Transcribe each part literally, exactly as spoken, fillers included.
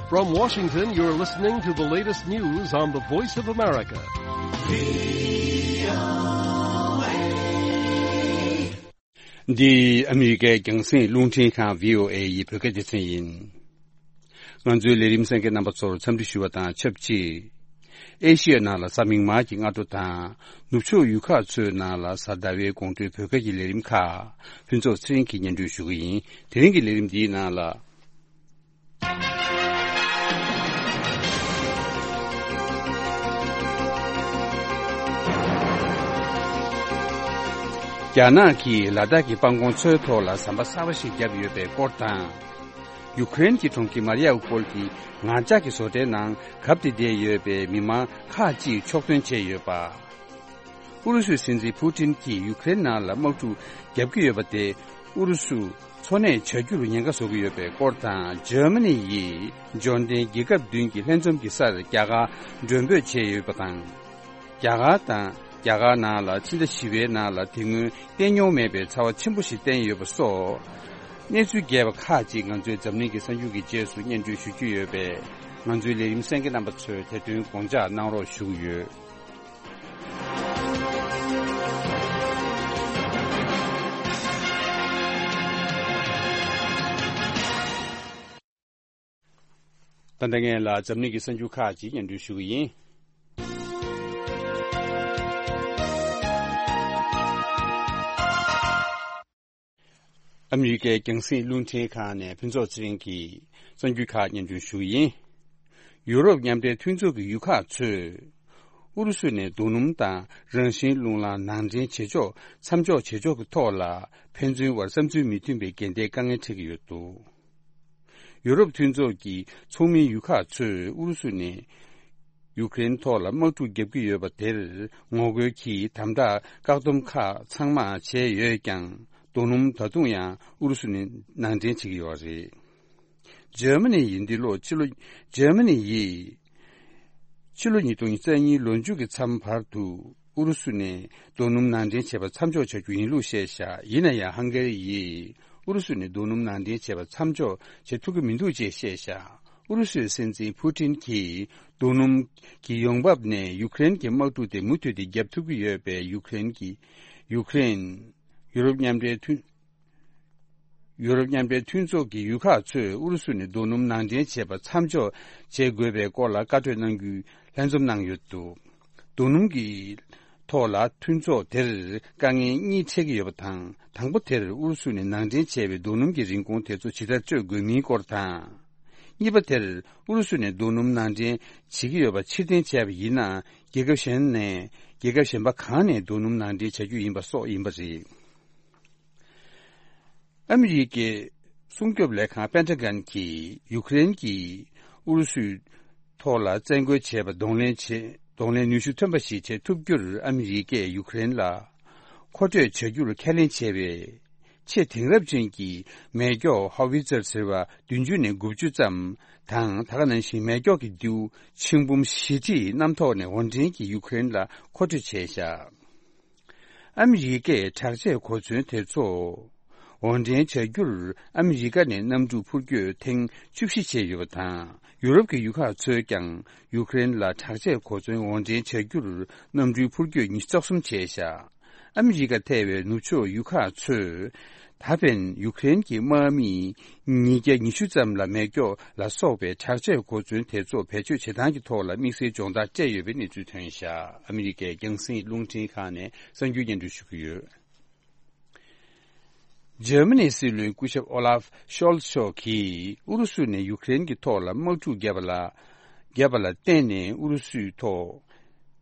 From Washington, you're listening to the latest news on the Voice of America. འདི་ཨ་མི་རི་ཀའི་རྒྱང་སྲིང་རླུང་འཕྲིན་ཁང་བྷི་ཨོ་ཨེ་ཡི་བོད་སྐད་སྡེ་ཚན་ཡིན། ང་ཚོའི་ལས་རིམ་གསན་མཁན་རྣམ་པ་ཚོར་འཚམས་འདྲི་ཞུ་བ་དང་ཆབས་ཅིག་ཨེ་ཤི་ཡའི་ནང་ལ་གཟའ་མིག་དམར་གྱི་སྔ་དྲོ་དང་། ནུབ་ཕྱོགས་ཡུལ་ཁག་ཚོའི་ནང་ལ་གཟའ་ཟླ་བའི་དགོང་དྲོའི་བོད་སྐད་ཀྱི་ལས་རིམ་ཁག་ཕུན་ཚོགས་ཚེ་རིང་གིས་སྙན་སྒྲོན་ཞུ་གི་ཡིན། དེ་རིང་གི་ལས་རིམ་འདིའི་ནང་ལ། རྒྱ་ནག་གིས་ལ་དྭགས་ཀྱི་སྤང་གོང་མཚོའི་ཐོག་ལ་ཟམ་པ་གསར་པ་ཞིག་བརྒྱབ་ཡོད་པའི་སྐོར་དང་། ཡུ་ཀེ་རེན་གྱི་གྲོང་ཁྱེར་མ་རི་ཡ་པོལ་གྱི་ངར་ལྕགས་ཀྱི་བཟོ་གྲྭའི་ནང་གབ་སྟེ་བསྡད་ཡོད་པའི་མི་མང་ཁག་ཅིག་ཕྱོགས་ཐོན་བྱས་ཡོད་པ། ཨུ་རུ་སུའི་སྲིད་འཛིན་ཕུ་ཏིན་གྱིས་ཡུ་ཀེ་རེན་ནང་ལ་དམག་འཁྲུག་བརྒྱབ་ཀྱི་ཡོད་པ་དེ་ཨུ་རུ་སུ་འཚོ་གནས་བྱ་རྒྱུར་ཉེན་ཁ་བཟོ་གི་ཡོད་པའི་སྐོར་དང་། འཇར་མ་ནི་ཡིས་འབྱོར་ལྡན་རྒྱལ་ཁབ་བདུན་གྱི་ལྷན་འཛོམས་ཀྱི་སར་རྒྱ་གར་མགྲོན་འབོད་བྱས་ཡོད་པ་དང་། རྒྱ་གར་དང་རྒྱ་གར་ནང་ལ་ཕྱི་ཟླ་བཞི་པའི་ནང་ལ་དེ་སྔོན་བསྟན་མྱོང་མེད་པའི་ཚ་བ་ཆེན་པོ་ཞིག་བསྟན་ཡོད་པ་སོགས། གནས་ཚུལ་རྒྱས་པ་ཁག་ཅིག་ང་ཚོའི་འཛམ་གླིང་གི་གསར་འགྱུར་གྱི་རྗེས་སུ་སྙན་སྒྲོན་ཞུ་རྒྱུ་ཡོད་པས། ང་ཚོའི་ལས་རིམ་གསན་མཁན་རྣམ་པ་ཚོས་དེ་དོན་དགོངས་འཇགས་གནང་རོགས་ཞུ་གི་ཡོད། ད་ལྟ་ངས་ལ་འཛམ་གླིང་གི་གསར་འགྱུར་ཁག་ཅིག་སྙན་སྒྲོན་ཞུ་གི་ཡིན། ཨ་མི་རི་ཀའི་རྒྱང་སྲིང་རླུང་འཕྲིན་ཁང་ནས་ཕུན་ཚོགས་ཚེ་རིང་གིས་གསར་འགྱུར་ཁག་སྙན་སྒྲོན་ཞུ་གི་ཡིན། ཡུ་རོབ་མཉམ་འབྲེལ་མཐུན་ཚོགས་ཀྱི་ཡུལ་ཁག་ཚོས་ཨུ་རུ་སུ་ནས་རྡོ་སྣུམ་དང་རང་བཞིན་རླུང་རླངས་ནང་འདྲེན་བྱེད་ཕྱོགས་མཚམས་འཇོག་བྱེད་ཕྱོགས་ཀྱི་ཐོག་ལ་ཕན་ཚུན་བར་བསམ་ཚུལ་མི་མཐུན་པའི་འགལ་ཟླའི་དཀའ་ངལ་འཕྲད་ཀྱི་ཡོད་འདུག་ཡུ་རོབ་མཐུན་ཚོགས་ཀྱི་ཚོགས་མིའི་ཡུལ་ཁག་ཚོས་ཨུ་རུ་སུ་ནས་ཡུ་ཀེ་རེན་ཐོག་ལ་དམག་འཁྲུག་བརྒྱབ་ཀྱི་ཡོད་པ་དེར་ངོ་རྒོལ་གྱིས་དམ་དྲག་བཀག་སྡོམ་ཁག་ཚང་མ་བྱས་ཡོད་ཀྱང་། རྡོ་སྣུམ་ད་དུང་ཡང་ཨུ་རུ་སུ་ནས་ནང་འདྲེན་བྱེད་ཀྱི་ཡོད་རེད། འཇར་མ་ནི་ཡིས་འདི་ལོ་ཕྱི་ལོ། འཇར་མ་ནི་ཡིས་ཕྱི་ལོ་ཉིས་སྟོང་ཉེར་གཉིས་ལོ་མཇུག་གི་མཚམས་བར་དུ་ཨུ་རུ་སུ་ནས་རྡོ་སྣུམ་ནང་འདྲེན་བྱེད་པ་མཚམས་འཇོག་བྱ་རྒྱུ་ཡིན་ལུགས་བཤད་བཞག་ཡིན་ན་ཡང་ཧང་ག་རི་ཡིས་ཨུ་རུ་སུ་ནས་རྡོ་སྣུམ་ནང་འདྲེན་བྱེད་པ་མཚམས་འཇོག་བྱེད་ཐུབ་ཀྱི་མི་འདུག་ཅེས་བཤད་བཞག་ཨུ་རུ་སུའི་སྲིད་འཛིན་ཕུ་ཏིན་གྱིས་རྡོ་སྣུམ་གྱི་ཡོང་འབབ་ནས་ཡུ་ཀེ་རེན་གྱི་དམག་འཁྲུག་དེ་མུ་མཐུད་དེ་བརྒྱབ་ཐུབ་ཀྱི་ཡོད་པས། ཡུ་ཀེ་རེན་གྱི་ཡུ་ཀེ་རེན། ཡུ་རོབ་མཉམ་འབྲེལ་མཐུན། ཡུ་རོབ་མཉམ་འབྲེལ་མཐུན་ཚོགས་ཀྱི་ཡུལ་ཁག་ཚོས་ཨུ་རུ་སུ་ནས་རྡོ་སྣུམ་ནང་འདྲེན་བྱེད་པ་མཚམས་འཇོག་བྱེད་དགོས་པའི་སྐོར་ལ་བཀའ་གྲོས་གནང་རྒྱུའི་ལྷན་འཛོམས་གནང་ཡོད་འདུག་རྡོ་སྣུམ་གྱི་ཐོག་ལ་མཐུན་ཚོགས་དེར་དཀའ་ངལ་གཉིས་འཕྲད་ཀྱི་ཡོད་པ་དང་། དང་པོ་དེར་ཨུ་རུ་སུ་ནས་ནང་འདྲེན་བྱས་པའི་རྡོ་སྣུམ་གྱི་རིན་གོང་དེ་ཚོ་ཇི་ལྟར་སྤྲོད་དགོས་མིན་སྐོར་དང་། གཉིས་པ་དེར་ཨུ་རུ་སུ་ནས་རྡོ་སྣུམ་ནང་འདྲེན་བྱེད་ཀྱི་ཡོད་པ་ཕྱིར་འཐེན་བྱས་པ་ཡིན་ན། རྒྱལ་ཁབ་གཞན་ནས་རྒྱལ་ཁབ་གཞན་པ་གང་ནས་རྡོ་སྣུམ་ནང་འདྲེན་བྱ་རྒྱུ་ཡིན་པ་སོགས་ཡིན་པ་རེད། ཨ་མི་རི་ཀའི་སྲུང་སྐྱོབ་ལས་ཁང་པེན་ཏ་གན་གྱིས་ཡུ་ཀེ་རེན་གྱིས་ཨུ་རུ་སུའི་ཐོག་ལ་བཙན་རྒོལ་བྱས་པ་གདོང་ལེན་བྱེད། གདོང་ལེན་ནུས་ཤུགས་ཐོན་པ་ཞིག་བྱེད་ཐུབ་རྒྱུར་ཨ་མི་རི་ཀས་ཡུ་ཀེ་རེན་ལ་མཁོ་སྤྲོད་བྱ་རྒྱུར་ཁས་ལེན་བྱས་པའི་ཆེས་དེང་རབས་ཅན་གྱི་མེ་སྒྱོགས་ཧོ་ཝི་ཙེར་ཟེར་བ་བདུན་ཅུ་ནས་དགུ་བཅུ་ཙམ་དང་། ད་ག་ནང་བཞིན་མེ་སྒྱོགས་ཀྱི་མདེའུ་ཆིག་འབུམ་བཞི་ཁྲི་གནམ་ཐོག་ནས་འོར་འདྲེན་གྱིས་ཡུ་ཀེ་རེན་ལ་མཁོ་སྤྲོད་བྱས་བཞག་ཨ་མི་རི་ཀས་དྲག་ཆས་གོ་མཚོན་དེ་ཚོ་འོར་འདྲེན་བྱ་རྒྱུར་ཨ་མི་རི་ཀ་ནས་གནམ་གྲུ་འཕུར་སྐྱོད་ཐེངས་བཅུ་བཞི་བྱས་ཡོད་པ་དང་། ཡུ་རོབ་ཀྱི་ཡུལ་ཁག་ཚོས་ཀྱང་ཡུ་ཀེ་རེན་ལ་དྲག་ཆས་གོ་མཚོན་འོར་འདྲེན་བྱ་རྒྱུར་གནམ་གྲུའི་འཕུར་སྐྱོད་ཉི་ཤུ་རྩ་གསུམ་བྱས་བཞག་ཨ་མི་རི་ཀ་ཐེ་བའི་ནུབ་ཕྱོགས་ཡུལ་ཁག་ཚོས་ད་ཕན་ཡུ་ཀེ་རེན་གྱི་དམག་མིས་ཉིས་བརྒྱ་ཉི་ཤུ་ཙམ་ལ་མེ་སྒྱོགས་ལ་སོགས་པའི་དྲག་ཆས་གོ་མཚོན་དེ་ཚོ་བེད་སྤྱོད་བྱེད་སྟངས་ཀྱི་ཐོག་ལ་དམིགས་བསལ་སྦྱོང་བརྡར་སྤྲད་ཡོད་པའི་གནས་ཚུལ་ཐོན་བཞག་ཨ་མི་རི་ཀའི་རྒྱང་སྲིང་རླུང་འཕྲིན་ཁང་ནས་གསར་འགྱུར་སྙན་སྒྲོན་ཞུ་གི་ཡོད། འཇར་མ་ནིའི་སྲིད་བློན་སྐུ་ཞབས་ཨོ་ལཱབ་ཤོལ་ཚ་མཆོག་གིས་ཨུ་རུ་སུ་ནས་ཡུ་ཀེ་རེན་གྱི་ཐོག་ལ་དམག་འཁྲུག་བརྒྱབ་པ་ལ། བརྒྱབ་པ་ལ་བརྟེན་ནས་ཨུ་རུ་སུའི་ཐོག་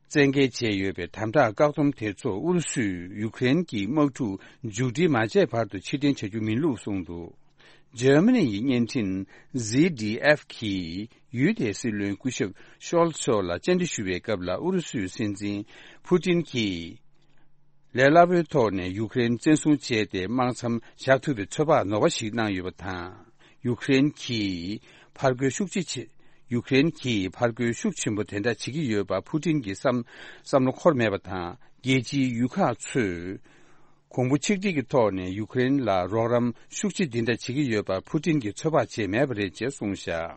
བཙན་འགེལ་བྱས་ཡོད་པའི་དམ་དྲག་བཀག་སྡོམ་དེ་ཚོ་ཨུ་རུ་སུས་ཡུ་ཀེ་རེན་གྱི་དམག་འཁྲུག་མཇུག་སྒྲིལ་མ་བྱས་བར་དུ་ཕྱིར་འཐེན་བྱ་རྒྱུ་མིན་ལུགས་གསུངས་འདུག་འཇར་མ་ནི་ཡི་བརྙན་འཕྲིན་ཟི་ཌི་ཨེཕ་གིས་ཡུལ་དེའི་སྲིད་བློན་སྐུ་ཞབས་ཤོལ་ཚ་མཆོག་ལ་བཅར་འདྲི་ཞུ་བའི་སྐབས་ལ། ཨུ་རུ་སུའི་སྲིད་འཛིན་ཕུ་ཏིན་གྱིས་ལས་སླ་པོའི་ཐོག་ནས་ཡུ་ཀེ་རེན་བཙན་བཟུང་བྱས་ཏེ་དམག་མཚམས་བཞག་ཐུབ་པའི་ཚོད་དཔག་ནོར་བ་ཞིག་གནང་ཡོད་པ་དང་། ཡུ་ཀེ་རེན་གྱིས་ཕར་རྒོལ་ཤུགས་ཆེ་ཆེ། ཡུ་ཀེ་རེན་གྱིས་ཕར་རྒོལ་ཤུགས་ཆེན་པོ་དེ་འདྲ་བྱེད་ཀྱི་ཡོད་པ་ཕུ་ཏིན་གྱི་བསམ་བསམ་བློ་འཁོར་མེད་པ་དང་། རྒྱལ་སྤྱིའི་ཡུལ་ཁག་ཚོས་གོང་བུ་ཆིག་སྒྲིལ་གྱི་ཐོག་ནས་ཡུ་ཀེ་རེན་ལ་རོགས་རམ་ཤུགས་ཆེ་འདི་འདྲ་བྱེད་ཀྱི་ཡོད་པ་ཕུ་ཏིན་གྱིས་ཚོད་དཔག་བྱས་མེད་པ་རེད་ཅེས་གསུངས་བཞག་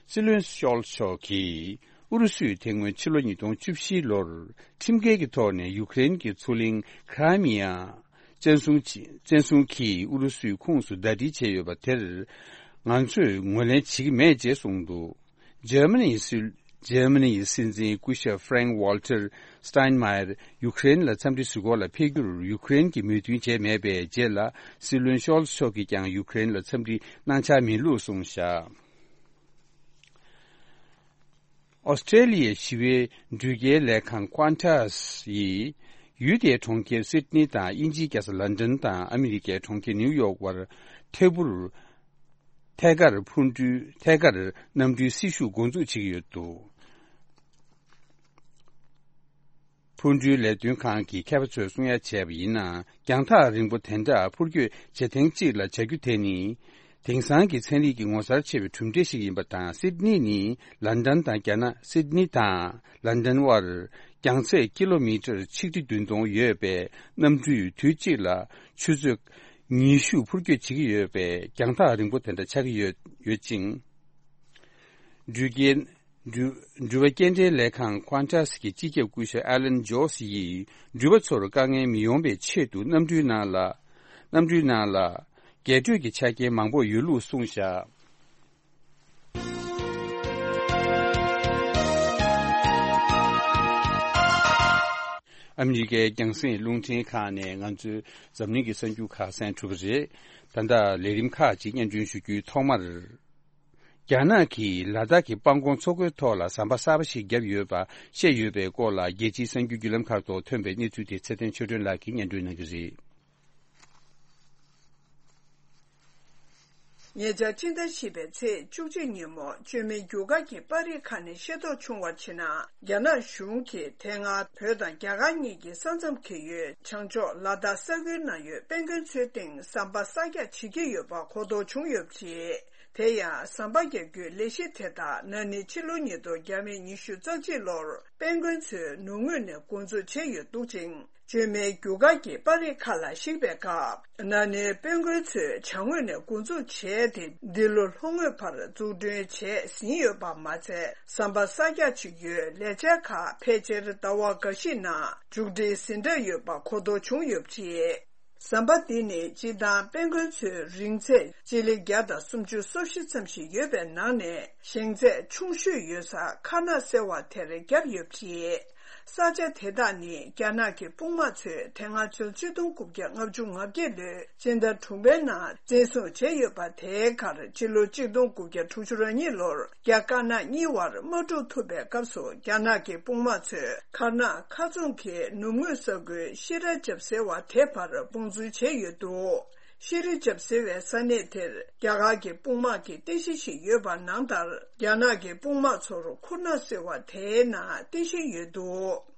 སྲིད་བློན་ཤོལ་མཆོག་གིས་ཨུ་རུ་སུས་དེ་སྔོན་ཕྱི་ལོ་ཉིས་སྟོང་བཅུ་བཞི་ལོར་ཁྲིམས་འགལ་གྱི་ཐོག་ནས་ཡུཀ་རེན་གྱི་མཚོ་གླིང་ཁྲ་མི་ཡ་བཙན་བཟུང་བྱས། བཙན་བཟུང་གིས་ཨུ་རུ་སུའི་ཁོངས་སུ་ཟླ་སྒྲིལ་བྱས་ཡོད་པ་དེར་ང་ཚོས་ངོས་ལེན་བྱེད་ཀྱི་མེད་ཅེས་གསུངས་འདུག་འཇར་མ་ནིའི་སྲིད། འཇར་མ་ནིའི་སྲིད་འཛིན་སྐུ་ཞབས་Frank Walter Steinmeier ཡུཀ་རེན་ལ་འཚམས་འདྲི་ཞུ་སྐོར་ལ་ཕེབས་རྒྱུར་ཡུཀ་རེན་གྱིས་མོས་མཐུན་བྱས་མེད་པའི་རྗེས་ལ། སྲིད་བློན་ཤོལ་མཆོག་གིས་ཀྱང་ཡུཀ་རེན་ལ་འཚམས་འདྲི་གནང་འཆར་མེད་ལུགས་གསུངས་བཞག་ཨོ་སི་ཀྲེ་ལི་ཡའི་ཞི་བའི་འགྲུལ་སྐྱེལ་ལས་ཁང་Qantas ཡིས་ཡུལ་དེའི་གྲོང་ཁྱེར་སིད་ནི་དང་དབྱིན་ཇིའི་རྒྱལ་ས་ལན་ཌན་དང་ཨ་མི་རི་ཀའི་གྲོང་ཁྱེར་ནིའུ་ཡོག་བར་ཐད་འཕུར། ཐད་ཀར་འཕུར་འགྲུལ། ཐད་ཀར་གནམ་གྲུའི་སྲི་ཞུ་འགོ་འཛུགས་བྱེད་ཀྱི་ཡོད་འདུག་འཕུར་འགྲུལ་ལས་དོན་ཁང་གི་མཁས་པ་ཚོས་གསུང་ཡ་བྱས་པ་ཡིན་ན། རྒྱང་ཐག་རིང་པོ་དེ་འདྲ་འཕུར་སྐྱོད་བྱེད་ཐེངས་གཅིག་ལ་བྱ་རྒྱུ་དེ་ནི། དེང་སང་གི་ཚན་རིག་གི་ངོ་མཚར་ཆེ་བའི་གྲུབ་འབྲས་ཤིག་ཡིན་པ་དང་། སིད་ནི་ནི་ལན་ཌན་དང་རྒྱ་ནག་སིད་ནི་དང་ལན་ཌན་དབར་རྒྱང་ཚད་ཀི་ལོ་མི་ཊར་ཆིག་ཁྲི་བདུན་སྟོང་ཡོད་པའི་གནམ་གྲུས་དུས་གཅིག་ལ་ཆུ་ཚོད་ཉི་ཤུ་འཕུར་སྐྱོད་བྱེད་ཀྱི་ཡོད་པས། རྒྱང་ཐག་རིང་པོ་དེ་འདྲ་ཆགས་ཀྱི་ཡོད་ཡོད་ཅིང་། འགྲུལ་སྐྱེལ། འགྲུལ། འགྲུལ་པ་སྐྱེལ་འདྲེན་ལས་ཁང་Qantas གི་སྤྱི་ཁྱབ་སྐུ་ཞབས་Alan Joyce ཡིས་འགྲུལ་པ་ཚོར་དཀའ་ངལ་མི་ཡོང་བའི་ཆེད་དུ་གནམ་གྲུའི་ནང་ལ། གནམ་གྲུའི་ནང་ལ་རྒྱས་སྤྲོས་ཀྱི་ཆ་རྐྱེན་མང་པོ་ཡོད་ལུགས་གསུངས་བཞག་ཨ་མི་རི་ཀའི་རྒྱང་སྲིང་རླུང་འཕྲིན་ཁང་ནས་ང་ཚོའི་འཛམ་གླིང་གི་གསར་འགྱུར་ཁག་གསན་གྲུབ་པ་རེད། ད་ལྟ་ལས་རིམ་ཁག་ཅིག་སྙན་སྒྲོན་ཞུ་རྒྱུའི་ཐོག་མར། རྒྱ་ནག་གིས་ལ་དྭགས་ཀྱི་སྤང་གོང་མཚོ་ཁུལ་ཐོག་ལ་ཟམ་པ་གསར་པ་ཞིག་བརྒྱབ་ཡོད་པ་བཤད་ཡོད་པའི་སྐོར་ལ། རྒྱལ་སྤྱིའི་གསར་འགྱུར་བརྒྱུད་ལམ་ཁག་ཐོག་ཐོན་པའི་གནས་ཚུལ་དེ་ཚེ་བརྟན་ཆོས་སྒྲོན་ལགས་ཀྱིས་སྙན་སྒྲོན་གནང་གི་རེད། ཉེ་ཆར་ཕྱི་ཟླ་བཞི་པའི་ཚེས་བཅུ་གཅིག་ཉིན་མོ། བཅོས་མའི་རྒྱུ་སྐར་གྱི་པར་རིས་ཁག་ནས་ཤེས་རྟོགས་བྱུང་བར་བྱས་ན། རྒྱ་ནག་གཞུང་གིས་དེ་སྔ་བོད་དང་རྒྱ་གར་གཉིས་ཀྱི་ས་མཚམས་འཁེལ་ཡུལ་བྱང་ཕྱོགས་ལ་དྭགས་ས་ཁུལ་ནང་ཡོད་དཔལ་མགོན་མཚོའི་སྟེང་ཟམ་པ་གསར་རྒྱག་བྱེད་ཀྱི་ཡོད་པ་གོ་རྟོགས་བྱུང་ཡོད་པ་རེད། དེ་ཡང་ཟམ་པ་རྒྱག་རྒྱུའི་ལས་གཞི་དེ་དག་ན་ནིང་ཕྱི་ལོ་ཉིས་སྟོང་བརྒྱ་མེད་ཉི་ཤུ་རྩ་གཅིག་ལོར་དཔལ་མགོན་མཚོའི་ནུབ་ངོས་ནས་འགོ་འཛུགས་བྱས་ཡོད་འདུག་ཅིང་། བཅོས་མའི་རྒྱུ་སྐར་གྱི་པར་རིས་ཁག་ལ་གཞིགས་པའི་སྐབས། ན་ནིང་དཔལ་མགོན་མཚོས་བྱང་ངོས་ནས་འགོ་འཛུགས་བྱས་ཏེ། འདི་ལོ་ལྷོ་ངོས་བར་འཛུགས་སྐྲུན་བྱས་ཟིན་ཡོད་པ་མ་ཚད། ཟམ་པ་གསར་རྒྱག་བྱེད་རྒྱུའི་ལས་འཆར་ཁག་ཕལ་ཆེར་ཟླ་བ་འགའ་ཞིག་ནང་མཇུག་སྒྲིལ་ཟིན་གྲབས་ཡོད་པ་གོ་རྟོགས་བྱུང་ཡོད་པ་རེད། ཟམ་པ་འདི་ནི་སྤྱིར་བཏང་དཔལ་མགོན་མཚོའི་རིང་ཚད་སྤྱི་ལེ་བརྒྱ་དང་སུམ་ཅུ་སོ་བཞི་ཙམ་ཞིག་ཡོད་པའི་ནང་ནས། ཞེང་ཚད་ཆུང་ཤོས་ཡོད་ས་མཁར་ནག་ཟེར་བ་དེར་བརྒྱབ་ཡོད་པ་རེད། ས་ཆ་དེ་དག་ནི་རྒྱ་ནག་གི་དཔུང་དམག་ཚོས་དེ་སྔ་ཕྱི་ལོ་ཆིག་སྟོང་དགུ་བརྒྱ་ལྔ་བཅུ་ང་བརྒྱད་ལོའི་སྤྱི་ཟླ་དྲུག་པའི་ནང་བཙན་བཟུང་བྱས་ཡོད་པ། དེའི་ཁར་ཕྱི་ལོ་ཆིག་སྟོང་དགུ་བརྒྱ་དྲུག་ཅུ་རེ་གཉིས་ལོར་རྒྱ་དཀར་ནག་གཉིས་བར་དམག་འཁྲུག་ཐུག་པའི་སྐབས་སུ། རྒྱ་ནག་གི་དཔུང་དམག་ཚོས་མཁར་ནག་མཁར་རྫོང་གི་ནུབ་ངོས་ས་ཁུལ་ཤེ་ར་ཇབ་ཟེར་བ་དེ་བར་དཔུང་འཛུལ་བྱས་ཡོད་འདུག་ཤེ་རི་ཇབ་ཟེར་བའི་ས་གནས་དེར་རྒྱ་གར་གྱི་དཔུང་དམག་གི་རྟེན་གཞི་ཞིག་ཡོད་པ་ནང་ལྟར། རྒྱ་ནག་གི་དཔུང་དམག་ཚོར་ཁུར་ནག་ཟེར་བ་དེའི་ནང་རྟེན་གཞི་ཡོད་འདུག་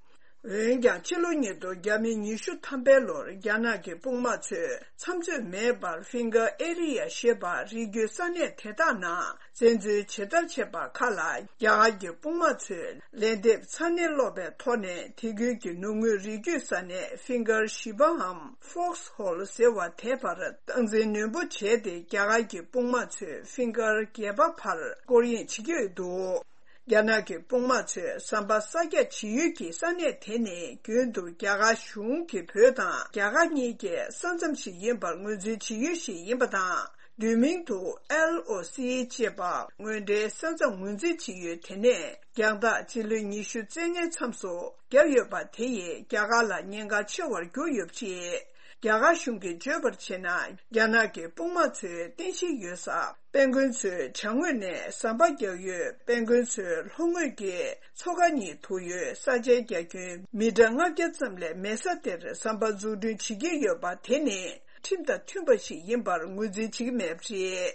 འོན་ཀྱང་། ཕྱི་ལོ་ཉིས་སྟོང་བརྒྱ་མེད་ཉི་ཤུ་ཐམ་པའི་ལོར་རྒྱ་ནག་གི་དཔུང་དམག་ཚོས་མཚམས་ཚོད་མེད་པར་ཕིང་གར་ཨེ་རི་ཡ་ཞེས་པ་རི་རྒྱུད་ས་གནས་དེ་དག་ནང་བཙན་འཛུལ་ཇི་ལྟར་བྱས་པ་ཁག་ལ། རྒྱ་གར་གྱི་དཔུང་དམག་ཚོས་ལན་འདེབས་ཚ་ནན་སློག་པའི་ཐོག་ནས། དེ་ཁུལ་གྱི་ནུབ་ངོས་རི་རྒྱུད་ས་གནས་ཕིང་གར་བཞི་པའམ་ཧྥོགས་ཧོལ་ཟེར་བ་དེ་བར་སྟངས་འཛིན་ནན་པོ་བྱས་ཏེ། རྒྱ་གར་གྱི་དཔུང་དམག་ཚོས་ཕིང་གར་བརྒྱད་པ་བར་སྐོར་གཡེང་བྱེད་ཀྱི་ཡོད་འདུག་རྒྱ་ནག་གི་དཔུང་དམག་ཚོས་ཟམ་པ་གསར་རྒྱག་བྱེད་ཡུལ་གྱི་ས་གནས་དེ་ནི་རྒྱུན་དུ་རྒྱ་གར་གཞུང་གིས་བོད་དང་རྒྱ་གར་གཉིས་ཀྱི་ས་མཚམས་ཤིག་ཡིན་པར་ངོས་འཛིན་བྱེད་ཡུལ་ཞིག་ཡིན་པ་དང་། བསྡུས་མིང་དུ་ཨེལ་ཨོ་སི་ཅེས་པ་དངོས་འབྲེལ་ས་མཚམས་ངོས་འཛིན་བྱེད་ཡུལ་དེ་ནས་རྒྱང་ཐག་སྤྱི་ལེ་ཉི་ཤུ་རྩ་ལྔའི་མཚམས་སུ་བརྒྱབ་ཡོད་པ་དེ་ཡིས་རྒྱ་གར་ལ་ཉེན་ཁ་ཆེ་བར་གྱུར་ཡོད་པ་རེད། རྒྱ་གར་གཞུང་གིས་བརྗོད་པར་བྱས་ན། རྒྱ་ནག་གི་དཔུང་དམག་ཚོའི་རྟེན་གཞི་ཡོད་ས་དཔལ་མགོན་མཚོའི་བྱང་ངོས་ནས་ཟམ་པ་རྒྱག་ཡུལ། དཔལ་མགོན་མཚོའི་ལྷོ་ངོས་ཀྱི་མཚོ་ཁ་གཉིས་ཐུག་ཡུལ་ས་ཆའི་རྒྱ་ཁྱོན་མི་ཊར་ལྔ་བརྒྱ་ཙམ་ལས་མེད་ས་དེར་ཟམ་པ་འཛུགས་སྐྲུན་བྱེད་ཀྱི་ཡོད་པ་དེ་ནི་ཁྲིམས་དང་མཐུན་པ་ཞིག་ཡིན་པར་ངོས་འཛིན་བྱེད་ཀྱི་མེད་པ་རེད།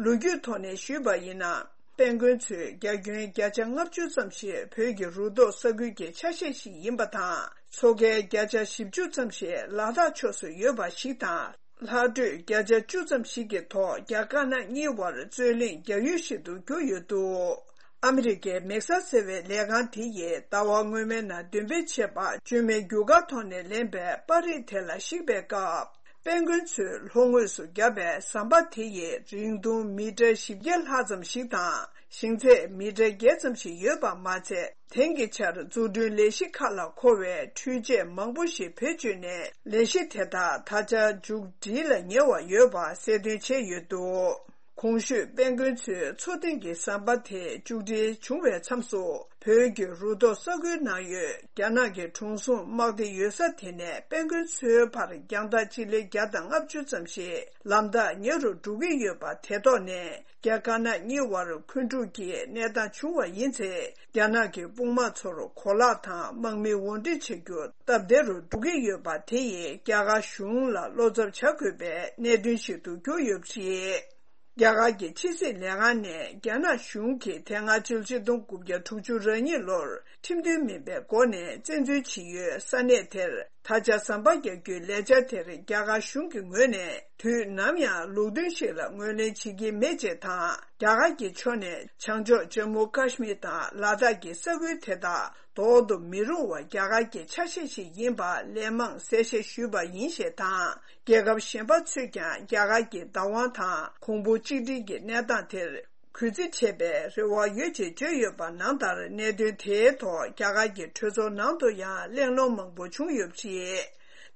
ལོ་རྒྱུས་ཐོག་ནས་ཞུས་པ་ཡིན་ན། དཔལ་མགོན་མཚོའི་རྒྱ་ཁྱོན་བརྒྱ་ཆ་ལྔ་བཅུ་ཙམ་ཞིག་བོད་ཀྱི་རུ་ཐོག་ས་ཁུལ་གྱི་ཆ་ཤས་ཤིག་ཡིན་པ་དང་། མཚོ་ཁའི་བརྒྱ་ཆ་བཞི་བཅུ་ཙམ་ཞིག་ལ་དྭགས་ཕྱོགས་སུ་ཡོད་པ་ཞིག་དང་། ལྷག་འཕྲོས་བརྒྱ་ཆ་བཅུ་ཙམ་ཞིག་གི་ཐོག་རྒྱ་དཀར་ནག་གཉིས་བར་རྩོད་གླེང་རྒྱག་ཡུལ་ཞིག་ཏུ་གྱུར་ཡོད་འདུག་ཨ་མི་རི་ཀའི་མེག་སར་ཟེར་བའི་ལས་ཁང་དེ་ཡིས་ཟླ་བ་སྔོན་མའི་ནང་འདོན་སྤེལ་བྱས་པ། བཅོས་མའི་རྒྱུ་སྐར་ཐོག་ནས་ལེན་པའི་པར་རིས་དེ་ལ་གཞིགས་པའི་སྐབས། དཔལ་མགོན་མཚོའི་ལྷོ་ངོས་སུ་བརྒྱབ་པའི་ཟམ་པ་དེ་ཡི་རིང་ཐུང་མི་ཊར་བཞི་བརྒྱ་ལྷག་ཙམ་ཞིག་དང་ ཞིང་ཚད་མི་ཊར་བརྒྱད་ཙམ་ཞིག་ཡོད་པ་མ་ཚད། དེང་གི་ཆར་འཛུགས་སྐྲུན་ལས་གཞི་ཁག་ལ་མཁོ་བའི་འཕྲུལ་ཆས་མང་པོ་ཞིག་བེད་སྤྱོད་ནས། ལས་གཞི་དེ་དག་ད་ཆ་མཇུག་སྒྲིལ་ལ་ཉེ་བ་ཡོད་པ་གསལ་སྟོན་བྱས་ཡོད་འདུག་གོང་ཞུས་དཔལ་མགོན་ཚོའི་མཚོ་གཏིང་གི་ཟམ་པ་དེ་མཇུག་སྒྲིལ་བྱུང་བའི་མཚམས་སུ། བོད་ཀྱི་རུ་ཐོག་ས་ཁུལ་ནང་ཡོད་རྒྱ་ནག་གི་གྲོང་སྲུང་དམག་སྡེ་ཡོད་ས་དེ་ནས་དཔལ་མགོན་ཚོའི་བར་རྒྱང་ཐག་སྤྱི་ལེ་བརྒྱ་དང་ལྔ་བཅུ་ཙམ་ཞིག་ལམ་ཐག་ཉེ་རུ་འགྲོ་གི་ཡོད་པ། དེ་ཐོག་ནས་རྒྱ་དཀར་ནག་གཉིས་བར་འཁོན་འཁྲུག་གི་གནས་སྟངས་བྱུང་བ་ཡིན་ཚེ། རྒྱ་ནག་གི་དཔུང་དམག་ཚོར་གོ་ལག་དང་དམག་མི་དབོར་འདྲེན་བྱ་རྒྱུ་སྟབས་བདེ་རུ་འགྲོ་གི་ཡོད་པ། དེ་ཡིས་རྒྱ་གར་གཞུང་ལ་བློ་འཚབ་བྱ་དགོས་པའི་གནད་དོན་ཞིག་ཏུ་གྱུར་ཡོད་པ་རེད། རྒྱ་གར་གྱི་ཕྱི་སྲིད་ལས་ཁང་ནས་རྒྱ་ནག་གཞུང་གིས་དེ་སྔ་ཕྱི་ལོ་ཆིག་སྟོང་དགུ་བརྒྱ་དྲུག་ཅུ་རེ་གཉིས་ལོར་ཁྲིམས་མཐུན་མིན་པའི་སྒོ་ནས་བཙན་འཛུལ་བྱེད་ཡུལ་ས་གནས་དེར་ད་ཆ་ཟམ་པ་རྒྱག་རྒྱུའི་ལས་འཆར་དེར་རྒྱ་གར་གཞུང་གི་ངོས་ནས་དུས་ནམ་ཡང་ལུགས་མཐུན་ཞིག་ལ་ངོས་ལེན་བྱེད་ཀྱི་མེད་ཅེས་དང་། རྒྱ་གར་གྱི་ཕྱོགས་ནས་བྱང་ཕྱོགས་ཇམ་མུ་ཀ་ཤི་མིར་དང་ལ་དྭགས་ཀྱི་ས་ཁུལ་དེ་དག་འདོར་དུ་མི་རུང་བ་རྒྱ་གར་གྱི་ཆ་ཤས་ཤིག་ཡིན་པ་ལན་མང་གསལ་བཤད་ཞུས་པ་ཡིན་ཞེས་དང་། རྒྱལ་ཁབ་གཞན་པ་ཚོས་ཀྱང་རྒྱ་གར་གྱི་བདག་དབང་དང་གོང་བུ་གཅིག་སྒྲིལ་གྱི་གནས་སྟངས་དེར་གུས་བརྩི་བྱེད་པའི་རེ་བ་ཡོད་ཅེས་བརྗོད་ཡོད་པ་ནང་ལྟར། གནད་དོན་དེའི་ཐོག་རྒྱ་གར་གྱི་གྲོས་ཚོགས་ནང་དུ་ཡང་གླེང་སློང་མང་པོ་བྱུང་ཡོད་པ་རེད།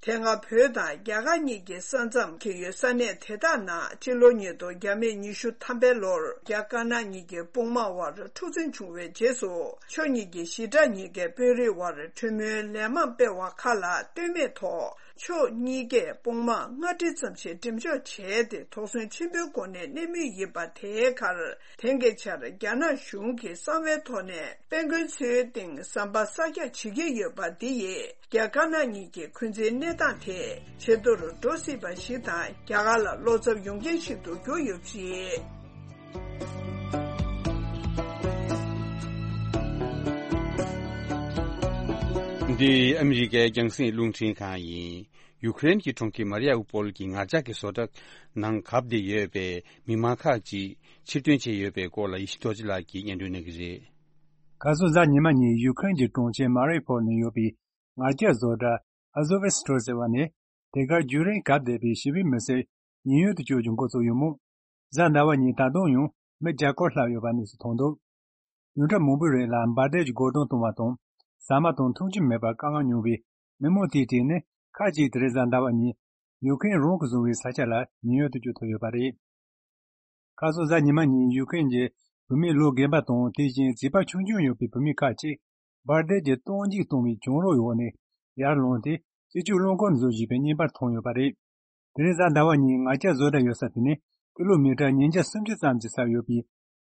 དེ་སྔ་བོད་དང་རྒྱ་གར་གཉིས་ཀྱི་ས་མཚམས་འཁེལ་ཡོད་ས་གནས་དེ་དག་ནང་ཕྱི་ལོ་ཉིས་སྟོང་བརྒྱ་མེད་ཉི་ཤུ་ཐམ་པའི་ལོར་རྒྱ་དཀར་ནག་གཉིས་ཀྱི་དཔུང་དམག་དབར་འཁྲུག་འཛིང་བྱུང་བའི་རྗེས་སུ། ཕྱོགས་གཉིས་ཀྱི་ཞི་དྲག་གཉིས་ཀའི་དཔོན་རིགས་དབར་གྲོས་མོལ་ལན་མང་སྤེལ་བ་ཁག་ལ་ལྟོས་མེད་ཐོག་ཕྱོགས་གཉིས་ཀས་དཔུང་དམག་ལྔ་ཁྲི་ཙམ་ཞིག་འགྲེམས་འཇོག་བྱས་ཏེ། དོགས་ཟོན་ཆེན་པོའི་སྒོ་ནས་གནས་མུས་ཡིན་པ། དེའི་ཁར་དེང་གི་ཆར་རྒྱ་ནག་གཞུང་གིས་གསང་བའི་ཐོག་ནས་དཔལ་མགོན་མཚོའི་སྟེང་ཟམ་པ་གསར་རྒྱག་བྱེད་ཀྱི་ཡོད་པ། འདི་ཡིས་རྒྱ་དཀར་ནག་གཉིས་ཀྱི་འཁོན་འཛིན་གནས་སྟངས་དེ་ཇེ་སྡུག་ཏུ་འགྲོ་སྲིད་པ་ཞིག་དང་། རྒྱ་གར་ལ་བློ་འཚབ་ཡོང་རྐྱེན་ཞིག་ཏུ་གྱུར་ཡོད་པ་རེད། འདི་ཨ་མི་རི་ཀའི་རྒྱང་སྲིང་རླུང་འཕྲིན་ཁང་ཡིན། ཡུ་ཀེ་རེན་གྱི་གྲོང་ཁྱེར་མ་རི་ཡ་ཨུ་པོལ་གྱི་ངར་ལྕགས་ཀྱི་བཟོ་གྲྭ་ནང་གབ་བསྡད་ཡོད་པའི་མི་མང་ཁག་ཅིག་ཕྱིར་ཐོན་བྱས་ཡོད་པའི་སྐོར་ལ་ཡེ་ཤེས་རྡོ་རྗེ་ལགས་ཀྱིས་སྙན་སྒྲོན་གནང་གི་རེད། ཁ་སང་གཟའ་ཉི་མ་ཉིན་ཡུ་ཀེ་རེན་གྱི་གྲོང་ཁྱེར་མ་རི་ཡུ་པོལ་ནང་ཡོད་པའི་ངར་ལྕགས་བཟོ་གྲྭ་ཨ་ཛོ་ཝེ་སི་ཊོར་ཟེར་བ་ནས། དེ་གར་རྒྱུན་རིང་གབ་བསྡད་པའི་ཞི་བའི་མི་སེར་ཉེན་གཡོལ་དུ་བསྐྱོད་རྒྱུ་འགོ་བཙུགས་ཡོད་མོད། གཟའ་ཟླ་བ་ཉིན་ད་དུང་ཡང་མི་བརྒྱ་སྐོར་ལྷག་ཡོད་པ་གནས་ཚུལ་ཐོན་འདུག་ཡོངས་གྲགས་མང་པོའི་རིང་ལ་འབར་མདེལ་གྱི་རྒོལ་རྡུང་གཏོང་བ་དང་། ཟ་མ་དང་འཐུང་ཆུ་མེད་པར་དཀའ་ངལ་མྱོང་བའི་མི་མང་དེའི་གྲས་ནས་ཁག་ཅིག་དེ་རིང་གཟའ་ཟླ་བ་ཉིན་ཡུ་ཀེ་རེན་རང་གིས་བཟུང་བའི་ས་ཆ་ལ་ཉེན་གཡོལ་དུ་བསྐྱོད་ཐུབ་ཡོད་པ་རེད། ཁ་སང་གཟའ་ཉི་མ་ཉིན་ཡུ་ཀེ་རེན་གྱི་བུད་མེད་ལོ་རྒན་པ་དང་། དེ་བཞིན་བྱིས་པ་ཆུང་ཆུང་ཡོད་པའི་བུད་མེད་ཁག་ཅིག་འབར་མདེལ་གྱི་གཏོར་འཇིགས་གཏོང་བའི་གྱང་རོ་འོག་ནས་ཡར་ལངས་ཏེ། སྤྱི་སྤྱོད་རླངས་འཁོར་བཟོ་བཞིན་པའི་བརྙན་པར་མཐོང་ཡོད་པ་རེད། དེ་རིང་གཟའ་ཟླ་བ་ཉིན་ངར་ལྕགས་བཟོ་གྲྭ་ཡོད་ས་དེ་ནི་ཀི་ལོ་མི་ཊར་ཉིས་བརྒྱ་སུམ་ཅུ་ཙམ་གྱི་ས་ཡོད་པའི་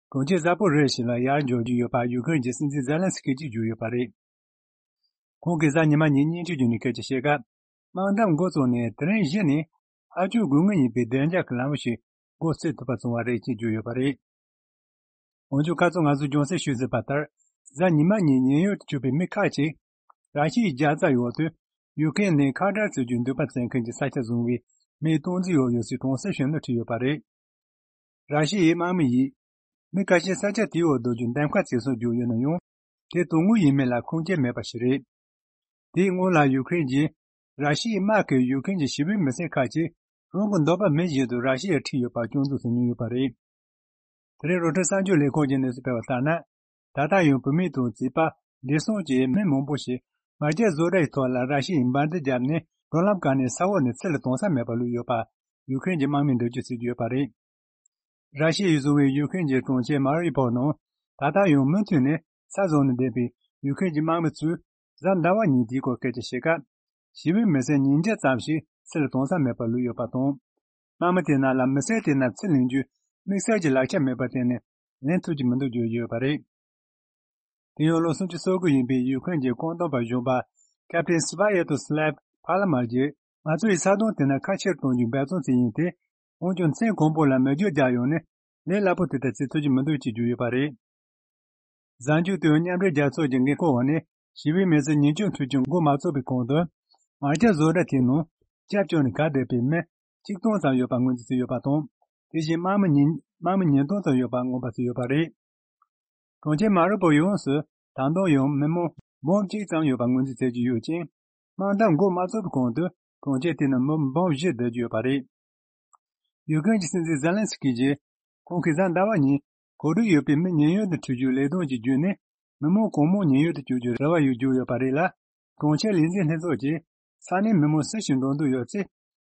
གྲོང་ཁྱེར་གསར་པ་རེ་ཞིག་ལ་ཡར་འབྱོར་གྱི་ཡོད་པ་ཡུ་ཀེ་རེན་གྱི་སྲིད་འཛིན་ཛེ་ལན་སི་ཀི་གྱིས་བརྗོད་ཡོད་པ་རེད། ཁོང་གིས་གཟའ་ཉི་མ་ཉིན་སྙན་ཞུ་བརྒྱུད་ནས་སྐད་ཆ་བཤད་སྐབས། དམག་འཐབ་འགོ་བཙུགས་ནས་དེ་རིང་གཞི་ནས་ཨ་སྐྱོ་དགོས་ངེས་ཡིན་པའི་བདེ་འཇགས་ཀྱི་ལམ་བུ་ཞིག་འགོ་ཚུགས་ཐུབ་པ་བྱུང་བ་རེད་ཅེས་བརྗོད་ཡོད་པ་རེད། འོན་ཀྱང་། ཁ་སང་ང་ཚོས་རྒྱང་སྲིང་ཤོད་ཟིན་པ་ལྟར། གཟའ་ཉི་མ་ཉིན་ཉེན་གཡོལ་དུ་བསྐྱོད་པའི་མི་ཁག་ཅིག་ར་ཤི་ཡའི་རྒྱལ་རྩ་འོག་ཏུ་ཡུ་ཀེ་རེན་ནས་ཁ་བྲལ་བྱེད་རྒྱུའི་འདོད་པ་བྱེད་མཁན་གྱི་ས་ཆ་བཟུང་བའི་མིའི་སྟངས་འཛིན་འོག་ཡོད་སའི་གྲོང་གསེབ་ཞིག་ནང་ཁྲིད་ཡོད་པ་རེད། ར་ཤི་ཡའི་དམག་མི་ཡིས་མི་ཁ་ཤས་ས་ཆ་དེའི་འོག་སྡོད་རྒྱུ་འདེམས་ཁ་བྱེད་སྲོལ་བརྒྱུད་ཡོད་ན་ཡང་། དེ་དོན་དངོས་ཡིན་མིན་ལ་ཁུངས་སྐྱེལ་མེད་པ་ཞིག་རེད། དེའི་སྔོན་ལ་ཡུ་ཀེ་རེན་གྱིས་ར་ཤི་ཡའི་དམག་གིས་ཡུ་ཀེ་རེན་གྱི་ཞི་བའི་མི་སེར་ཁག་ཅིག་རང་གི་འདོད་པ་མིན་བཞིན་དུ་ར་ཤི་ཡར་ཁྲིད་ཡོད་པར་སྐྱོན་འཛུགས་བྱེད་མྱོང་ཡོད་པ་རེད། དེ་རིང་རོའི་ཊར་གསར་འགྱུར་ལས་ཁང་གིས་གནས་ཚུལ་སྤེལ་བ་ལྟར་ན། ད་ལྟ་ཡང་བུད་མེད་དང་བྱིས་པ། བགྲེས་སོང་བཅས་མི་མང་པོ་ཞིག་ངར་ལྕགས་བཟོ་གྲྭ་ཡི་ཐོག་ལ་ར་ཤི་ཡའི་འབར་མདེལ་བརྒྱབ་ནས། འགྲོ་ལམ་བཀག་ནས་ས་འོག་ནས་ཚུར་ལ་གཏོང་ས་མེད་པར་ལུས་ཡོད་པ་ཡུ་ཀེ་རེན་གྱི་དམག་མིའི་འགྲེལ་བརྗོད་བྱེད་ཀྱི་ཡོད་པ་རེད། ར་ཤི་ཡས་བཟུང་བའི་ཡུ་ཀེ་རེན་གྱི་གྲོང་ཁྱེར་མ་རི་ཡུ་ཕོལ་ནང་ད་ལྟ་ཡང་མུ་མཐུད་ནས་ས་བཟུང་ནས་བསྡད་པའི་ཡུ་ཀེ་རེན་གྱི་དམག་མི་ཚོས་གཟའ་ཟླ་བ་ཉིན་དེའི་སྐོར་སྐད་ཆ་བཤད་སྐབས། ཞི་བའི་མི་སེར་ཉིས་བརྒྱ་ཙམ་ཞིག་ཚུར་ལ་གཏོང་ས་མེད་པར་ལུས་ཡོད་པ་དང་། དམག་མི་དེ་རྣམས་ལ་མི་སེར་དེ་རྣམས་ཚུར་ལེན་རྒྱུའི་དམིགས་བསལ་གྱི་ལག་ཆ་མེད་པར་བརྟེན་ནས་ལེན་ཐུབ་ཀྱི་མི་འདུག་བརྗོད་ཡོད་པ་རེད། དེ་ཡང་ལོ་སུམ་ཅུ་སོ་དགུ་ཡིན་པའི་ཡུ་ཀེ་རེན་གྱི་བཀོད་འདོམས་པ་གཞོན་པ་ཀེབ་ཏེན་སི་བྷ་ཡེ་ཏོ་སི་ལེབ་ཕ་ལ་མ་གིས། ང་ཚོ་ཡིས་ས་དོང་དེ་ན་ཁ་ཕྱིར་གཏོང་རྒྱུའི་འབད་བརྩོན་བྱས་ཡིན་ཏེ། འོན་ཀྱང་། མཚན་གང་པོ་ལ་མེ་སྒྱོགས་རྒྱག་ཡོང་ནས་ལས་སླ་པོ་དེ་ལྟར་བྱེད་ཐུབ་ཀྱི་མི་འདུག་ཅེས་བརྗོད་ཡོད་པ་རེད། གཟའ་མཇུག་ཏུ་མཉམ་འབྲེལ་རྒྱལ་ཚོགས་ཀྱི་འགན་འཁུར་འོག་ནས་ཞི་བའི་མི་སེར་ཉེས་སྐྱོན་ཐུག་རྐྱེན་འགོ་མ་ཚུགས་པའི་གོང་དུ། ངར་ལྕགས་བཟོ་གྲྭ་དེའི་ནང་སྐྱབས་བཅོལ་ནས་གབ་བསྡད་པའི་མི་གཅིག་སྟོང་ཙམ་ཡོད་པ་ངོས་འཛིན་བྱས་ཡོད་པ་དང་། དེ་བཞིན་དམག་མི་ཉིས་དམག་མི་ཉིས་སྟོང་ཙམ་ཡོད་པ་ངོ་མ་བརྩིས་ཡོད་པ་རེད། གྲོང་ཁྱེར་མ་རི་པོལ་ཡོངས་སུ་ད་དུང་ཡང་མི་མང་འབུམ་གཅིག་ཙམ་ཡོད་པ་ངོས་འཛིན་བྱེད་ཀྱི་ཡོད་ཅིང་། དམག་འཐབ་འགོ་མ་ཚུགས་པའི་གོང་དུ་གྲོང་ཁྱེར་དེ་ནང་མི་འབུམ་བཞི་བསྡད་ཀྱི་ཡོད་པ་རེད། ཡུ་ཀེ་རེན་གྱི་སྲིད་འཛིན་ཛེ་ལན་སི་ཀི་གིས། ཁོང་གིས་གཟའ་ཟླ་བ་ཉིན་ གོ་སྒྲིག་ཡོད་པའི་མི་ཉེན་གཡོལ་དུ་ཁྲིད་རྒྱུའི་ལས་དོན་གྱི་བརྒྱུད་ནས། མི་མང་གང་མང་ཉེན་གཡོལ་དུ་བསྐྱོད་རྒྱུའི་རེ་བ་ཡོད་རྒྱུ་ཡོད་པ་རེད་ལ། གྲོང་ཁྱེར་ལས་འཛིན་ལྷན་ཚོགས་ཀྱིས་ས་གནས་མི་མང་སུ་ཞིག་འགྲོ་འདོད་ཡོད་ཚེ།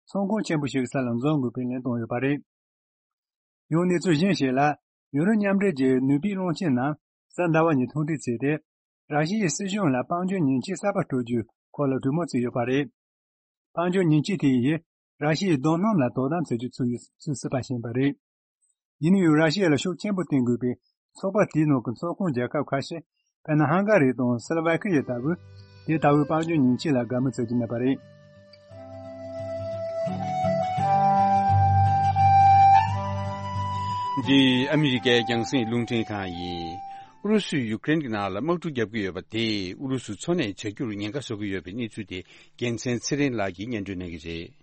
ཚོགས་ཁང་ཆེན་པོ་ཞིག་གི་ས་ལ་འཛོམས་དགོས་པའི་ལན་བཏང་ཡོད་པ་རེད། ཡང་གནས་ཚུལ་གཞན་ཞིག་ལ། ཡུ་རོབ་མཉམ་འབྲེལ་གྱི་ནུས་པའི་གློག་ཆེན་རྣམས་གཟའ་ཟླ་བ་ཉིན་ཐུག་འཕྲད་བྱས་ཏེ། ར་ཤི་ཡའི་སྲིད་གཞུང་ལ་དཔལ་འབྱོར་ཉེས་ཆད་གསར་པ་སྤྲོད་རྒྱུའི་སྐོར་ལ་གྲོས་མོལ་བྱས་ཡོད་པ་རེད། དཔལ་འབྱོར་ཉེས་ཆད་དེ་ཡིས་ར་ཤི་ཡའི་རྡོ་སྣུམ་ལ་དོ་དམ་བྱ་རྒྱུ་ཚུད་ཡོད་ཚུལ་སྲིད་པ་ཞིག་ཡིན་པ་རེད། ཡིན་ན་ཡང་ར་ཤི་ཡ་ལ་ཤུགས་ཆེན་པོ་བརྟེན་དགོས་པའི་ཚོགས་པ་དེའི་ནང་གི་ཚོགས་ཁོངས་རྒྱལ་ཁབ་ཁ་ཤས། དཔེར་ན་ཧང་ག་རི་དང་སི་ལོ་ཝ་ཁི་ཡ་ལྟ་བུས་དེ་ལྟ་བུའི་དཔལ་འབྱོར་ཉེས་ཆད་ལ་དགའ་མོས་བྱེད་ཀྱི་མེད་པ་རེད། འདི་ཨ་མི་རི་ཀའི་རྒྱང་སྲིང་རླུང་འཕྲིན་ཁང་ཡིན། ཨུ་རུ་སུས་ཡུ་ཀེ་རེན་གྱི་ནང་ལ་དམག་འཁྲུག་བརྒྱབ་ཀྱི་ཡོད་པ་དེས་ཨུ་རུ་སུ་འཚོ་གནས་བྱ་རྒྱུར་ཉེན་ཁ་བཟོ་གི་ཡོད་པའི་གནས་ཚུལ་དེ་རྒྱལ་མཚན་ཚེ་རིང་ལགས་ཀྱིས་སྙན་སྒྲོན་གནང་གི་རེད།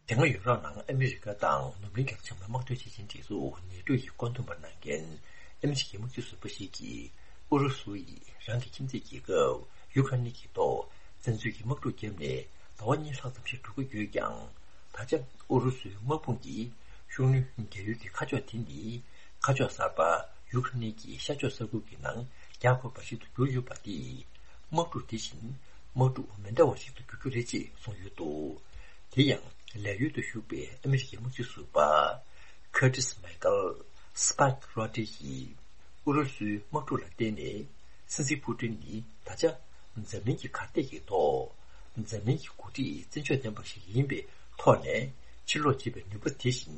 དེ་སྔ་ཡུ་རོབ་ནང་ཨ་མི་རི་ཀ་དང་ནུབ་གླིང་རྒྱལ་ཁབ་ཚང་མའི་དམག་དོན་ཆེ་ཆེན་སྒྲིག་འཛུགས་ནེ་ཏོ་ཡིས་བཀོད་འདོམས་པ་གནང་མཁན་ཨ་མི་རི་ཀའི་དམག་སྤྱི་ཟུར་པ་ཞིག་གིས། ཨུ་རུ་སུ་ཡིས་རང་གི་ཁྱིམ་མཚེས་རྒྱལ་ཁབ་ཡུ་ཁ་ནི་གི་ཐོག་བཙན་འཛུལ་གྱི་དམག་འཁྲུག་བརྒྱབ་ནས་ཟླ་བ་གཉིས་ལྷག་ཙམ་ཞིག་འགྲོ་གི་ཡོད་ཀྱང་། ད་ཆ་ཨུ་རུ་སུའི་དམག་དཔུང་གིས་ཤུགས་སྣོན་རྒྱག་ཡུལ་གྱི་ཁ་ཕྱོགས་དེ་ནི་ཁ་ཕྱོགས་གསར་པ་ཡུ་ཁ་ནི་གི་ཤར་ཕྱོགས་ས་ཁུལ་གྱི་ནང་རྒྱག་དགོས་པ་ཞིག་ཏུ་གྱུར་ཡོད་པ་དེས། དམག་འཁྲུག་དེ་བཞིན་དམག་འཁྲུག་མི་འདྲ་བ་ཞིག་ཏུ་འགྱུར་རྒྱུ་རེད་ཅེས་གསུངས་ཡོད་འདུག་དེ་ཡང་ལས་གཡོལ་དུ་བཞུགས་པའི་ཨ་མི་རི་ཀའི་དམག་སྤྱི་ཟུར་པ་Curtis Michael Spike Rogers ཡིས། ཨུ་རུ་སུའི་དམག་འཁྲུག་ལ་བརྟེན་ནས་སྲིད་འཛིན་ཕུ་ཏིན་ནི་ད་ཆ་འཛམ་གླིང་གི་གར་སྟེགས་ཀྱི་ཐོག་འཛམ་གླིང་གི་འགོ་ཁྲིད་བཙན་ཕྱོགས་ལྡན་པ་ཞིག་ཡིན་པའི་ཐོག་ནས་ཕྱིར་ལོག་བྱེད་པའི་ནུས་པ་དེ་བཞིན་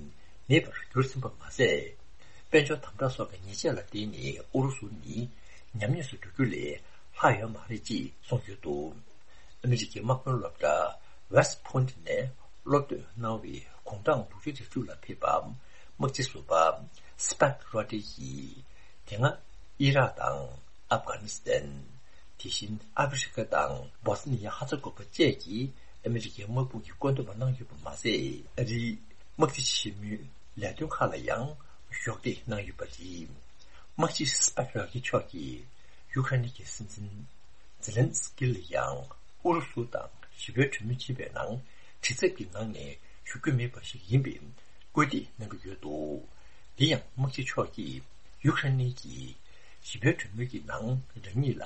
མེད་པར་གྱུར་ཟིན་པ་མ་ཟད། དཔལ་འབྱོར་དམ་དྲག་སོགས་ཀྱི་ཉེས་ཆད་ལ་བརྟེན་ནས་ཨུ་རུ་སུ་ནི་ཉམས་ཉེས་སུ་འགྲོ་རྒྱུ་ལས་ལྷག་ཡོད་མ་རེད་ཅེས་གསུངས་ཡོད་འདུག་ཨ་མི་རི་ཀའི་དམག་དཔོན་སློབ་གྲྭ་West Point ནས་སློབ་དཔོན་གནང་བའི་དགུང་གྲངས་དྲུག་ཅུ་རེ་དྲུག་ལ་ཕེབས་པ་དམག་སྤྱི་ཟུར་པ་Spike Rogers ཡིས། དེ་སྔ་ཨི་རག་དང་ཨབ་གྷ་ནི་སི་ཐན། དེ་བཞིན་ཨ་ཧྥེ་རི་ཁ་དང་སྦོ་སི་ནི་ཡ་ཧ་ཚ་གོ་བ་བཅས་ཀྱི་ཨ་མི་རི་ཀའི་དམག་དཔུང་གི་བཀོད་འདོམས་པ་གནང་ཡོད་པ་མ་ཟད། ཨ་རིའི་དམག་སྡེ་ཆེན་མོའི་ལས་དོན་ཁག་ལ་ཡང་གཞོགས་འདེགས་གནང་ཡོད་པ་རེད། དམག་སྤྱི་སྤེག་ར་གི་མཆོག་གིས་ཡུ་ཁ་ནི་གི་སྲིད་འཛིན་ཛེ་ལན་སི་ཀི་ལ་ཡང་ཨུ་རུ་སུ་དང་ཞི་བའི་གྲོས་མོལ་བྱེད་པའི་ནང་། དྲི་ཚབ་ཀྱི་ངང་ནས་ཞུགས་རྒྱུ་མེད་པ་ཞིག་ཡིན་པའི་སྐུལ་འདེད་གནང་གི་ཡོད་འདུག་དེ་ཡང་དམག་སྤྱི་མཆོག་གིས་ཡུ་ཁ་ནི་གིས་ཞི་བའི་གྲོས་མོལ་གྱི་ནང་རང་ཉིད་ལ་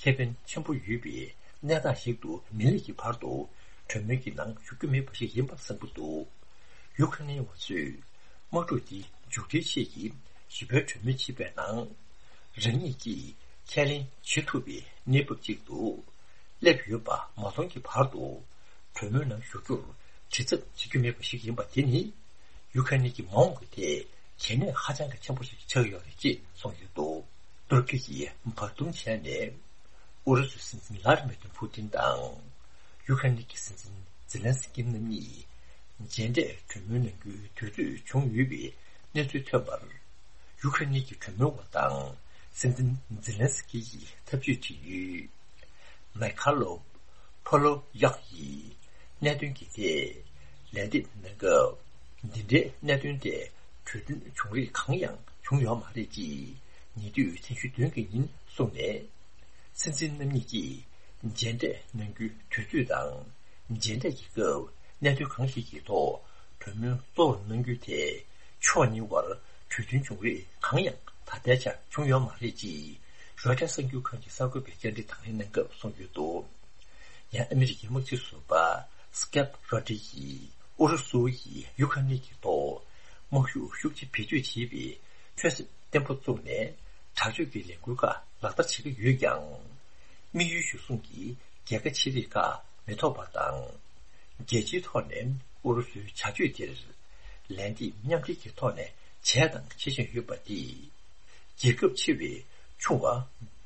ཁེ་ཕན་ཆེན་པོ་ཡོད་པའི་གནས་སྟངས་ཤིག་ཏུ་མི་སླེབས་ཀྱི་བར་དུ་གྲོས་མོལ་གྱི་ནང་ཞུགས་རྒྱུ་མེད་པ་ཞིག་ཡིན་པ་གསུངས་ཀྱི་འདུག་ཡུ་ཁ་ནི་བ་ཚོས་དམག་འཁྲུག་འདི་མཇུག་སྒྲིལ་ཆེད་ཀྱི་ཞི་བའི་གྲོས་མོལ་བྱེད་པའི་ནང་། རང་ཉིད་ཀྱིས་ཁས་ལེན་བྱེད་ཐུབ་པའི་གནས་བབ་ཅིག་ཏུ་སླེབས་ཡོད་པ་མ་མཐོང་གི་བར་དུ། གྲོས་མོལ་ནང་ཞུགས་རྒྱུར་དྲི་ཚབ་བྱེད་རྒྱུ་མེད་པ་ཞིག་ཡིན་པ་དེ་ནི། ཡུ་ཁ་ནི་གི་མ་འོངས་ཀྱི་ཐད་གལ་གནད་ཧ་ཅང་གི་ཆེན་པོ་ཞིག་ཆགས་ཡོད་རེད་ཅེས་གསུངས་ཡོད་འདུག་ཏུར་ཀི་ཡིས་བར་འདུམ་བྱས་ནས། ཨུ་རུ་སུའི་སྲིད་འཛིན་ལྷ་དྷི་མི་ཏིར་ཕུ་ཏིན་དང་། ཡུ་ཁ་ནི་གི་སྲིད་འཛིན་ཛེ་ལན་སི་ཀི་རྣམ་གཉིས་མཇལ་འཕྲད་གྲོས་མོལ་གནང་རྒྱུའི་དུས་ཚོད་བྱུང་ཡོད་པའི་གནས་ཚུལ་ཐོན་པར། ཡུ་ཁ་ནི་གི་གྲོས་མོལ་བ་དང་སྲིད་འཛིན་ཛེ་ལན་སི་ཀི་ཡིས་ཐབས་ཇུས་བྱེད་ཡུལ། མའི་ཁ་ལོ་ཕོ་ལོ་ཡག་ཡིས་གནད་དོན་གྱི་ཐད་ལན་འདེབས་གནང་སྐབས། འདི་འདྲའི་གནད་དོན་ཐད་གྲོས་མཐུན་བྱུང་རིགས་གང་ཡང་བྱུང་ཡོད་མ་རེད་ཅེས་ཉེ་དུས་ཐེངས་བཞི་བདུན་གྱི་ཉིན་གསུངས་ནས། སྲིད་འཛིན་རྣམ་གཉིས་ཀྱིས་མཇལ་འཕྲད་གནང་རྒྱུའི་དུས་ཚོད་དང་། མཇལ་འཕྲད་ཀྱི་སྐབས་གནད་དོན་གང་ཞིག་གི་ཐོག་གྲོས་མོལ་གཙོ་བོར་གནང་རྒྱུའི་ཐད་ཕྱོགས་གཉིས་བར་གྲོས་མཐུན་བྱུང་རིགས་གང་ཡང་ད་ལྟའི་ཆར་བྱུང་ཡོད་མ་རེད་ཅེས་རོའི་ཊར་གསར་འགྱུར་ཁང་གི་གསར་འགོད་པས་བཅར་འདྲི་དང་ལེན་གནང་སྐབས་གསུངས་ཡོད་འདུག་ཡང་ཨ་མི་རི་ཀའི་དམག་སྤྱི་ཟུར་པ་སྐེབ་རོ་ཏི་ཡིས་ཨུ་རུ་སུ་ཡིས་ཡུ་ཁ་ནི་གི་ཐོག་དམག་ཤུགས་ཤུགས་ཆེ་བེད་སྤྱོད་བྱེད་པའི་ཆོད་སེམས་བརྟན་པོ་བཙུགས་ནས་དྲག་སྤྱོད་ཀྱི་ལས་འགུལ་ཁག་ལག་བསྟར་བྱེད་ཀྱི་ཡོད་ཀྱང་། དམིགས་ཡུལ་གཞིར་བཟུང་གིས་རྒྱལ་ཁ་ཆེ་རིགས་ཁག་མི་ཐོབ་པ་དང་། རྒྱལ་སྤྱིའི་ཐོག་ནས་ཨུ་རུ་སུའི་བྱ་སྤྱོད་དེར་ལན་འདེབས་མཉམ་འབྲེལ་གྱི་ཐོག་ནས་བྱས་དང་བྱེད་བཞིན་ཡོད་པ་དེས། རྒྱལ་ཁབ་ཆེ་བས་ཆུང་བ་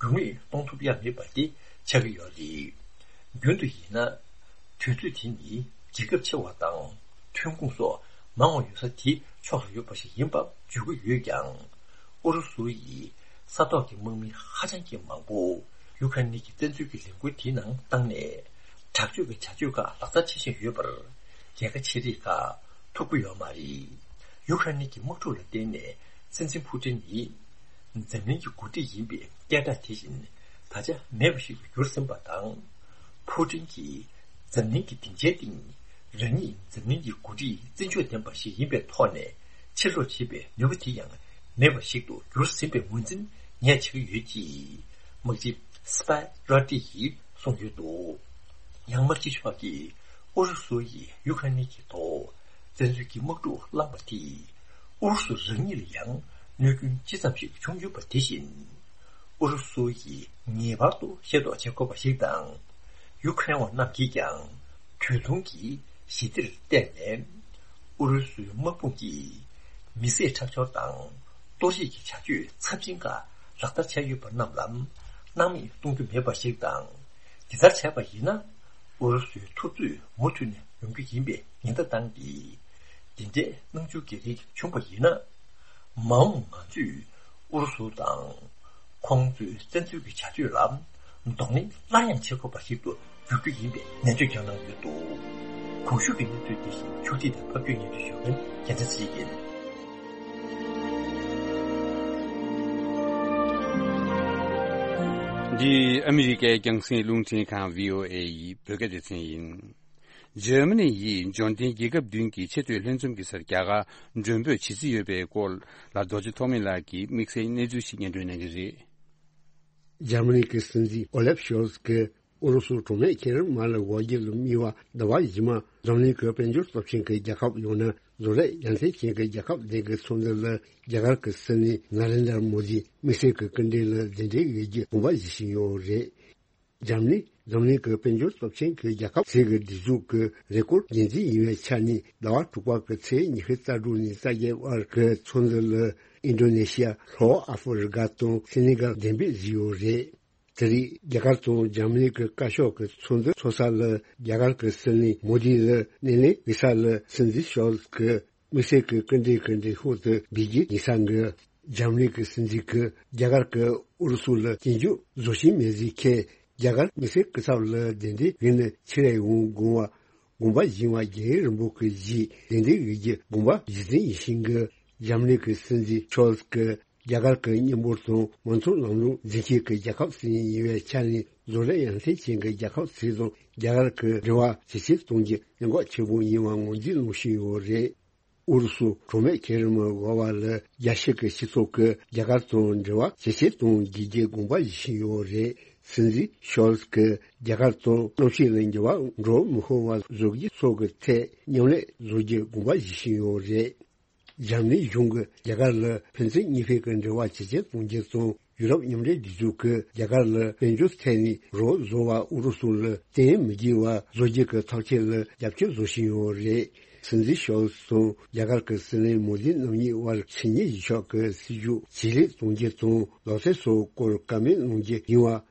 འགྱུར་མེད་གཏོང་ཐུབ་ཡ་མེད་པ་དེ་ཆགས་ཀྱི་ཡོད་རེད། རྒྱུན་དུ་ཡིན་ན། དུས་ཚོད་དེ་ནི་རྒྱལ་ཁབ་ཆེ་བ་དང་ཐོན་ཁུངས་སོགས་མང་བ་ཡོད་ས་དེའི་ཕྱོགས་སུ་ཡོད་པ་ཞིག་ཡིན་པ་བརྗོད་ཀྱི་ཡོད་ཀྱང་། ཨུ་རུ་སུ་ཡིས་ས་ཐོག་གི་དམག་མི་ཧ་ཅང་གི་མང་པོ་ཡུ་ཁ་ནི་གི་བཙན་འཛུལ་གྱི་ལས་འགུལ་དེའི་ནང་བཏང་ནས། དྲག་སྤྱོད་ཀྱི་བྱ་སྤྱོད་ཁག་ལག་བསྟར་བྱེད་བཞིན་ཡོད་པར། རྒྱལ་ཁ་ཆེ་རིགས་ཁག་ཐུབ་ཀྱི་ཡོད་མ་རེད། ཡུ་ཁ་ནི་གི་དམག་འཁྲུག་ལ་བརྟེན་ནས་སྲིད་འཛིན་ཕུ་ཏིན་ནི། འཛམ་གླིང་གི་འགོ་ཁྲིད་ཡིན་པའི་སྐད་གྲགས་དེ་བཞིན་ད་ཆ་མེད་པ་ཞིག་ཏུ་གྱུར་ཟིན་པ་དང་། ཕུ་ཏིན་གྱིས་འཛམ་གླིང་གི་སྡིངས་ཆའི་སྟེང་རང་ཉིད་འཛམ་གླིང་གི་འགོ་ཁྲིད་བཙན་ཕྱོགས་ལྡན་པ་ཞིག་ཡིན་པའི་ཐོག་ནས་ཕྱིར་ལོག་བྱེད་པའི་ནུས་པ་དེ་ཡང་ མེད་པ་ཞིག་ཏུ་གྱུར་ཟིན་པའི་ངོས་འཛིན་ངས་བྱེད་ཀྱི་ཡོད་ཅེས་དམག་སྤྱི་སི་པའི་རོ་ཏི་ཡིས་གསུངས་ཡོད་འདུག། ཡང་དམག་སྤྱི་མཆོག་གིས་ཨུ་རུ་སུ་ཡིས་ཡུ་ཁ་རེན་གྱི་ཐོག་བཙན་འཛུལ་གྱི་དམག་འཁྲུག་བསླངས་པ་དེས་ཨུ་རུ་སུ་རང་ཉིད་ལ་ཡང་གནོད་སྐྱོན་ཅི་ཙམ་ཞིག་བྱུང་ཡོད་པ་དེ་བཞིན། ཨུ་རུ་སུ་ཡིས་ངེས་པར་དུ་ཤེས་རྟོགས་བྱེད་དགོས་པ་ཞིག་དང་། ཡུ་ཁ་རེན་བ་རྣམས་ཀྱིས་ཀྱང་དུས་ཐུང་གི་ཞི་བདེར་བརྟེན་ནས། ཨུ་རུ་སུའི་དམག་དཔུང་གིས་མི་བསད་ཁྲག་སྦྱོར་དང་གཏོར་བཤིག་གི་བྱ་སྤྱོད་ཚབས་ཆེན་ཁག་ལག་བསྟར་བྱས་ཡོད་པ་རྣམས་ལ་སྣང་མེད་གཏོང་རྒྱུ་མེད་པ་ཞིག་དང་། འདི་ལྟར་བྱས་པ་ཡིན་ན། ཨུ་རུ་སུའི་འཐབ་རྩོད་མུ་མཐུད་ནས་ཡོང་རྒྱུ་ཡིན་པའི་ཉེན་བརྡ་བཏང་སྟེ། འདི་འདྲའི་སྣང་ཚུལ་གྱི་རིགས་བྱུང་བ་ཡིན་ན། མ་འོངས་ང་ཚོས་ཨུ་རུ་སུ་དང་ཁོང་ཚོའི་བཙན་འཛུལ་གྱི་བྱ་སྤྱོད་ལ་གདོང་ལེན་སླར་ཡང་བྱེད་དགོས་པ་ཞིག་ཏུ་འགྱུར་རྒྱུ་ཡིན་པའི་ནན་བརྗོད་ཀྱང་གནང་ཡོད་འདུག། གོང་ཞུས་ཀྱི་གནས་ཚུལ་འདི་བཞིན་ཕྱོགས་སྒྲིག་དང་ཕབ་སྒྱུར་སྙན་སྒྲོན་ཞུ་མཁན་རྒྱལ་མཚན་ཚེ་རིང་ཡིན། འདི་ཨ་མི་རི་ཀའི་རྒྱང་སྲིང་རླུང་འཕྲིན་ཁང་བྷི་ཨོ་ཨེ་ཡི་བོད་སྐད་སྡེ་ཚན་ཡིན། འཇར་མ་ནི་ཡིས་འབྱོར་ལྡན་རྒྱལ་ཁབ་བདུན་གྱི་ཆེས་མཐོའི་ལྷན་འཛོམས་ཀྱི་སར་རྒྱ་གར་མགྲོན་འབོད་བྱེད་རྩིས་ཡོད་པའི་སྐོར་ལ་རྡོ་རྗེ་ཐོགས་མེད་ལགས་ཀྱིས་དམིགས་བསལ་གནས་ཚུལ་ཞིག་སྙན་སྒྲོན་གནང་གི་རེད། འཇར་མ་ནི་གི་སྲིད་འཛིན་ཨོ་ལེབ་ཤོལ་ཚ་གིས་ཨུ་རུ་སུ་གྲོགས་མེད་མཁྱེན་རབ་མ་ལ་འོག་རྒྱུ་ལ་དམིགས་པ་ཟླ་བ་རྗེས་མ་འཛམ་གླིང་གི་དཔལ་འབྱོར་སྟོབས་ཆེན་གྱི་རྒྱལ་ཁབ་ཡང་ན་བཟོ་ལས་ཡ་མཚན་ཅན་གྱི་རྒྱལ་ཁབ་བདུན་གྱི་ཚོགས་འདུ་ལ་རྒྱ་གར་གྱི་སྲིད་བློན་ནཱ་རེན་དྲ་མོ་དིས་དམིགས་བསལ་གྱི་སྐུ་མགྲོན་ལ་གདན་འདྲེན་ཡོད་རྒྱུ་དགོངས་པ་བཞེས་བཞིན་ཡོད་རེད། འཇར་མ་ནི་འཛམ་གླིང་གི་དཔལ་འབྱོར་སྟོབས་ཆེན་གྱི་རྒྱལ་ཁབ་ཟུར་གྱི་སྒྲིག་འཛུགས་ཀྱི་རེས་སྐོར་འགན་འཛིན་ཡིན་པའི་ཆ་ནས་ཟླ་བ་དྲུག་པ་གི་ཚེས་ཉི་ཤུ་རྩ་དྲུག་ནས་རྩ་བརྒྱད་བར་གྱི་ཚོགས་འདུ་ལ་ཨིན་ཌོ་ནེ་ཤི་ཡ། ལྷོ་ཨ་ཧྥེ་རི་ཀ་དང་སེ་ནེ་གལ་གདན་འབུལ་བྱས་ཡོད་རེད། དེ་རིང་རྒྱ་གར་དང་འཇར་མ་ནི་གི་བཀའ་ཤོག་གི་ཚོགས་འདུ་ཚོགས་ས་ལ་རྒྱ་གར་གྱི་སྲིད་བློན་མོ་དི་ལ་སྣེ་ལེན་ཡོད་ས་ལ་སྲིད་འཛིན་ཤོལ་ཚ་གིས་དམིགས་བསལ་གྱི་སྐུ་མགྲོན་གྱི་མགྲོན་ཤོག་དེ་འབུལ་རྒྱུ་ཡིན་ས་འགི། འཇར་མ་ནི་གི་སྲིད་འཛིན་གྱིས་རྒྱ་གར་གྱིས་ཨུ་རུ་སུ་ལ་སྐྱོན་བརྗོད་བཟོ་བཞིན་མེད་ཟེར་མཁན་རྒྱ་གར་དམིགས་བསལ་སྐུ་ཚབ་ལ་གདན་འདྲེན་ཡིན་ན་ཕྱིར་ཡོང་དགོངས་པ་དགོངས་པ་བཞེས་པ་རྒྱལ་ཡུམ་རིན་པོ་ཆེ་གིས་གདན་འདྲེན་ཡོད་རྒྱུ་དགོངས་པ་བཞེས་ཟིན་ཡིན་ཞིང་གི། འཇར་མ་ནི་གི་སྲིད་འཛིན་ཤོལ་ཚ་གིས་རྒྱ་གར་གྱི་མཉམ་འབོར་དང་མང་གཙོ་ལམ་ལུགས་འཛིན་སྐྱོང་གི་རྒྱལ་ཁབ་ཟིན་ཡིན་པའི་ཆ་ནས་བཟོ་ལས་ཡ་མཚན་ཅན་གྱི་རྒྱལ་ཁབ་ཟིན་དང་རྒྱ་གར་གྱི་འབྲེལ་བ་ཇེ་ཆེར་གཏོང་རྒྱུ་གནད་འགག་ཆེན་པོ་ཡིན་པ་ངོས་འཛིན་གནང་བཞིན་ཡོད་རེད། ཨུ་རུ་སུ་གྲོགས་མེད་མཁྱེན་རབ་མ་འོག་པ་ལ་རྒྱལ་སྤྱི་གི་སྤྱི་ཚོགས་ཀྱིས་རྒྱ་གར་དང་འབྲེལ་བ་ཇེ་ཆེར་གཏོང་དགོས་རྒྱུ་དགོངས་པ་བཞེས་བཞིན་ཡོད་རེད། སྲིད་འཛིན་ཤོལ་ཚ་གིས་རྒྱ་གར་དང་གནམ་གཤིས་ལ་འགྱུར་བ་འགྲོ་མི་ཤོར་བ་བཟོ་རྒྱུ་སོགས་ཀྱི་ཐད་མཉམ་ལས་བཟོ་རྒྱུ་དགོངས་པ་བཞེས་བཞིན་ཡོད་རེད། འཇར་མ་ནི་གཞུང་གིས་རྒྱ་གར་ལ་ཕན་ཚུན་གཉིས་ཕན་གྱི་འབྲེལ་བ་ཇེ་ཆེར་གཏོང་རྒྱུ་དང་ཡུ་རོབ་མཉམ་འབྲེལ་སྒྲིག་འཛུགས་ཀྱིས་རྒྱ་གར་ལ་དཔལ་འབྱོར་ཐད་ནས་རོགས་བཟོ་བ་ཨུ་རུ་སུ་ལ་བརྟེན་མི་དགོས་པ་བཟོ་རྒྱུ་གི་ཐབས་ཤེས་ལ་རྒྱབ་སྐྱོར་བཟོ་བཞིན་ཡོད་རེད། སྲིད་འཛིན་ཤོལ་ཚ་དང་རྒྱ་གར་གྱི་སྲིད་བློན་མོ་དི་རྣམ་གཉིས་དབར་ཕྱི་ཉིན་གཞིས་ཆགས་ཀྱི་སྲིད་ཇུས་ཇེ་ལེགས་གཏོང་རྒྱུ་དང་ལག་རྩལ་སོགས་སྐོར་བཀའ་མོལ་གནང་རྒྱུ་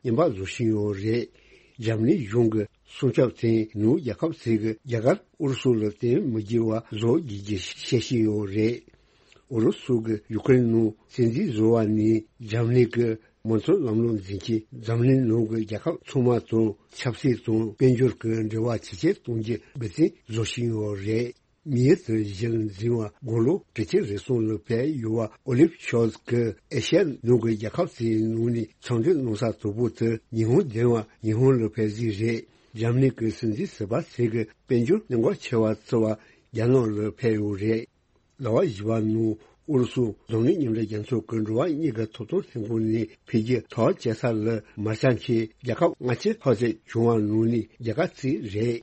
ཡིན་པ་རྔན་པ་བཟོ་བཞིན་ཡོད་རེད། འཇར་མ་ནི་གཞུང་གི་སྲུང་སྐྱོབ་དེ་ནུབ་རྒྱལ་ཁབ་ཚོས་རྒྱ་གར་ཨུ་རུ་སུ་ལ་བརྟེན་མི་དགོས་པ་བཟོ་དགོས་རྒྱུ་བཤད་བཞིན་ཡོད་རེད། ཨུ་རུ་སུ་གིས་ཡུ་ཀེ་རེན་ནང་བཙན་འཛུལ་བཟོས་པ་ནས་འཇར་མ་ནི་གི་མང་གཙོ་ལམ་ལུགས་འཛིན་སྐྱོང་འཛམ་གླིང་ནང་གི་རྒྱལ་ཁབ་ཚང་མ་དང་ཆབ་སྲིད་དང་དཔལ་འབྱོར་གྱི་འབྲེལ་བ་ཇེ་ཆེར་གཏོང་རྒྱུ་འབད་བརྩོན་བཟོ་བཞིན་ཡོད་རེད། མིའི་དུ་བཞིན་འཛིན་པ་དགུང་ལོ་དྲུག་ཅུ་རེ་གསུམ་ལ་ཕེབས་ཡོད་པ་ཨོ་ལིབ་ཤོལ་ཚ་གིས་ཨེ་ཤ་ཡའི་ནང་གི་རྒྱལ་ཁབ་ཚོའི་ནང་ནས་འཚམས་འདྲི་གནང་ས་དང་པོ་དེ་ཉི་ཧོང་ལྡན་པ་ཉི་ཧོང་ལ་ཕེབས་རྩིས་རེད། འཇར་མ་ནི་གི་སྲིད་འཛིན་ཟུར་པ་ཚོས་ཀྱི་དཔལ་འབྱོར་གནད་འགག་ཆེ་བ་བརྩི་བར་རྒྱ་ནག་ལ་ཕེབས་ཡོད་རེད། ཟླ་བ་བཞི་པ་ནང་ཨུ་རུ་སུ་འཛམ་གླིང་མཉམ་འབྲེལ་རྒྱལ་ཚོགས་ཀྱི་འགྲོ་བ་མིའི་ཐོབ་ཐང་ལྷན་ཁང་ནས་འཕེལ་རྒྱས་ཐག་བཅད་ས་ལ་མ་འཆམ་མཁན་རྒྱལ་ཁབ་ལྔ་བཅུ་ལྷག་ཙམ་བྱུང་བ་ནང་ནས་རྒྱ་གར་གཅིག་རེད།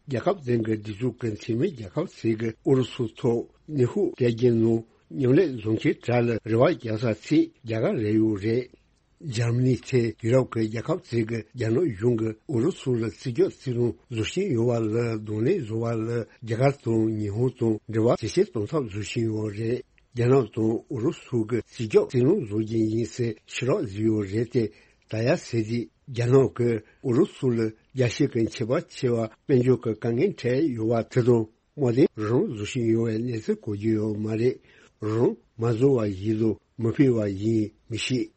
རྒྱལ་ཁབ་གཞན་གྱི་སྒྲིག་འཛུགས་ཀྱི་འཐུས་མི་རྒྱལ་ཁབ་ཚོས་ཀྱིས་ཨུ་རུ་སུའི་ཐོག་ནུས་ཤུགས་སྤྲད་རྒྱུ་ནང་མཉམ་ལས་བཟོ་མཁན་དག་ལ་རེ་བ་རྒྱག་ས་གཅིག་རྒྱ་གར་རེད་ཡོད་རེད། འཇར་མ་ནི་ཚོས་ཡུ་རོབ་ཀྱི་རྒྱལ་ཁབ་ཚོས་ཀྱིས་རྒྱ་ནག་གཞུང་གིས་ཨུ་རུ་སུ་ལ་རྩིས་རྒྱག་རྩིས་ལོང་བཟོ་བཞིན་ཡོད་པ་ལ་གདོང་ལེན་བཟོ་བ་ལ་རྒྱ་གར་དང་ཉི་ཧོང་དང་འབྲེལ་བ་ཇེ་ཆེར་གཏོང་ཐབས་བཟོ་བཞིན་ཡོད་རེད། རྒྱ་ནག་དང་ཨུ་རུ་སུ་གིས་རྩིས་རྒྱག་རྩིས་ལོང་བཟོ་རྒྱུ་ཡིན་ཟེར་ཕྱི་རོགས་བཟོས་ཡོད་རེད་དེ། ད་ཡ་ཟེར་དུས་རྒྱ་ནག་གིས་ཨུ་རུ་སུ་ལ་རྒྱལ་སྤྱི་གི་ཁྱད་པར་ཆེ་བ་དཔལ་འབྱོར་གྱི་དཀའ་ངལ་འཕྲད་ཡོད་པ་དེ་དང་དམག་དོན་རང་བཟོ་བཞིན་ཡོད་པའི་གནས་ཚུལ་གོ་རྒྱུ་ཡོད་མ་རེད། རང་མ་བཟོ་བ་ཡིན་དང་མི་ཕོད་པ་ཡིན་མི་ཤེས།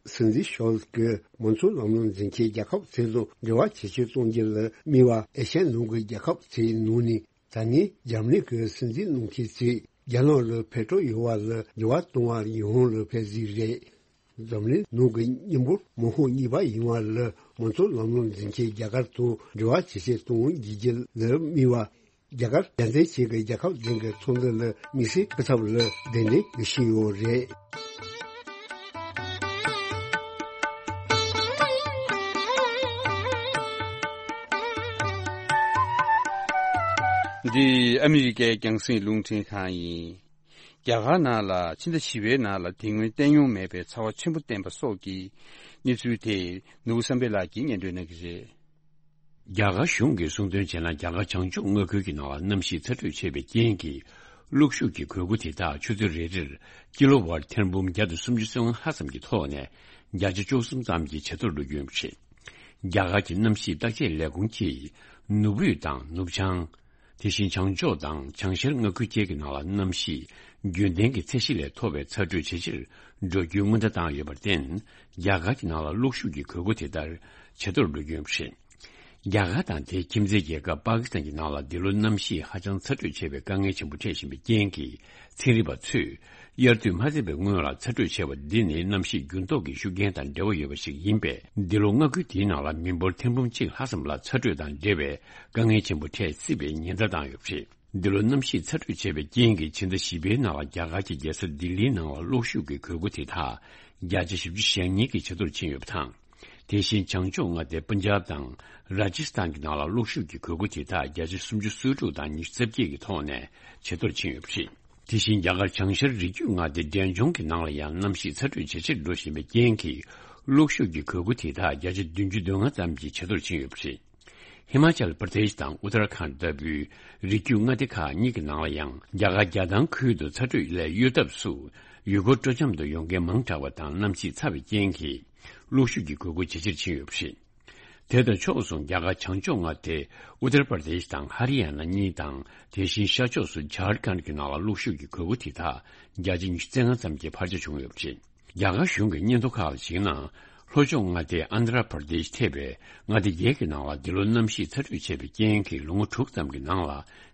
སྲིད་འཛིན་ཤོལ་ཚ་གིས་མང་གཙོ་ལམ་ལུགས་འཛིན་མཁན་རྒྱལ་ཁབ་ཚོ་དང་འབྲེལ་བ་ཇེ་ཆེར་གཏོང་རྒྱུ་ལ་དམིགས་པ་ཨེ་ཤ་ཡའི་ནང་གི་རྒྱལ་ཁབ་ཚོའི་ནང་ནས་ད་ནི་འཇར་མ་ནི་གི་སྲིད་འཛིན་གནང་མཁན་ཚོས་རྒྱ་ནག་ལ་ཕེབས་འབྲས་ཡོད་པ་ལ་འགྱུར་བ་གཏོང་བར་ཉི་ཧོང་ལ་ཕེབས་རྩིས་རེད། འཛམ་གླིང་ནང་གི་མཉམ་པོར་དམག་དཔུང་གཉིས་པ་ཡིན་པ་ལ་མང་གཙོ་ལམ་ལུགས་འཛིན་མཁན་རྒྱ་གར་དང་འབྲེལ་བ་ཇེ་ཆེར་གཏོང་དགོས་རྒྱུ་ལ་དམིགས་པ། རྒྱ་གར་རྒྱལ་མཚན་ཞིག་གི་རྒྱལ་ཁབ་གཞན་གྱི་ཚོང་དོན་ལ་དམིགས་བསལ་སྤུས་ཚད་ལ་གདན་འདྲེན་ཞུས་ཡོད་རེད། འདི་ཨ་མི་རི་ཀའི་རྒྱང་སྲིང་རླུང་འཕྲིན་ཁང་ཡིན། རྒྱ་གར་ནང་ལ་ཕྱི་ཟླ་བཞི་པའི་ནང་ལ་དེ་སྔོན་བསྟན་མྱོང་མེད་པའི་ཚ་བ་ཆེན་པོ་བསྟན་པ་སོགས་ཀྱི་གནས་ཚུལ་དེ་ནོར་བུ་བསམ་འཕེལ་ལགས་ཀྱིས་སྙན་སྒྲོན་གནང་གི་རེད། རྒྱ་གར་གཞུང་གིས་གསུངས་དོན་བྱས་ན། རྒྱ་གར་བྱང་ཕྱོགས་མངའ་ཁུལ་གྱི་ནང་ལ་གནམ་གཤིས་ཚ་དྲོད་ཆེ་བའི་རྐྱེན་གྱིས། གློག་ཤུགས་ཀྱི་གོས་སྐུ་དེ་དག་ཆུ་ཚོད་རེ་རེར་ཀི་ལོ་ཝཊ་ཐེར་འབུམ་བརྒྱ་དང་སུམ་ཅུ་སོ་ལྔ་ཙམ་གྱི་ཐོག་ནས་བརྒྱ་ཆ་བཅུ་གསུམ་ཙམ་གྱི་ཇེ་མཐོར་འགྲོ་རྒྱུ་ཡིན་པ་རེད། རྒྱ་གར་གྱི་གནམ་གཤིས་བརྟག་དཔྱད་ལས་ཁུངས་ཀྱིས་ནུབ་དབུས་དང་ནུབ་བྱང་། དེ་བཞིན་བྱང་ཕྱོགས་དང་བྱང་ཤར་མངའ་ཁུལ་བཅས་ཀྱི་ནང་ལ་གནམ་གཤིས་རྒྱུན་ལྡན་གྱི་ཚད་གཞི་ལས་མཐོ་བའི་ཚ་དྲོད་ཇེ་ཆེར་འགྲོ་རྒྱུའི་སྔོན་བརྡ་བཏང་ཡོད་པར་བརྟེན། རྒྱ་གར་གྱི་ནང་ལ་གློག་ཤུགས་ཀྱི་གོས་སྐུ་དེ་ལྟར་ཇེ་མཐོར་འགྲོ་རྒྱུ་ཡིན་པ་རེད། རྒྱ་གར་དང་དེའི་ཁྱིམ་མཚེས་རྒྱལ་ཁབ་པ་ཀི་སི་ཐན་གྱི་ནང་ལ་འདི་ལོ་གནམ་གཤིས་ཧ་ཅང་ཚ་དྲོད་ཆེ་བའི་དཀའ་ངལ་ཆེན་པོ་འཕྲད་བཞིན་པའི་རྐྱེན་གྱིས། ཚན་རིག་པ་ཚོས་དབྱར་དུས་མ་ཚར་བའི་སྔོན་ལ་ཚ་དྲོད་ཆེ་བ་འདི་ནི་གནམ་གཤིས་འགྱུར་ལྡོག་གི་ཤུགས་རྐྱེན་དང་འབྲེལ་བ་ཡོད་པ་ཞིག་ཡིན་པས། འདི་ལོ་མངའ་ཁུལ་དེའི་ནང་ལ་མི་འབོར་ཐེར་འབུམ་གཅིག་ལྷག་ཙམ་ལ་ཚ་དྲོད་དང་འབྲེལ་བའི་དཀའ་ངལ་ཆེན་པོ་འཕྲད་སྲིད་པའི་ཉེན་བརྡ་བཏང་ཡོད་པ་རེད། འདི་ལོ་གནམ་གཤིས་ཚ་དྲོད་ཆེ་བའི་རྐྱེན་གྱིས་ཕྱི་ཟླ་བཞི་པའི་ནང་ལ་རྒྱ་གར་གྱི་རྒྱལ་ས་ལྡི་ལིའི་ནང་ལ་གློག་ཤུགས་ཀྱི་གོས་སྐུ་དེ་དག་བརྒྱ་ཆ་བཞི་བཅུ་ཞེ་གཉིས་ཀྱི་ཇེ་མཐོར་ཕྱིན་ཡོད་པ་དང་། དེ་བཞིན་བྱང་ཕྱོགས་མངའ་སྡེ་པན་ཇབ་དང་ར་ཇི་སི་ཐན་གྱི་ནང་ལ་གློག་ཤུགས་ཀྱི་གོས་སྐུ་དེ་དག་བརྒྱ་ཆ་སུམ་ཅུ་སོ་དྲུག་དང་ཉི་ཤུ་རྩ་བརྒྱད་ཀྱི་ཐོག་ནས་ཇེ་མཐོར་ཕྱིན་ཡོད་པ་རེད། དེ་བཞིན་རྒྱ་གར་བྱང་ཤར་རི་རྒྱུད་མངའ་སྡེ་འབྲས་ལྗོངས་ཀྱི་ནང་ལ་ཡང་གནམ་གཤིས་ཚ་དྲོད་ཇེ་ཆེར་འགྲོ་བཞིན་པའི་རྐྱེན་གྱིས། གློག་ཤུགས་ཀྱི་གོས་སྐུ་དེ་དག་བརྒྱ་ཆ་བདུན་ཅུ་དོན་ལྔ་ཙམ་གྱི་ཇེ་མཐོར་ཕྱིན་ཡོད་པ་རེད། ཧི་མ་ཅལ་པར་དེཤ་དང་ཨུ་ཏར་ཁཱན་ལྟ་བུའི་རི་རྒྱུད་མངའ་སྡེ་ཁག་གཉིས་ཀྱི་ནང་ལ་ཡང་རྒྱ་གར་རྒྱལ་ཐང་ཁུལ་དུ་ཚ་དྲོད་ལས་གཡོལ་ཐབས་སུ་ཡུལ་སྐོར་སྤྲོ་འཆམ་དུ་ཡོང་མཁན་མང་དྲགས་པ་དང་། གནམ་གཤིས་ཚ་བའི་རྐྱེན་གྱིས་གློག་ཤུགས་ཀྱི་གོས་སྐུ་ཇེ་ཆེར་ཕྱིན་ཡོད་པ་རེད། དེ་དང་ཕྱོགས་མཚུངས། རྒྱ་གར་བྱང་ཕྱོགས་མངའ་སྡེ་ཨུ་ཏར་པར་དེཤ་དང་ཧ་རི་ཡ་ན་གཉིས་དང་། དེ་བཞིན་ཤར་ཕྱོགས་སུ་ཇར་ཁན་གྱི་ནང་ལ་གློག་ཤུགས་ཀྱི་གོས་སྐུ་དེ་དག་བརྒྱ་ཆ་ཉི་ཤུ་རྩ་ལྔ་ཙམ་གྱི་འཕར་ཆ་བྱུང་ཡོད་པ་རེད། རྒྱ་གར་གཞུང་གི་སྙན་ཐོ་ཁག་ལ་གཞིགས་ན། ལྷོ་ཕྱོགས་མངའ་སྡེ་ཨན་དྷ་ར་པར་དེཤ་ཐེ་བའི་མངའ་སྡེ་བརྒྱད་ཀྱི་ནང་ལ་འདི་ལོ་གནམ་གཤིས་ཚ་དྲོད་ཆེ་བའི་རྐྱེན་གྱིས་ལོ་ངོ་དྲུག་ཙམ་གྱི་ནང་ལ་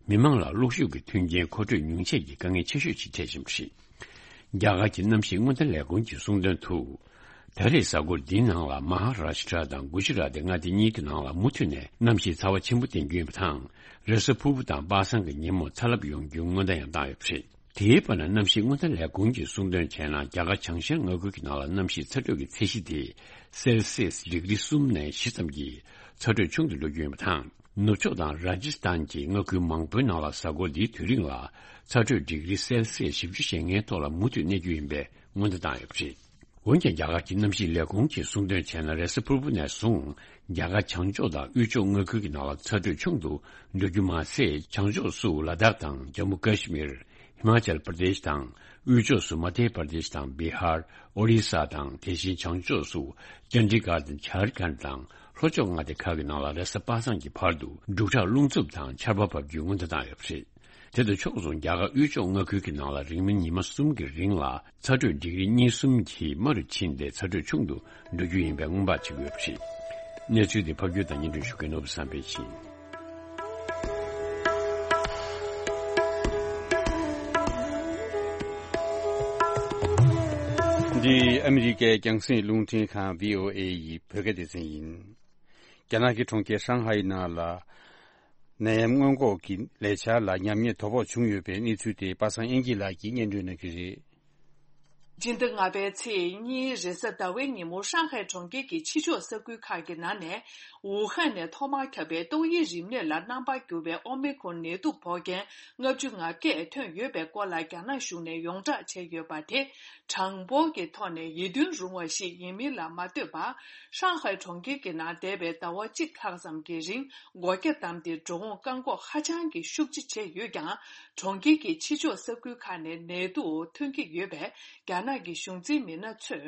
མི་མང་ལ་གློག་ཤུགས་ཀྱི་མཐུན་རྐྱེན་མཁོ་སྤྲོད་ཉུང་ཆད་ཀྱི་དཀའ་ངལ་ཆེ་ཤོས་ཤིག་འཕྲད་བཞིན་པ་རེད། རྒྱ་གར་གྱི་གནམ་གཤིས་སྔོན་བརྡ་ལས་ཁུངས་ཀྱིས་གསུངས་དོན་དུ། ད་རེས་གཟའ་འཁོར་འདིའི་ནང་ལ་མ་ཧ་ར་ཤི་ཏྲ་དང་གུ་ཇི་ར་ཏི་མངའ་སྡེ་གཉིས་ཀྱི་ནང་ལ་མུ་མཐུད་ནས་གནམ་གཤིས་ཚ་བ་ཆེན་པོ་བསྟན་རྒྱུ་ཡིན་པ་དང་། རེས་གཟའ་ཕུར་བུ་དང་པ་སངས་ཀྱི་ཉིན་མོ་ཚ་རླབས་ཡོང་རྒྱུའི་སྔོན་བརྡ་ཡང་བཏང་ཡོད་པ་རེད། དེའི་བར་ན་གནམ་གཤིས་སྔོན་བརྡ་ལས་ཁུངས་ཀྱིས་གསུངས་དོན་བྱས་ན། རྒྱ་གར་བྱང་ཤར་མངའ་ཁུལ་གྱི་ནང་ལ་གནམ་གཤིས་ཚ་དྲོད་ཀྱི་ཚད་གཞི་དེ་སེལ་སིས་ཌིག་རི་གསུམ་ནས་བཞི་ཙམ་གྱི་ཚ་དྲོད་ཆུང་དུ་འགྲོ་རྒྱུ་ཡིན་པ་དང་། ནུབ་ཕྱོགས་དང་ར་ཇི་སི་ཐན་གྱི་མངའ་ཁུལ་མང་པོའི་ནང་ལ་གཟའ་འཁོར་འདིའི་དུས་རིང་ལ་ཚ་དྲོད་ཌིག་རི་སེལ་སིས་བཞི་བཅུ་ཞེ་ལྔའི་ཐོག་ལ་མུ་མཐུད་གནས་རྒྱུ་ཡིན་པའི་སྔོན་བརྡ་བཏང་ཡོད་པ་རེད། འོན་ཀྱང་། རྒྱ་གར་གྱི་གནམ་གཤིས་ལས་ཁུངས་ཀྱིས་གསུངས་དོན་བྱས་ན། རེས་གཟའ་ཕུར་བུ་ནས་བཟུང་རྒྱ་གར་བྱང་ཕྱོགས་དང་དབུས་ཕྱོགས་མངའ་ཁུལ་གྱི་ནང་ལ་ཚ་དྲོད་ཆུང་དུ་འགྲོ་རྒྱུ་མ་ཟད། བྱང་ཕྱོགས་སུ་ལ་དྭགས་དང་ཇམ་མུ་ཀ་ཤི་མིར། ཧི་མ་ཅལ་པར་དེཤ་དང་། དབུས་ཕྱོགས་སུ་མ་དྷྱ་པར་དེཤ་དང་བི་ཧར། ཨོ་རི་ས་དང་། དེ་བཞིན་བྱང་ཕྱོགས་སུ་ཅན་ཌི་གྷར་དང་ཇར་ཁན་དང་། ལྷོ་ཕྱོགས་མངའ་སྡེ་ཁག་གི་ནང་ལ་རེས་གཟའ་པ་སངས་ཀྱི་བར་དུ་འབྲུག་གྲགས་རླུང་འཚུབ་དང་ཆར་པ་བབས་རྒྱུའི་སྔོན་བརྡ་བཏང་ཡོད་པ་རེད། དེ་དང་ཕྱོགས་མཚུངས། རྒྱ་གར་དབུས་ཕྱོགས་མངའ་ཁུལ་གྱི་ནང་ལ་རིང་མིན་ཉི་མ་གསུམ་གྱི་རིང་ལ་ཚ་དྲོད་ཌིག་རི་གཉིས་གསུམ་གྱིས་དམའ་རུ་ཕྱིན་ཏེ། ཚ་དྲོད་ཆུང་དུ་འགྲོ་རྒྱུ་ཡིན་པའི་སྔོན་དཔག་བྱེད་ཀྱི་ཡོད་པ་རེད། གནས་ཚུལ་དེ་ཕབ་སྒྱུར་དང་སྙན་སྒྲོན་ཞུ་མཁན་ནོར་བུ་བསམ་འཕེལ་ཡིན། འདི་ཨ་མི་རི་ཀའི་རྒྱང་སྲིང་རླུང་འཕྲིན་ཁང་བྷི་ཨོ་ཨེ་ཡི་བོད་སྐད་སྡེ་ཚན་ཡིན། རྒྱ་ནག་གི་གྲོང་ཁྱེར་ཧྲང་ཧའེ་ནང་ལ། ནད་ཡམས་སྔོན་འགོག་གི་ལས་འཆར་ལ་ཉམས་ཉེས་དོ་ཕོག་བྱུང་ཡོད་པའི་གནས་ཚུལ་དེ་པ་སངས་དབྱངས་སྐྱིད་ལགས་ཀྱིས་སྙན་སྒྲོན་གནང་གི་རེད། སྤྱི་ཟླ་ལྔ་པའི་ཚེས་གཉིས་རེས་གཟའ་ཟླ་བའི་ཉིན་མོ། ཧྲང་ཧའེ་གྲོང་ཁྱེར་གྱི་ཕྱི་ཕྱོགས་ས་ཁུལ་ཁག་གི་ནང་ནས་ཝུ་ཧན་ནས་ཐོག་མར་ཁྱབ་པའི་ཏོག་དབྱིབས་རིམས་ནད་ལ་རྣམ་པར་འགྱུར་བའི་ཨོ་མི་ཁོན་ནད་དུག་ཕོག་མཁན་ལྔ་བཅུ་ང་བརྒྱད་ཐོན་ཡོད་པའི་སྐོར་ལ་རྒྱ་ནག་གཞུང་ནས་ཡོངས་བསྒྲགས་བྱས་ཡོད་པ་དེ། གྲངས་འབོར་གྱི་ཐོག་ནས་ཡིད་མཐུན་རུང་བ་ཞིག་ཡིན་མིན་ལ་མ་ལྟོས་པར། ཧྲང་ཧའེ་གྲོང་ཁྱེར་གྱི་ནང་འདས་པའི་ཟླ་བ་གཅིག་ལྷག་ཙམ་གྱི་རིང་སྒོ་རྒྱ་བསྡམས་ཏེ་འགྲོ་འོང་བཀག་འགོག་ཧ་ཅང་གི་ཤུགས་ཆེ་བྱས་ཡོད་ཀྱང་། གྲོང་ཁྱེར་གྱི་ཕྱི་ཕྱོགས་ས་ཁུལ་ཁག་ནས་ནད་དུག་ཐོན་གྱི་ཡོད་པས། རྒྱ་ནག་གི་གཞུང་འཛིན་མི་སྣ་ཚོས་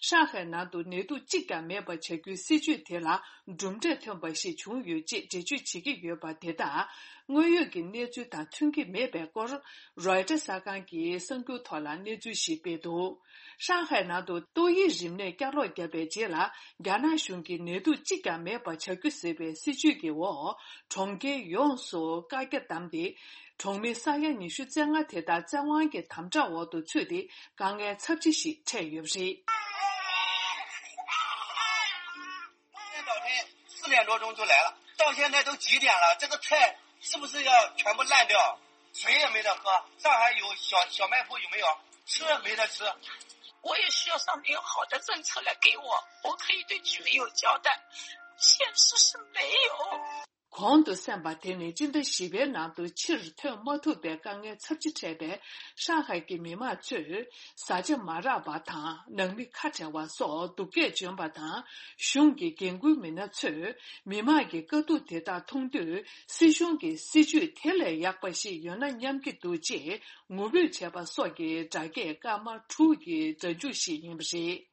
ཧྲང་ཧའེ་ནང་དུ་ནད་དུག་གཅིག་ཀྱང་མེད་པ་བྱ་རྒྱུའི་སྲིད་ཇུས་དེ་ལ་གྲུབ་འབྲས་ཐོན་པ་ཞིག་བྱུང་ཡོད་ཅེས་འགྲེལ་བརྗོད་བྱེད་ཀྱི་ཡོད་པ་དེ་དག་དངོས་ཡོད་ཀྱི་གནས་ཚུལ་དང་མཐུན་གྱི་མེད་པའི་སྐོར། རོའི་ཊར་གསར་ཁང་གིས་གསར་འགྱུར་ཐོག་ལ་གནས་ཚུལ་ཞིག་སྤེལ་འདུག་ཧྲང་ཧའེ་ནང་དུ་ཏོག་དབྱིབས་རིམས་ནད་བསྐྱར་ལོག་བརྒྱབ་པའི་རྗེས་ལ། རྒྱ་ནག་གཞུང་གིས་ནད་དུག་གཅིག་ཀྱང་མེད་པ་བྱ་རྒྱུ་ཟེར་བའི་སྲིད་ཇུས་ཀྱི་འོག་གྲོང་ཁྱེར་ཡོངས་སུ་བཀག་རྒྱ་བསྡམས་ཏེ། གྲོང་མི་ས་ཡ་ཉི་ཤུ་རྩ་ལྔ་དེ་དག་བཙན་དབང་གི་དམ་དྲག་འོག་ཏུ་ཚུད་དེ། དཀའ་ངལ་ཚབས་ཆེ་ཞིག་འཕྲད་ཡོད་པ་རེད། 今天早晨四点多钟就来了，到现在都几点了？这个菜是不是要全部烂掉？水也没得喝，上海有小小卖部有没有？吃也没得吃。我也需要上面有好的政策来给我，我可以对居民有交代。现实是没有。 གོང་དུ་གསན་པ་དེ་ནི་སྤྱི་ཟླ་བཞི་པའི་ནང་དུ་ཕྱིར་ཐོན་མ་ཐུབ་པའི་དཀའ་ངལ་ཚབས་ཆེ་འཕྲད་པའི་ཧྲང་ཧའེ་གྱི་མི་མང་ཚོས་བཟའ་བཅའ་མ་རག་པ་དང་ནང་མི་ཁ་བྲལ་བ་སོགས་སྡུག་སྐད་བརྗོད་པ་དང་། གཞུང་གི་འགན་འཁུར་མི་སྣ་ཚོས་མི་མང་གི་དཀའ་སྡུག་དེ་དག་མཐོང་དུས་སྲིད་གཞུང་གི་སྲིད་ཇུས་དེ་ལས་ཡག་པ་ཞིག་ཡོད་ན་སྙམ་གྱི་འདུག་ཅེས་ངུ་འབོད་བྱས་པ་སོགས་ཀྱི་སྒྲ་སྐད་སྐར་མ་དྲུག་གི་སྒྲ་འཇུག་ཞིག་ཡིན་པ་རེད།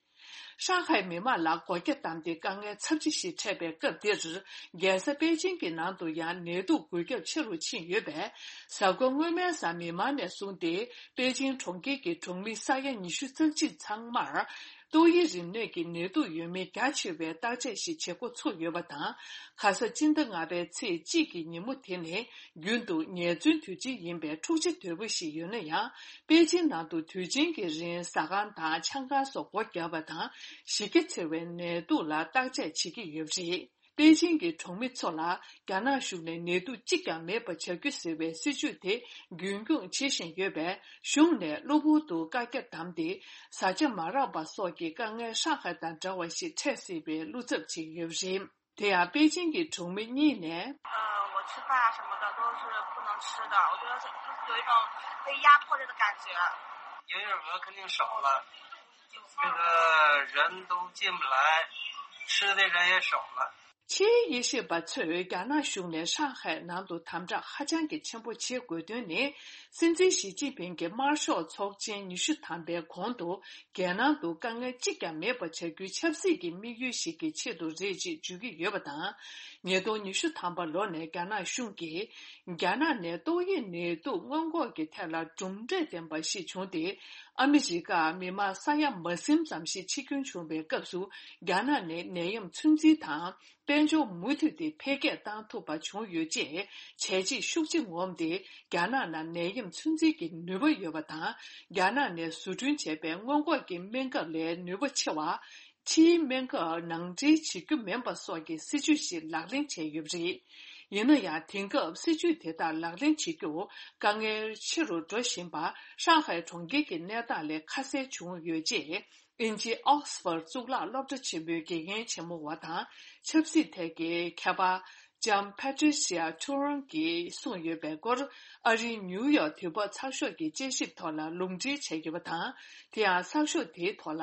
ཧྲང་ཧའེ་མི་མང་ལ་སྒོ་རྒྱ་བསྡམས་ཏེ་དཀའ་ངལ་ཚབས་ཆེ་ཞིག་འཕྲད་པའི་སྐབས་འདིར། རྒྱལ་ས་པེ་ཅིང་གི་ནང་དུ་ཡང་ནད་དུག་འགོས་ཁྱབ་ཆེ་རུ་ཕྱིན་ཡོད་པས། གཟའ་འཁོར་སྔོན་མའི་གཟའ་མིག་དམར་ནས་བཟུང་སྟེ་པེ་ཅིང་གྲོང་ཁྱེར་གྱི་གྲོང་མི་ས་ཡ་ཉི་ཤུ་རྩ་གཅིག་ཚང་མར་ཏོག་དབྱིབས་རིམས་ནད་ཀྱི་ནད་དུག་ཡོད་མེད་རྒྱ་ཆེ་བའི་བརྟག་དཔྱད་ཞིག་བྱེད་འགོ་ཚུགས་ཡོད་པ་དང་། ཁ་ས་སྤྱི་ཟླ་ལྔ་པའི་ཚེས་གཅིག་གི་ཉིན་མོ་དེ་ནི། རྒྱུན་དུ་ཉེས་བཙུན་དུས་ཆེན་ཡིན་པས་འཁྲུག་ཆ་དོད་པོ་ཞིག་ཡོད་ན་ཡང་། པེ་ཅིང་ནང་དུ་དུས་ཆེན་གྱི་རིང་ཟ་ཁང་དང་ཆང་ཁང་སོགས་སྒོ་བརྒྱབ་པ་དང་། གཞི་རྒྱ་ཆེ་བའི་ནད་དུག་ལ་བརྟག་དཔྱད་བྱེད་ཀྱི་ཡོད་པ་རེད། པེ་ཅིང་གི་གྲོང་མི་ཚོ་ལ་རྒྱ་ནག་གཞུང་ནས་ནད་དུག་གཅིག་ཀྱང་མེད་པ་བྱ་རྒྱུ་ཟེར་བའི་སྲིད་ཇུས་དེ་རྒྱུན་འཁྱོངས་བྱེད་བཞིན་ཡོད་པས། གཞུང་ནས་གློ་བུར་དུ་བཀའ་རྒྱ་བསྡམས་ཏེ། བཟའ་བཅའ་མ་རག་པ་སོགས་ཀྱི་དཀའ་ངལ་ཧྲང་ཧའེ་དང་འདྲ་བ་ཞིག་འཕྲད་སྲིད་པའི་བློ་འཚབ་བྱེད་ཀྱི་ཡོད་པ་རེད། དེ་ཡང་པེ་ཅིང་གི་གྲོང་མི་གཉིས་ནས། 呃，我吃饭啊什么的都是不能吃的，我觉得是有一种被压迫着的感觉。营业额肯定少了，这个人都进不来，吃的人也少了。 ཕྱིའི་དབྱེ་ཞིབ་པ་ཚོས་རྒྱ་ནག་གཞུང་ནས་ཧྲང་ཧའེ་ནང་དུ་དམ་དྲག་ཧ་ཅང་གི་ཆེན་པོ་བྱེད་དགོས་དོན་ནི། སྲིད་འཛིན་ཞི་ཅིན་ཕིང་གིས་དམར་ཤོག་ཚོགས་ཆེན་ཉི་ཤུ་ཐམ་པའི་གོང་དུ། རྒྱལ་ནང་དུ་དཀའ་ངལ་གཅིག་ཀྱང་མེད་པ་བྱ་རྒྱུའི་ཆབ་སྲིད་ཀྱི་དམིགས་ཡུལ་ཞིག་གི་ཆེད་དུ་རེད་ཅེས་བརྗོད་ཀྱི་ཡོད་པ་དང་། ཉིས་སྟོང་ཉི་ཤུ་ཐམ་པ་ལོ་ནས་རྒྱ་ནག་གཞུང་གིས། རྒྱ་ནག་ནས་ཏོག་དབྱིབས་ནད་དུག་སྔོན་འགོག་གི་ཐད་ལ་གྲུབ་འབྲས་ལྡན་པ་ཞིག་བྱུང་སྟེ། ཨ་མི་རི་ཀར་མི་མང་ས་ཡ་མ་ཟིན་ཙམ་ཞིག་འཆི་སྐྱོན་བྱུང་བའི་སྐབས་སུ། རྒྱ་ནག་ནས་ནད་ཡམས་ཚོད་འཛིན་དང་། དཔལ་འབྱོར་མུ་མཐུད་དེ་འཕེལ་རྒྱས་བཏང་ཐུབ་པ་བྱུང་ཡོད་ཅེས། བྱས་རྗེས་ཤུགས་ཆེ་ངོམ་སྟེ། རྒྱ་ནག་ནང་ནད་ཡམས་ཚོད་འཛིན་གྱི་ནུས་པ་ཡོད་པ་དང་། རྒྱ་ནག་ནས་བཟོ་སྐྲུན་བྱས་པའི་སྔོན་འགོག་གི་སྨན་ཁབ་ལས་ནུས་པ་ཆེ་བ། ཕྱིའི་སྨན་ཁབ་ནང་འདྲེན་བྱེད་རྒྱུ་མིན་པ་སོགས་ཀྱི་སྲིད་ཇུས་ཤིག་ལག་ལེན་བྱས་ཡོད་པ་རེད། ཡིན་ན་ཡང་། དེང་སྐབས་སྲིད་ཇུས་དེ་དག་ལག་ལེན་བྱེད་རྒྱུ་དཀའ་ངལ་ཆེ་རུ་འགྲོ་བཞིན་པ། ཧྲང་ཧའེ་གྲོང་ཁྱེར་གྱི་གནས་སྟངས་ལས་ཁ་གསལ་བྱུང་ཡོད་ཅེས། དབྱིན་ཇིའི་ཨོག་སི་ཕོར་གཙུག་ལག་སློབ་གྲྭ་ཆེན་པོའི་དགེ་རྒན་ཆེན་མོ་བ་དང་། ཆབ་སྲིད་ཐད་ཀྱི་མཁས་པ། ལྕམ་Patricia Churan གྱིས་གསུངས་ཡོད་པའི་སྐོར། ཨ་རིའི་ནིའུ་ཡོག་དུས་བབ་ཚགས་ཤོག་གི་དཔྱད་ཞིབ་ཐོག་ལ་ལུང་འདྲེན་བྱས་ཡོད་པ་དང་། དེ་ཡང་། ཚགས་ཤོག་དེའི་ཐོག་ལ།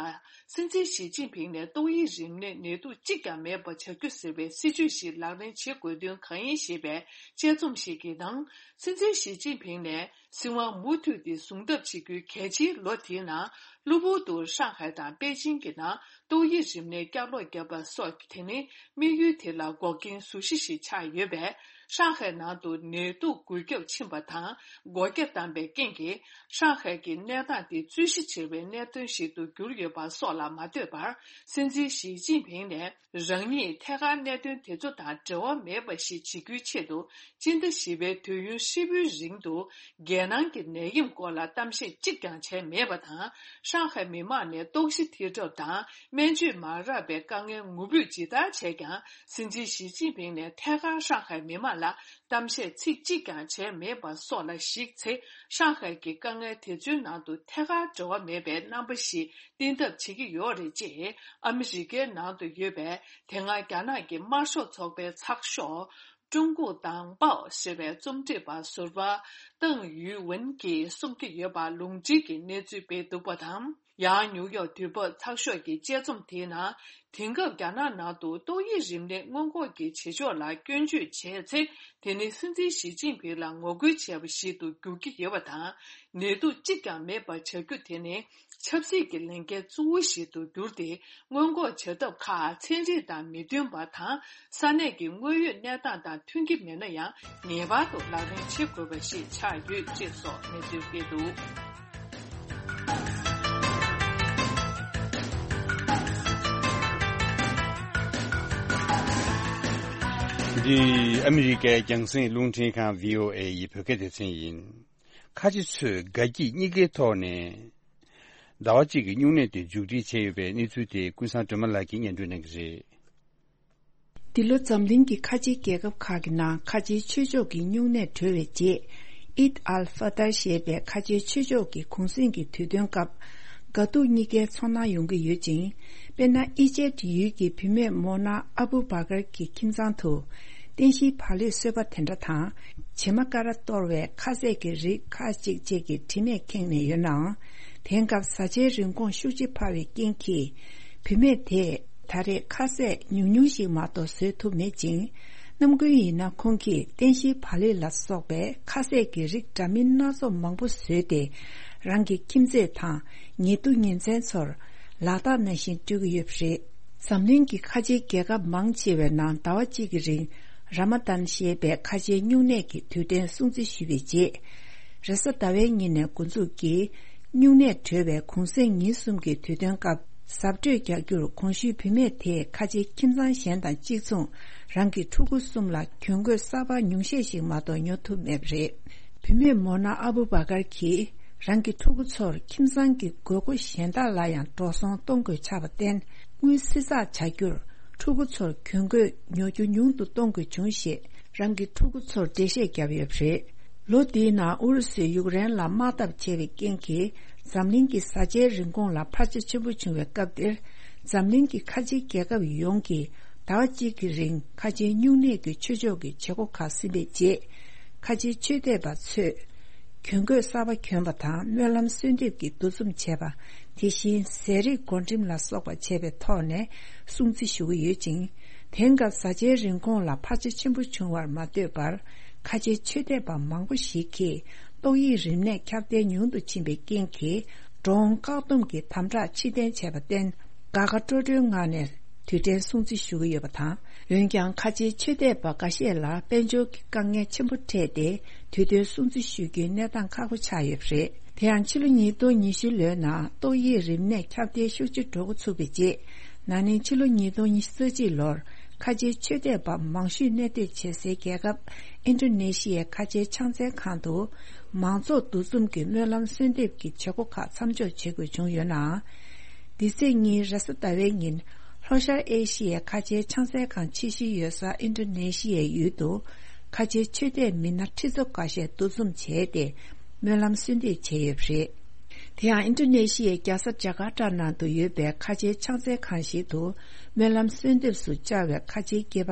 སྲིད་འཛིན་ཞི་ཅིན་ཕིང་ནས་ཏོག་དབྱིབས་རིམས་ནད་ནད་དུག་གཅིག་ཀྱང་མེད་པ་བྱ་རྒྱུ་ཟེར་བའི་སྲིད་ཇུས་ཤིག་ལག་ལེན་བྱེད་དགོས་དོན་གང་ཡིན་ཞེས་པའི་དཔྱད་རྩོམ་ཞིག་གི་ནང་། སྲིད་འཛིན་ཞི་ཅིན་ཕིང་ནས། སྲིད་དབང་མུ་མཐུད་དེ་བཟུང་ཐབས་བྱེད་རྒྱུའི་གལ་ཆེའི་ལོ་དེའི་ནང་། གློ་བུར་དུ་ཧྲང་ཧའེ་དང་པེ་ཅིང་གི་ནང་ཏོག་དབྱིབས་རིམས་ནད་བསྐྱར་ལོག་བརྒྱབ་པ་སོགས་དེ་ནི་དམིགས་ཡུལ་དེ་ལ་འགོག་རྐྱེན་གཟུགས་གཞི་ཞིག་ཆགས་ཡོད་པས། ཧྲང་ཧའེ་ནང་དུ་ནད་དུག་འགོས་ཁྱབ་ཕྱིན་པ་དང་སྒོ་རྒྱ་བསྡམས་པའི་རྐྱེན་གྱིས། ཧྲང་ཧའེ་གྱི་གནས་སྟངས་དེ་རྩོད་གཞི་ཆེ་བའི་གནད་དོན་ཞིག་ཏུ་གྱུར་ཡོད་པ་སོགས་ལ་མ་ལྟོས་པར། སྲིད་འཛིན་ཞི་ཅིན་ཕིང་ནས། རང་ཉིད་ཐད་ཀར་གནད་དོན་དེ་ཚོ་དང་འབྲེལ་བ་མེད་པ་ཞིག་བྱེད་རྒྱུའི་ཆེད་དུ། སྤྱི་ཟླ་བཞི་པའི་དུས་ཡུན་ཧྲིལ་པོའི་རིང་དུ། རྒྱལ་ནང་གི་ནད་ཡམས་སྐོར་ལ་གཏམ་བཤད་གཅིག་ཀྱང་བྱས་མེད་པ་དང་། ཧྲང་ཧའེ་མི་མང་ནས་ལྟོགས་ཤི་ཐེབས་གྲབས་དང་སྨན་བཅོས་མ་རག་པའི་དཀའ་ངལ་ངུ་འབོད་ཇི་ལྟར་བྱས་ཀྱང་། སྲིད་འཛིན་ཞི་ཅིན་ཕིང་ནས་ཐད་ཀར་ཧྲང་ཧའེ་མི་མང་ལ་གཏམ་བཤད་ཚིག་གཅིག་ཀྱང་བྱས་མེད་པ་སོགས་ལ་གཞིགས་ཚེ། ཧྲང་ཧའེ་གྱི་དཀའ་ངལ་དེ་ཚོའི་ནང་དུ་ཐད་ཀར་འབྲེལ་བ་མེད་པའི་རྣམ་པ་ཞིག་བསྟན་ཐབས་བྱེད་ཀྱི་ཡོད་རེད་ཅེས། ཨ་མི་རི་ཀའི་ནང་དུ་ཡོད་པའི་དེ་སྔ་རྒྱ་ནག་གི་དམར་ཤོག་ཚོགས་པའི་ཚགས་ཤོག་ཀྲུང་གུང་དང་པའོ་ཞེས་པའི་རྩོམ་སྒྲིག་པ་ཟུར་པ་ཏང་ཡུས་ཝུན་གྱིས་གསུང་གི་ཡོད་པ་ལུང་འདྲེན་གྱི་གནས་ཚུལ་སྤེལ་འདུག་པ་དང་། ཡང་ནིའུ་ཡོག་དུས་བབ་ཚགས་ཤོག་གི་དཔྱད་རྩོམ་དེའི་ནང་། དེང་སྐབས་རྒྱ་ནག་ནང་དུ་ཏོག་དབྱིབས་རིམས་ནད་སྔོན་འགོག་གི་བྱེད་ཕྱོགས་ལ་སྐྱོན་བརྗོད་བྱས་ཚེ། དེ་ནི་སྲིད་འཛིན་ཞི་ཅིན་ཕིང་ལ་ངོ་རྒོལ་བྱས་པ་ཞིག་ཏུ་འགྱུར་གྱི་ཡོད་པ་དང་། ནད་དུག་གཅིག་ཀྱང་མེད་པ་བྱ་རྒྱུ་དེ་ནི། ཆབ་སྲིད་ཀྱི་ལས་འགན་གཙོ་བོ་ཞིག་ཏུ་གྱུར་ཏེ། སྔོན་འགོག་བྱ་ཐབས་ཁག་ཚན་རིག་དང་མི་མཐུན་པ་དང་། ས་གནས་ཀྱི་དངོས་ཡོད་གནས་སྟངས་དང་མཐུན་གྱི་མེད་ན་ཡང་། ངེས་པར་དུ་ལག་ལེན་བྱེད་དགོས་པ་ཞིག་ཆགས་ཡོད་ཅེས་སོགས་གནས་ཚུལ་སྤེལ་འདུག། འདི་ཨ་མི་རི་ཀའི་རྒྱང་སྲིང་རླུང་འཕྲིན་ཁང་བྷི་ཨོ་ཨེ་ཡི་བོད་སྐད་སྡེ་ཚན་ཡིན། ཁ་ཆེ་ཚོས་དགའ་སྐྱིད་གཉིས་ཀའི་ཐོག་ནས་ཟླ་བ་གཅིག་གི་སྨྱུང་གནས་དེ་མཇུག་སྒྲིལ་བྱས་ཡོད་པའི་གནས་ཚུལ་དེ་ཀུན་བཟང་སྒྲོལ་མ་ལགས་ཀྱིས་སྙན་སྒྲོན་གནང་གི་རེད། འདི་ལོ་འཛམ་གླིང་གི་ཁ་ཆེའི་རྒྱལ་ཁབ་ཁག་གི་ནང་ཁ་ཆེའི་ཆོས་ཕྱོགས་ཀྱི་སྨྱུང་གནས་གྲོལ་བའི་རྗེས། ཨིད་ཨལ་ཧྥ་ཏར་ཞེས་པའི་ཁ་ཆེའི་ཆོས་ཕྱོགས་ཀྱི་གུང་གསེང་གི་དུས་སྟོན་སྐབས། དགའ་སྡུག་གཉིས་ཀའི་ཚོར་སྣང་ཡོང་གི་ཡོད་ཅིང་། དཔེར་ན། ཨི་ཇེབ་ཡུལ་གྱི་བུད་མེད་མོ་ན་ཨ་བུ་བྷ་གར་གྱི་ཁྱིམ་ཚང་དུ། རྟེན་གཞིའི་བག་ལེབ་བཟོས་པ་དེ་འདྲ་དང་། བྱེ་མ་ཀ་ར་གཏོར་བའི་ཁ་ཟས་ཀྱི་རིགས་ཁག་ཅིག་བཅས་ཀྱི་དྲི་མས་ཁེངས་ནས་ཡོད་ནའང་། དེང་སྐབས་བཟའ་བཅའི་རིན་གོང་ཤུགས་ཆེ་འཕར་བའི་རྐྱེན་གྱིས། བུད་མེད་དེས་ད་རེས་ཁ་ཟས་ཉུང་ཉུང་ཞིག་མ་གཏོགས་བཟོས་ཐུབ་མེད་ཅིང་། ནམ་རྒྱུན་ཡིན་ན་ཁོང་གིས་རྟེན་གཞིའི་བག་ལེབ་ལ་སོགས་པའི་ཁ་ཟས་ཀྱི་རིགས་འདྲ་མིན་སྣ་ཚོགས་མང་པོ་བཟོས་ཏེ། རང་གི་ཁྱིམ་མཚེས་དང་ཉེ་དུ་ཉེ་ཚན་ཚོར་ལག་རྟགས་ནང་བཞིན་སྤྲོད་ཀྱི་ཡོད་པ་རེད། འཛམ་གླིང་གི་ཁ་ཆེའི་རྒྱལ་ཁབ་མང་ཆེ་བའི་ནང་ཟླ་བ་གཅིག་གི་རིང་། ར་མ་དཱན་ཞེས་པའི་ཁ་ཆེའི་སྨྱུང་གནས་ཀྱི་དུས་དྲན་སྲུང་བརྩི་ཞུས་པའི་རྗེས། རེས་གཟའ་ཟླ་བའི་ཉིན་ནས་འགོ་འཛུགས་ཀྱིས། སྨྱུང་གནས་གྲོལ་བའི་གུང་གསེང་ཉིན་གསུམ་གྱི་དུས་སྟོན་སྐབས། གཟབ་སྤྲོས་རྒྱག་རྒྱུར་གོང་ཞུས་བུད་མེད་དེས་ཁ་ཆེའི་ཁྱིམ་ཚང་གཞན་དང་གཅིག་མཚུངས། རང་གི་ཕྲུ་གུ་གསུམ་ལ་གྱོན་གོས་གསར་པ་ཉུང་ཤས་ཤིག་མ་གཏོགས་ཉོ་ཐུབ་མེད་པ་རེད། བུད་མེད་མོ་ན་ཨ་བུ་བྷ་གར་གྱིས། རང་གི་ཕྲུ་གུ་ཚོར་ཁྱིམ་ཚང་གི་དགོས་མཁོ་གཞན་དག་ལ་ཡང་འགྲོ་སོང་གཏོང་དགོས་ཆགས་པར་བརྟེན། དངུལ་བསྲི་ཚགས་བྱ་རྒྱུར། ཕྲུ་གུ་ཚོར་གྱོན་གོས་ཉོ་རྒྱུ་ཉུང་དུ་གཏོང་དགོས་བྱུང་ཞེས། རང་གི་ཕྲུ་གུ་ཚོར་འགྲེལ་བཤད་བརྒྱབ་ཡོད་པ་རེད། ལོ་འདིའི་ནང་ཨུ་རུ་སུས་ཡུཀ་རེན་ལ་དམག་འཐབ་བྱས་པའི་རྐྱེན་གྱིས། འཛམ་གླིང་གི་བཟའ་བཅའི་རིན་གོང་ལ་འཕར་ཆ་ཆེན་པོ་བྱུང་བའི་སྐབས་འདིར། འཛམ་གླིང་གི་ཁ་ཆེའི་རྒྱལ་ཁབ་ཡོངས་ཀྱིས། ཟླ་བ་གཅིག་གི་རིང་ཁ་ཆེའི་སྨྱུང་གནས་ཀྱི་ཆོས་ཕྱོགས་ཀྱི་བྱེད་སྒོ་ཁག་ཟིན་པའི་རྗེས། ཁ་ཆེའི་ཆོས་དད་པ་ཚོས། གྱོན་གོས་གསར་པ་གྱོན་པ་དང་སྨོན་ལམ་གསོལ་འདེབས་ཀྱི་འདུ་འཛོམས་བྱས་པ། དེ་བཞིན་ཟས་རིགས་བགོ་འགྲེམས་ལ་སོགས་པ་བྱས་པའི་ཐོག་ནས་སྲུང་བརྩི་ཞུ་གི་ཡོད་ཅིང་། དེང་སྐབས་བཟའ་བཅའི་རིན་གོང་ལ་འཕར་ཆ་ཆེན་པོ་བྱུང་བར་མ་ལྟོས་པར། ཁ་ཆེའི་ཆོས་དད་པ་མང་པོ་ཞིག་གིས་ཏོག་དབྱིབས་རིམས་ནད་ཁྱབ་གདལ་ཉུང་དུ་ཕྱིན་པའི་རྐྱེན་གྱིས། འགྲོ་འོང་བཀག་སྡོམ་གྱི་དམ་དྲག་ཕྱིར་འཐེན་བྱས་པར་བརྟེན། དགའ་དགའ་སྤྲོ་སྤྲོའི་ངང་ནས་དུས་དྲན་སྲུང་བརྩི་ཞུ་གི་ཡོད་པ་དང་། འོན་ཀྱང་ཁ་ཆེའི་ཆོས་དད་པ་འགའ་ཤས་ལ་དཔལ་འབྱོར་གྱི་དཀའ་ངལ་ཆེན་པོ་འཕྲད་དེ། དུས་དྲན་སྲུང་བརྩི་ཞུ་རྒྱུའི་གནས་སྟངས་ཁག་པོ་ཆགས་ཡོད་པ་རེད། དེ་ཡང་ཕྱི་ལོ་ཉིས་སྟོང་ཉི་ཤུ་ལོའི་ནང་ཏོག་དབྱིབས་རིམས་ནད་ཁྱབ་གདལ་ཤུགས་ཆེ་འགྲོ་འགོ་ཚུགས་པའི་རྗེས། ན་ནིང་ཕྱི་ལོ་ཉིས་སྟོང་ཉི་ཤུ་རྩ་གཅིག་ལོར་ཁ་ཆེའི་ཆོས་དད་པ་མང་ཤོས་གནས་སྡོད་བྱེད་སའི་རྒྱལ་ཁབ་ཨིན་ཌོ་ནེ་ཤི་ཡའི་ཁ་ཆེའི་ཕྱག་འཚལ་ཁང་དུ། མང་ཚོགས་འདུ་འཛོམས་ཀྱི་སྨོན་ལམ་གསོལ་འདེབས་ཀྱི་བྱེད་སྒོ་ཁག་མཚམས་འཇོག་བྱེད་དགོས་བྱུང་ཡོད་ནའང་། འདི་ཚེས་གཉིས་རེས་གཟའ་ཟླ་བའི་ཉིན། ལྷོ་ཤར་ཨེ་ཤི་ཡའི་ཁ་ཆེའི་ཕྱག་འཚལ་ཁང་ཆེ་ཤོས་ཡོད་ས་ཨིན་ཌོ་ནེ་ཤི་ཡའི་ཡུལ་དུ། ཁ་ཆེའི་ཆོས་དད་མི་སྣ་ཁྲི་ཚོ་འགའ་ཤས་འདུ་འཛོམས་བྱས་ཏེ། སྨོན་ལམ་གསོལ་འདེབས་བྱས་ཡོད་པ་རེད། དེ་ཡང་ཨིན་ཌོ་ནེ་ཤི་ཡའི་རྒྱལ་ས་ཇ་ཀར་ཏ་ནང་དུ་ཡོད་པའི་ཁ་ཆེའི་ཕྱག་འཚལ་ཁང་ཞིག་ཏུ། སྨོན་ལམ་གསོལ་འདེབས་སུ་བཅར་བའི་ཁ་ཆེའི་སྐྱེས་པ་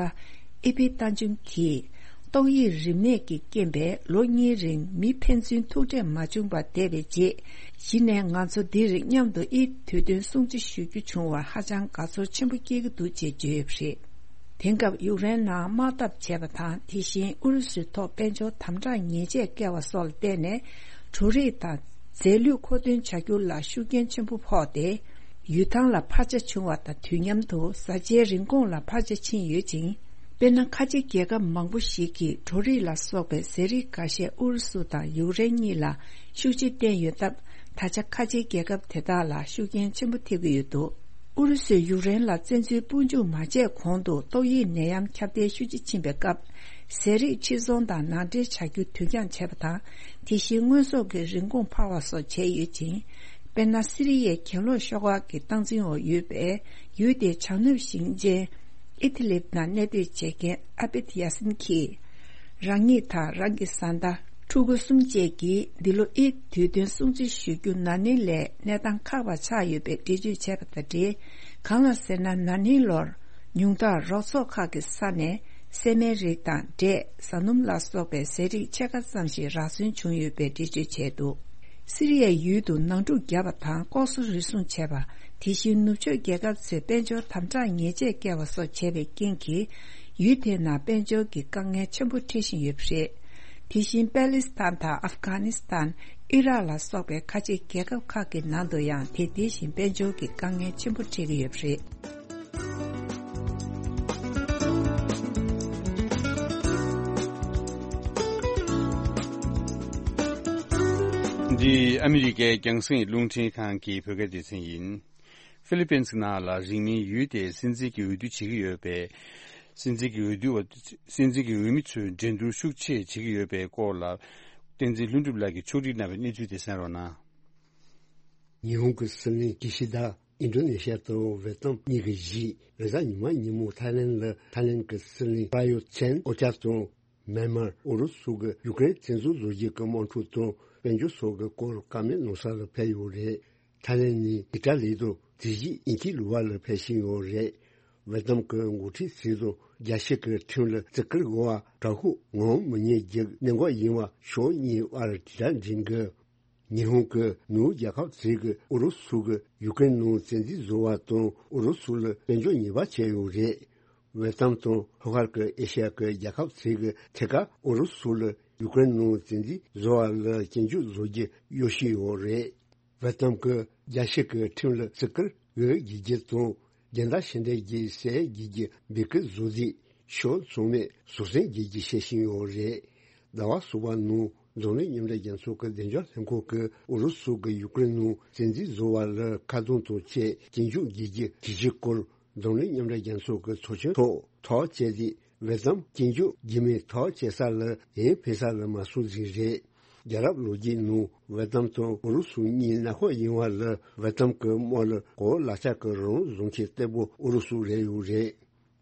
ཨི་ཕི་ཏཱ་ཅུན་གྱིས། ཏོག་དབྱིབས་རིམས་ནད་ཀྱི་རྐྱེན་པས་ལོ་གཉིས་རིང་མི་ཕན་ཚུན་ཐུག་འཕྲད་མ་བྱུང་བར་བསྡད་པའི་རྗེས། གཞི་ནས་ང་ཚོ་འདིར་མཉམ་དུ་ཨིད་དུས་སྟོན་སྲུང་བརྩི་ཞུ་རྒྱུ་བྱུང་བར་ཧ་ཅང་དགའ་ཚོར་ཆེན་པོ་སྐྱེ་གི་འདུག་ཅེས་བརྗོད་ཡོད་པ་རེད། དེང་སྐབས་ཡུཀ་རེན་ནང་དམག་འཐབ་བྱས་པ་དང་། དེ་བཞིན་ཨུ་རུ་སུའི་ཐོག་དཔལ་འབྱོར་དམ་དྲག་ཉེས་ཆད་བཀལ་བ་སོགས་ལ་བརྟེན་ནས། འབྲུ་རིགས་དང་རྫས་ལུད་མཁོ་འདོན་བྱ་རྒྱུ་ལ་ཤུགས་རྐྱེན་ཆེན་པོ་ཕོག་སྟེ། ཡུལ་ཐང་ལ་འཕར་ཆ་བྱུང་བ་དང་དུས་མཉམ་དུ་བཟའ་བཅའི་རིན་གོང་ལ་འཕར་ཆ་ཕྱིན་ཡོད་ཅིང་། དཔེར་ན། ཁ་ཆེ་རྒྱལ་ཁབ་མང་པོ་ཞིག་གིས་འབྲུ་རིགས་ལ་སོགས་པའི་ཟས་རིགས་འགའ་ཤས་ཨུ་རུ་སུ་དང་ཡུཀ་རེན་གཉིས་ལ་ཤུགས་ཆེ་བསྟན་ཡོད་སྟབས། ད་ཆ་ཁ་ཆེའི་རྒྱལ་ཁབ་དེ་དག་ལ་ཤུགས་རྐྱེན་ཆེན་པོ་ཐེབས་ཀྱི་ཡོད་འདུག་ཨུ་རུ་སུས་ཡུཀ་རེན་ལ་བཙན་འཛུལ་དཔུང་འཇུག་མ་བྱས་གོང་དུ་ཏོག་དབྱིབས་ནད་ཡམས་ཁྱབ་གདལ་ཤུགས་ཆེ་ཕྱིན་པའི་སྐབས། ཟས་རིགས་ཕྱིར་ཚོང་དང་ནང་འདྲེན་བྱ་རྒྱུ་དུས་འགྱངས་བྱས་པ་དང་། དེ་བཞིན་དངོས་ཟོག་གི་རིན་གོང་འཕར་བ་སོགས་བྱས་ཡོད་ཅིང་། དཔེར་ན། སི་རི་ཡའི་གྱེན་ལོག་ཤོག་ཁག་གི་སྟངས་འཛིན་འོག་ཡོད་པའི་ཡུལ་དེའི་བྱང་ནུབ་ཞིང་ཆེན་ཨི་ཐི་ལིབ་ནང་གནས་སྡོད་བྱེད་མཁན་ཨ་བེད་ཡ་སིན་གྱིས། རང་ཉིད་དང་རང་གི་བཟའ་ཟླ། ཕྲུ་གུ་གསུམ་བཅས་ཀྱིས་འདི་ལོ་ཨིད་དུས་སྟོན་སྲུང་བརྩི་ཞུ་རྒྱུ་ན་ནིང་ལས་གནས་སྟངས་ཁག་པ་ཆགས་ཡོད་པའི་འགྲེལ་བརྗོད་བྱས་པ་དང་འབྲེལ། གང་ལ་ཟེར་ན། ན་ནིང་ལོར་ཉུང་མཐར་རོགས་ཚོགས་ཁག་གི་ས་ནས་སྲན་མའི་རིགས་དང་། འབྲས། ཟ་སྣུམ་ལ་སོགས་པའི་ཟས་རིགས་ཕྱེད་ཀ་ཙམ་ཞིག་རག་སོན་བྱུང་ཡོད་པའི་འགྲེལ་བརྗོད་བྱས་འདུག་སི་རི་ཡའི་ཡུལ་དུ་ནང་འཁྲུག་བརྒྱབ་པ་དང་ལྐོག་ཟ་རུལ་སུངས་བྱས་པ། དེ་བཞིན་ནུབ་ཕྱོགས་རྒྱལ་ཁབ་ཚོས་དཔལ་འབྱོར་དམ་དྲག་ཉེས་ཆད་བཀལ་བ་སོགས་བྱས་པའི་རྐྱེན་གྱིས། ཡུལ་དེའི་ནང་དཔལ་འབྱོར་གྱི་དཀའ་ངལ་ཆེན་པོ་འཕྲད་བཞིན་ཡོད་པ་རེད། དེ་བཞིན་པེ་ལིས་ཐན་དང་ཨབ་གྷ་ནིས་ཐན། ཨི་རག་ལ་སོགས་པའི་ཁ་ཆེ་རྒྱལ་ཁབ་ཁག་གི་ནང་དུ་ཡང་དེ་དེ་བཞིན་དཔལ་འབྱོར་གྱི་དཀའ་ངལ་ཆེན་པོ་འཕྲད་ཀྱི་ཡོད་པ་རེད། འདི་ཨ་མི་རི་ཀའི་རྒྱང་སྲིང་རླུང་འཕྲིན་ཁང་གི་བོད་སྐད་སྡེ་ཚན་ཡིན། ཧྥི་ལི་པིན་སི་ནང་ལ་རིང་མིན་ཡུལ་དེའི་སྲིད་འཛིན་གྱི་འོས་བསྡུ་བྱེད་ཀྱི་ཡོད་པས། སྲིད་འཛིན་གྱི་འོས་བསྡུ་བ། སྲིད་འཛིན་གྱི་འོས་མི་ཚོས་འགྲན་བསྡུར་ཤུགས་ཆེ་བྱེད་ཀྱི་ཡོད་པའི་སྐོར་ལ། བསྟན་འཛིན་ལྷུན་གྲུབ་ལགས་ཀྱིས་ཕྱོགས་སྒྲིག་གནང་བའི་གནས་ཚུལ་དེ་གསན་རོགས་གནང་། 日本国スリン岸田 ཨིན་ཌོ་ནེ་ཤི་ཡ་དང་ཝེ་ཏམ་གཉིས་ཀྱི་གཞིས། རེས་གཟའ་ཉི་མ་ཉིན་མོ་ཐའི་ལེན་ལ་ཐའི་ལེན་གྱི་སྲིད་བློན་པ་ཡོ་ཆན་ཨོ་ཅཱ་དང་། མེན་མར་ཨུ་རུ་སུ་གི་ཡུཀ་རེན་བཙན་འཛུལ་བཟོ་རྒྱུ་གི་དམག་འཁྲུག་དང་དཔལ་འབྱོར་སོགས་ཀྱི་སྐོར་བཀའ་མོལ་གནང་ས་ལ་ཕེབས་ཡོད་རེད། ཐའི་ལེན་ནས་ཨི་ཊ་ལི་དང་དེ་བཞིན་དབྱིན་ཇིའི་ལུང་པ་ལ་ཕེབས་བཞིན་ཡོད་རེད། ཝེ་ཏམ་གྱི་འགོ་ཁྲིད་ཚོས་དང་རྒྱལ་སྤྱི་གི་ཁྲིམས་ལ་བརྩི་བཀུར་དགོས་པ། དྲག་ཤུགས་ངོམ་མི་ཉན་རྒྱུ་གནད་འགག་ཡིན་པ་ཕྱོགས་གཉིས་དབར་དྲིལ་བསྒྲགས་འགྲིམ་གི། ཉི་ཧོང་གི་ནུབ་རྒྱལ་ཁབ་ཚོས་ཀྱིས་ཨུ་རུ་སུ་གིས་ཡུཀ་རེན་ནང་བཙན་འཛུལ་བཟོ་བ་དང་ཨུ་རུ་སུ་ལ་དཔལ་འབྱོར་ཉེས་པ་བྱས་ཡོད་རེད། ཝེ་ཏམ་དང་ལྷོ་ཤར་གྱི་ཨེ་ཤ་ཡ་གི་རྒྱལ་ཁབ་ཚོས་ཀྱིས་ཐད་ཀར་ཨུ་རུ་སུ་ལ་ཡུཀ་རེན་ནང་བཙན་འཛུལ་བཟོ་བ་ལ་སྐྱོན་བརྗོད་བཟོ་རྒྱུ་གཡོ་བཞིན་ཡོད་རེད། ཝེ་ཏམ་གྱིས་རྒྱལ་སྤྱི་གི་ཁྲིམས་ལ་བརྩི་བཀུར་དགོས་བརྗོད་རྒྱུ་དང་། རྒྱལ་དར་ཕྱི་འདེད་ཀྱི་ཟས་རྒྱུ་གི་འབོད་སྐུལ་བཟོ་རྩིས་ཕྱོགས་མཚུངས་མེད་བཟོད་བསྲན་རྒྱུ་གི་བཤད་བཞིན་ཡོད་རེད། ཟླ་བ་གསུམ་པ་ནང་འཛམ་གླིང་མཉམ་འབྲེལ་རྒྱལ་ཚོགས་ཀྱི་བདེ་འཇགས་ལྷན་ཁང་གིས་ཨུ་རུ་སུ་གིས་ཡུཀ་རེན་ནང་བཙན་འཛུལ་བཟོ་བ་ལ་ཁ་རྡུང་དང་བཅས་སྐྱོན་བརྗོད་རྒྱུ་གི་གྲོས་གཞིའི་སྐོར་འཛམ་གླིང་མཉམ་འབྲེལ་རྒྱལ་ཚོགས་ཀྱི་ཚོགས་ཆེན་ཐོག་ཐག་བཅད་དེ། ཝེ་ཏམ་སྐྱོན་བརྗོད་རྒྱུ་མེད་ཐག་བཅད་ས་ལ་ཡང་ཕེབས་ས་ལ་མ་སོང་ཟིག་རེད། རྒྱལ་རབས་ལོ་རྒྱུས་ནང་ཝེ་ཏམ་དང་ཨུ་རུ་སུ་གཉིས་ནག་ཁོག་ཡིན་པ་ལ། ཝེ་ཏམ་གྱི་དམག་ལ་གོ་བ་ལག་ཆ་གི་རང་དབང་བཟུང་མཁན་གཏེ་པོ་ཨུ་རུ་སུ་རེད་ཡོད་རེད།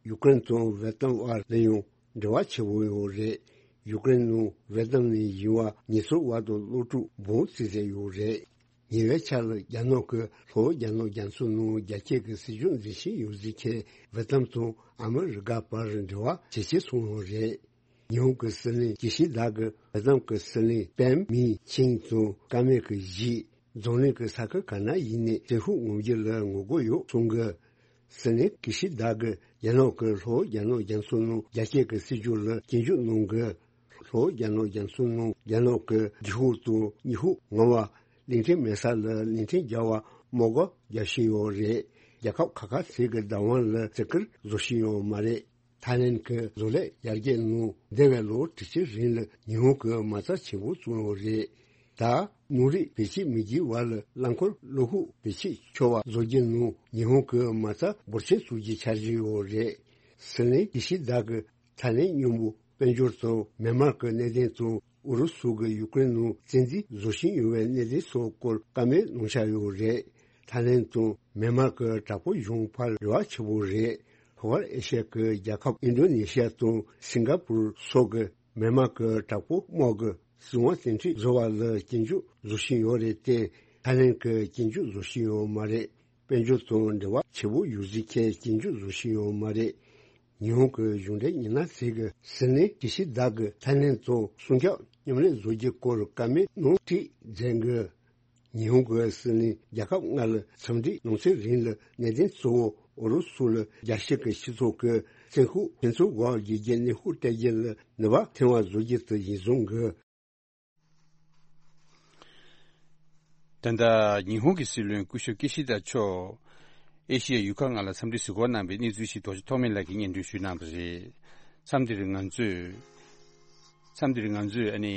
ཡུཀ་རེན་དང་ཝེ་ཏམ་དབར་ལ་ཡང་འབྲེལ་བ་ཆེ་བོ་ཡོད་རེད། ཡུཀ་རེན་ནང་ཝེ་ཏམ་ནས་ཡིན་པ་ཉེས་ཚབས་འོག་ཏུ་སློབ་ཕྲུག་འབུམ་གཅིག་ཙམ་ཡོད་རེད། ཉེ་བའི་ཆར་ལ་རྒྱ་ནག་གི་ལྷོ་རྒྱ་ནག་རྒྱ་མཚོ་ནང་རྒྱ་སྐྱེད་ཀྱི་སྲིད་ཇུས་འཛིན་བཞིན་ཡོད་ཟེར་མཁན་ཝེ་ཏམ་དང་ཨ་མི་རི་ཀ་བར་འབྲེལ་བ་ཇེ་ཆེར་སོང་བ་རེད། ཉི་ཧོང་གི་སྲིད་བློན་ཀི་ཤི་དཱ་གིས་ཝེ་ཏམ་གྱི་སྲིད་བློན་པེན་མི་ཆིང་དང་བཀའ་མོལ་གྱི་གཞིར། འཛམ་གླིང་གི་ས་ཁུལ་ག་ན་ཡིན་ནའི་བཙན་ཤུགས་ངོམ་རྒྱུ་ལ་ངོ་རྒོལ་ཡོད་གསུང་གི། སྲིད་བློན་ཀི་ཤི་དཱ་གིས་རྒྱ་ནག་གིས་ལྷོ་རྒྱ་ནག་རྒྱ་མཚོ་ནང་རྒྱ་སྐྱེད་ཀྱི་སྲིད་ཇུས་ལ་སྐྱོན་བརྗོད་གནང་གི། ལྷོ་རྒྱ་ནག་རྒྱ་མཚོ་ནང་རྒྱ་ནག་གི་ལྗིད་ཤུགས་དང་སྙི་ཤུགས་ངོམ་པ། གླིང་ཕྲན་མེད་ས་ལ་གླིང་ཕྲན་རྒྱག་པར་དམག་སྒར་རྒྱག་བཞིན་ཡོད་རེད། རྒྱལ་ཁབ་ཁག་ཁག་ཚོས་ཀྱི་བདག་དབང་ལ་བརྩི་བཀུར་བཟོ་བཞིན་ཡོད་མ་རེད། ཐའི་ལེན་གྱི་བཟོ་ལས་ཡར་རྒྱས་ནང་འདས་པའི་ལོ་དྲུག་ཅུ་རིང་ལ་ཉི་ཧོང་གིས་མ་རྩ་ཆེན་པོ་བཙུགས་ཡོད་རེད། ད་ནོར་རིགས་བེད་སྤྱོད་མི་བགྱིད་པ་ལ་རླངས་འཁོར་གློག་ཤུགས་བེད་སྤྱོད་ཆོག་པ་བཟོ་རྒྱུ་ནང་ཉི་ཧོང་གིས་མ་རྩ་འབོར་ཆེན་བཙུགས་རྒྱུའི་འཆར་གཞི་ཡོད་རེད། སྲིད་བློན་ཀི་ཤི་དཱ་གིས་ཐའི་ལེན་མཉམ་པོ་དཔལ་འབྱོར་དང་མེན་མར་གྱི་གནད་དོན་དང་ཨུ་རུ་སུ་གིས་ཡུཀ་རེན་ནང་བཙན་འཛུལ་བཟོ་བཞིན་ཡོད་པའི་གནད་དོན་སོགས་སྐོར་བཀའ་མོལ་གནང་འཆར་ཡོད་རེད། ཐའི་ལེན་དང་མེན་མར་གྱི་དྲག་པོའི་གཞུང་བར་འབྲེལ་བ་ཆེ་བོ་རེད། ལྷོ་ཤར་ཨེ་ཤི་ཡ་གི་རྒྱལ་ཁབ་ཨིན་ཌོ་ནེ་ཤི་ཡ་དང་སིང་ག་པུར་སོགས་ཀྱིས་མེན་མར་གྱི་དྲག་པོ་དམག་གི་སྲིད་དབང་བཙན་ཁྲིད་བཟོ་བ་ལ་སྐྱོན་བརྗོད་བཟོ་བཞིན་ཡོད་རེད་དེ། ཐའི་ལེན་གྱིས་སྐྱོན་བརྗོད་བཟོ་བཞིན་ཡོད་མ་རེད། དཔལ་འབྱོར་དང་འབྲེལ་བ་ཆེ་བོ་ཡོད་ཟེར་མཁན་སྐྱོན་བརྗོད་བཟོ་བཞིན་ཡོད་མ་རེད། ཉི་ཧོང་གི་གཞུང་འབྲེལ་ཉི་ན་ཟེར་གི་སྲིད་བློན་ཀི་ཤི་དཱ་གིས་ཐའི་ལེན་དང་སྲུང་སྐྱོབ་མཉམ་ལས་བཟོ་རྒྱུའི་སྐོར་བཀའ་མོལ་གནང་དུས་མཛད་གི། ཉི་ཧོང་གི་སྲིད་བློན་རྒྱལ་ཁབ་ལྔ་ལ་འཚམས་འདྲིའི་གནང་སེམས་རིང་ལ་གནད་དོན་གཙོ་བོ་ཨུ་རུ་སུ་ལ་རྒྱལ་སྤྱི་གི་སྤྱི་ཚོགས་ཀྱི་བཙན་ཤུགས་ཕན་ཚུན་འགོག་རྒྱུ་གི་གནོན་ཤུགས་སྤྲད་རྒྱུ་ལ་ནུས་པ་ཐོན་པ་བཟོ་རྒྱུ་དེ་ཡིན་གསུང་གི། ད་ལྟ་ཉི་ཧོང་གི་སྲིད་བློན་སྐུ་ཞབས་ཀི་ཤི་དཱ་མཆོག་ཨེ་ཤི་ཡའི་ཡུལ་ཁག་ལྔ་ལ་འཚམས་འདྲི་གཟིགས་སྐོར་གནང་བའི་གནས་ཚུལ་ཞིག་རྡོ་རྗེ་ཐོགས་མེད་ལགས་ཀྱིས་སྙན་སྒྲོན་ཞུས་གནང་བ་རེད། མཚམས་འདིར་ང་ཚོས། མཚམས་འདིར་ང་ཚོས་ཨ་ནི།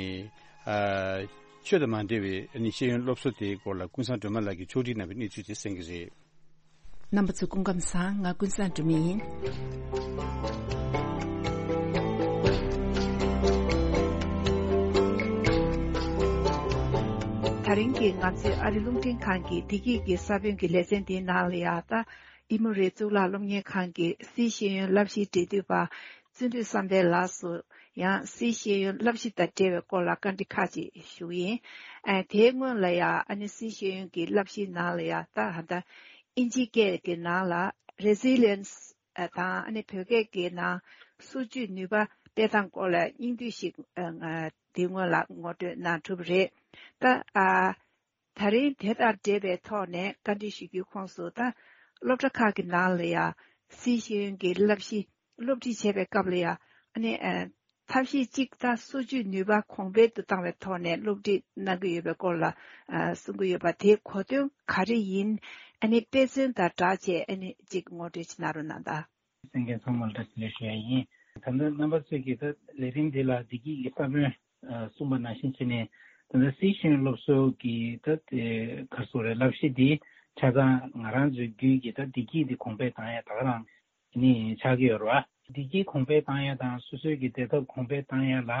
ཨ། ཆོས་དང་མ་འབྲེལ་བའི་ཨ་ནི་ཤེས་ཡོན་སློབ་གསོ་དེའི་སྐོར་ལ་ཀུན་བཟང་སྒྲོལ་མ་ལགས་ཀྱིས་ཕྱོགས་སྒྲིག་གནང་བའི་གནས་ཚུལ་དེ་གསན་གྱི་རེད། རྣམ་པ་ཚོ་སྐུ་ཁམས་བཟང་། ང་ཀུན་བཟང་སྒྲོལ་མ་ཡིན། དེ་རིང་གི་ང་ཚོའི་ཨ་རི་རླུང་འཕྲིན་ཁང་གི་བདེ་སྐྱིད་ཀྱི་ས་བོན་གྱི་ལེ་ཚན་འདིའི་ནང་ལ་ཡང་ད། ཨི་མོ་རི་གཙུག་ལག་སློབ་གཉེར་ཁང་གི་སིའི་ཤེས་ཡོན་བསླབ་གཞིའི་འབྲེལ་མཐུད་པ་བརྩོན་འགྲུས་བསམ་འཕེལ་ལགས་སུ་ཡང་སིའི་ཤེས་ཡོན་བསླབ་གཞི་དང་འབྲེལ་བའི་སྐོར་ལ་བཀའ་འདྲི་ཁག་ཅིག་ཞུ་གི་ཡིན། ཨ། དེའི་སྔོན་ལ་ཡང་ཨ་ནི་སིའི་ཤེས་ཡོན་གྱི་བསླབ་གཞིའི་ནང་ལ་ཡང་ད་ཧ་ད་ཨིན་ཇི་སྐད་ཀྱི་ནང་ལ་Resilience དང་ཨ་ནི་བོད་སྐད་ཀྱི་ནང་སོ་བཅོས་ནུས་པ་སྤེལ་སྟངས་སྐོར་ལ་སྙིང་བསྡུས་ཤིག་ཨ། དེའི་སྔོན་ལ་ངོ་སྤྲོད་གནང་གྲུབ་རེད། ད་ཨ། ད་རིང་དེ་དང་འབྲེལ་བའི་ཐོག་ནས་བཀའ་འདྲི་ཞུ་རྒྱུའི་ཁོངས་སུ་ད་སློབ་གྲྭ་ཁག་གི་ནང་ལ་ཡང་སིའི་ཤེས་ཡོན་གྱི་བསླབ་གཞི་སློབ་ཁྲིད་བྱེད་པའི་སྐབས་ལ་ཡང་ཨ་ནི་ཨ། ཐབས་ཤེས་གཅིག་ད་སོ་བཅོས་ནུས་པ་གོང་འཕེལ་དུ་བཏང་བའི་ཐོག་ནས་སློབ་ཁྲིད་གནང་གི་ཡོད་པའི་སྐོར་ལ་ཨ། གསུང་གི་ཡོད་པ་དེ་གོ་དོན་ག་རེ་ཡིན། ཨ་ནི་དཔེ་མཚོན་དང་སྦྲགས་བྱས་ཨ་ནི་གཅིག་ངོ་སྤྲོད་ཅིག་གནང་རོགས་གནང་དང་། གསན་མཁན་ཚང་མར་བཀྲ་ཤིས་བདེ་ལེགས་ཞུ་ཡ་ཡིན། ད་ལྟ་རྣམ་པ་ཚོས་ཀྱིས་ད་ལས་རིམ་འདི་ལ་བདེ་སྐྱིད་ཀྱི་ས་བོན་གསུངས་པ་ནང་བཞིན་བྱས་ནས། ད་ལྟ་སིའི་ཤེས་ཡོན་སློབ་གསོ་གི་ད་དེ་ག་རེ་ཟེར་དགོས་རེད། བསླབ་གཞི་འདི་ཆ་ཚང་ང་རང་ཚོའི་རྒྱུད་ཀྱི་ད་བདེ་སྐྱིད་འདི་གོང་འཕེལ་བཏང་ཡ་ད་ག་རང་ནི་ཆགས་ཀྱི་ཡོད་རེད་བ། བདེ་སྐྱིད་གོང་འཕེལ་བཏང་ཡ་དང་སོ་སོའི་གི་བདེ་ཐབས་གོང་འཕེལ་བཏང་ཡ་ལ་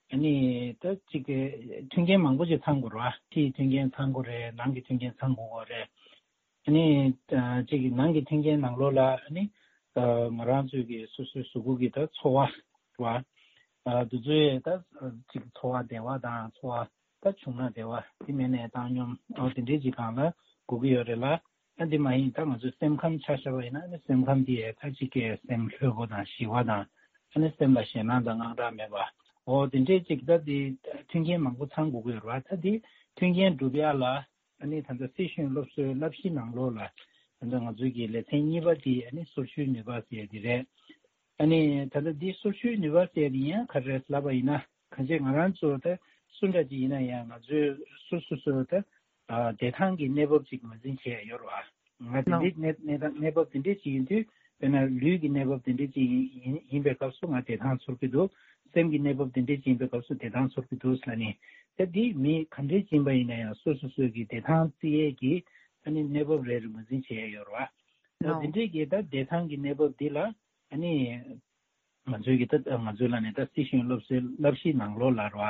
ཨ་ནི་ད་ཅིག་གི་མཐུན་རྐྱེན་མང་པོ་ཅིག་ཚང་དགོས་རེད་བ། ཕྱིའི་མཐུན་རྐྱེན་ཚང་དགོས་རེད། ནང་གི་མཐུན་རྐྱེན་ཚང་དགོས་རེད། ནི་ཅིག་གི་ནང་གི་མཐུན་རྐྱེན་ནང་ལོགས་ལ་ནི་ང་རང་ཚོའི་གི་སོ་སོའི་གཟུགས་པོ་གི་ད་ཚོར་བ་བ། དེ་ཚོའི་ད་ཅིག་ཚོར་བ་བདེ་བ་དང་ཚོར་བ་ད་བྱུང་ན་བདེ་བ་དེ་མེད་ནས་བཏང་སྙོམས་དེ་འདྲའི་ཅིག་སྒང་ལ་དགོས་ཀྱི་ཡོད་རེད་ལ། ཨ་འདི་མ་ཡིན་ད་ང་ཚོའི་སེམས་ཁམས་ཆ་བཞག་པ་ཡིན་ན་ནི་སེམས་ཁམས་དེ་ད་ཅིག་གི་སེམས་ལྷོད་པོ་དང་ཞི་བ་དང་ཨ་ནི་སེམས་ལ་ཞེད་སྣང་དང་དངངས་སྐྲག་མེད་པ། འོ་དེ་འདྲའི་ཅིག་ད་དེ་མཐུན་རྐྱེན་མང་པོ་ཚང་དགོས་ཀྱི་ཡོད་རེད་བ། ད་དེ་མཐུན་རྐྱེན་སྒྲུབ་ཡ་ལ་ཨ་ནི་ད་ལྟ་སྲིད་གཞུང་སློབ་གསོའི་བསླབ་གཞི་ནང་ལོགས་ལ་ད་ལྟ་ང་ཚོའི་གི་ལེ་ཚན་གཉིས་པ་དེ་ཨ་ནི་སོར་ཆུད་ནུས་པ་ཟེར་ཡ་དེ་རེད། ཨ་ནི་ད་ལྟ་འདི་སོར་ཆུད་ནུས་པ་ཟེར་ཡ་དེ་ཡང་ག་རེ་རེད་ལབ་པ་ཡིན་ན། གང་ཅི་ང་རང་ཚོ་ད་སུ་འདྲ་ཅིག་ཡིན་ན་ཡང་ང་ཚོའི་སོ་སོ་སོ་ད་བདེ་ཐང་གི་གནས་བབ་ཅིག་ངོས་འཛིན་བྱས་ཡོད་རེད་བ། ང་དེ་འདྲའི་གནས་གནས་སྟངས་གནས་བབ་དེ་འདྲའི་ཅིག་ཡིན་དུས་དཔེར་ན་ལུས་ཀྱི་གནས་བབ་དེ་འདྲའི་ཅིག་ཡིན་ཡིན་ཡིན་པའི་སྐབས་སུ་ང་བདེ་ཐང་ཚོར་གྱི་འདུག་སེམས་ཀྱི་གནས་བབ་དེ་འདྲའི་ཅིག་ཡིན་པའི་སྐབས་སུ་བདེ་ཐང་ཚོར་གྱི་འདུག་ཟེར་ནས། ད་འདི་མི་ག་འདྲའི་ཅིག་ཡིན་པ་ཡིན་ན་ཡང་སོ་སོ་སོའི་གི་བདེ་ཐང་རྩི་ཡས་ཀྱི་ཨ་ནི་གནས་བབ་རེ་རེ་ངོས་འཛིན་བྱས་ཡོད་རེད་བ། ད་དེ་འདྲའི་གི་ད་བདེ་ཐང་གི་གནས་བབ་འདི་ལ་ཨ་ནི། ང་ཚོའི་གི་ད་ང་ཚོའི་ལ་ནས་ད་སྲིད་གཞུང་སློབ་གསོའི་བསླབ་གཞིའི་ནང་ལོགས་ལ་རོ།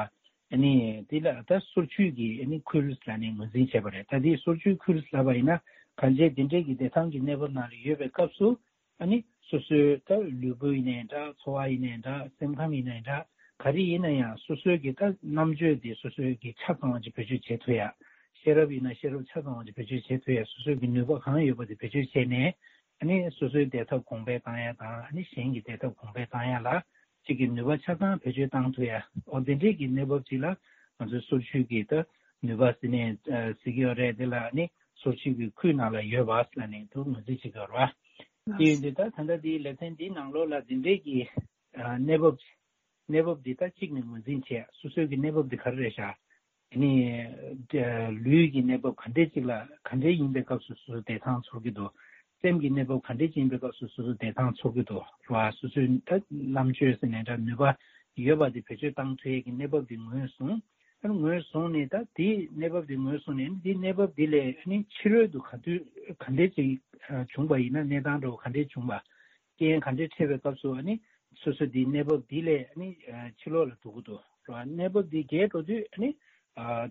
ཨ་ནི་དེ་ལ་ད་སོར་ཆུད་ཀྱི་ཨ་ནི་ཁུལ་ལ་ནས་ངོས་འཛིན་བྱས་པ་རེད། ད་དེ་སོར་ཆུད་ཁུལ་ལབ་པ་ཡིན་ན་གང་ཅི་དེ་འདྲའི་གི་བདེ་ཐང་གི་གནས་བབ་ནང་ལ་ཡོད་པའི་སྐབས་སུ་ཨ་ནི་སོ་སོའི་ད་ལུས་པོ་ཡིན་ནའི་འདྲ་ཚོར་བ་ཡིན་ནའི་འདྲ་སེམས་ཁམས་ཡིན་ནའི་འདྲ་ག་རེ་ཡིན་ན་ཡང་སོ་སོའི་གི་ད་རྣམ་དཔྱོད་དེ་སོ་སོའི་གི་ཆ་ཚང་བ་ཅིག་བེད་སྤྱོད་བྱེད་ཐུབ་ཡ། ཤེས་རབ་ཡིན་ན་ཤེས་རབ་ཆ་ཚང་བ་ཅིག་བེད་སྤྱོད་བྱེད་ཐུབ་ཡ། སོ་སོའི་གི་ནུས་པ་གང་ཡོད་པ་དེ་བེད་སྤྱོད་བྱས་ནས། ཨ་ནི་སོ་སོའི་བདེ་ཐབས་གོང་འཕེལ་བཏང་ཡ་དང་ཨ་ནི་གཞན་གྱི་བདེ་ཐབས་གོང་འཕེལ་བཏང་ཡ་ལ་གཅིག་གི་ནུས་པ་ཆ་ཚང་བེད་སྤྱོད་བཏང་ཐུབ་ཡ། འོ་དེ་འདྲའི་གི་གནས་བབ་ཅིག་ལ་ང་ཚོའི་སོར་ཆུད་ཀྱི་ད་ནུས་པ་ཟེར་ནས་ཟེར་གྱི་ཡོད་རེད། དེ་ལ་ཨ་ནི་སོར་ཆུད་ཀྱི་ཁུལ་ནང་ལ་ཡོད་པ་ཟེར་ནས་དུ་ངོས་འཛིན་བྱེད་ཀྱི་ཡོད་རེད་བ། དེ་ཡིན་དུས་ད་ད་ལྟ་འདིའི་ལེ་ཚན་འདིའི་ནང་ལོགས་ལ་འདི་འདྲའི་གི་གནས་བབ་གནས་བབ་འདི་ད་གཅིག་ནས་ངོས་འཛིན་བྱས་སོ་སོའི་གི་གནས་བབ་འདི་ག་རེ་རེད་ཤག་ཨ་ནི། ལུས་ཀྱི་གནས་བབ་ག་འདྲས་ཅིག་ལ་ག་འདྲས་ཡིན་པའི་སྐབས་སུ་སོ་སོ་བདེ་ཐང་ཚོར་གྱི་འདུག་སེམས་ཀྱི་གནས་བབ་ག་འདྲས་ཅིག་ཡིན་པའི་སྐབས་སུ་སོ་སོ་བདེ་ཐང་ཚོར་གྱི་འདུག་ར། སོ་སོའི་ད་རྣམ་དཔྱོད་ཟེར་ནས་འདྲ་ནུས་པ་ཡོད་པ་དེ་བེད་སྤྱོད་བཏང་ཐུབ་ཡས་ཀྱི་གནས་བབ་དེ་ངོས་བཟུང་། ཨ་ནི་ངོས་བཟུང་ནས་ད་དེའི་གནས་བབ་དེ་ངོས་བཟུང་ནས་དེའི་གནས་བབ་དེ་ལས་ཨ་ནི་ཕྱི་རོལ་དུ་ག་དུས་ག་འདྲས་ཅིག་བྱུང་པ་ཡིན་ན་གནས་སྟངས་འདྲ་བོ་ག་འདྲས་བྱུང་པ། རྐྱེན་ག་འདྲས་འཕྲད་པའི་སྐབས་སུ་ཨ་ནི་སོ་སོ་འདིའི་གནས་བབ་འདི་ལས་ཨ་ནི་ཕྱི་ལོགས་ལ་འགྲོ་གི་འདུག་ར། གནས་བབ་འདི་རྒྱས་འགྲོ་དུས་ཨ་ནི་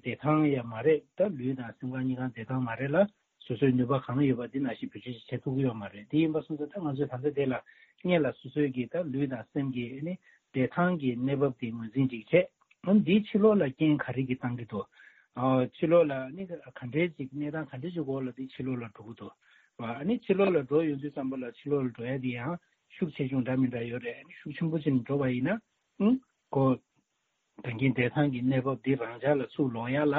བདེ་ཐང་ཡང་མ་རེད། ད་ལུས་དང་སེམས་ཁམས་གཉིས་ཀ་བདེ་ཐང་མ་རེད་ལ་སོ་སོའི་ནུས་པ་གང་ཡོད་པ་འདི་ནང་བཞིན་བེད་སྤྱོད་བྱེད་ཐུབ་ཀྱི་ཡོད་མ་རེད། དེ་ཡིན་པ་སོང་ཙང་ད་ང་ཚོས་ད་ལྟ་དེ་ལ་སྔོན་ལ་སོ་སོའི་གི་ད་ལུས་དང་སེམས་ཀྱི་ཨ་ནི་བདེ་ཐང་གི་གནས་བབ་འདི་ངོས་འཛིན་ཅིག་བྱས། ཨ་ནི་འདིའི་ཕྱི་ལོགས་ལ་རྐྱེན་ག་རེ་གི་བཏང་གི་འདུག་ཨ་ཕྱི་ལོགས་ལ་ཨ་ནི་ག་འདྲའི་ཅིག་གནས་སྟངས་ག་འདྲའི་ཅིག་འོག་ལ་འདི་ཕྱི་ལོགས་ལ་འགྲོ་གི་འདུག་ཨ་ནི་ཕྱི་ལོགས་ལ་འགྲོ་ཡོང་དུས་ཙམ་པ་ལ་ཕྱི་ལོགས་ལ་འགྲོ་ཡ་དེ་ཡང་ཤུགས་ཆེ་ཆུང་འདྲ་མི་འདྲ་ཡོད་རེད། ཨ་ནི་ཤུགས་ཆེན་པོ་ཅིག་འགྲོ་བ་ཡིན་ན་ཨང་ཁོ་ད་གིན་བདེ་ཐང་གི་གནས་བབ་འདི་རང་འཇགས་ལ་ཚུར་ལོག་ཡ་ལ་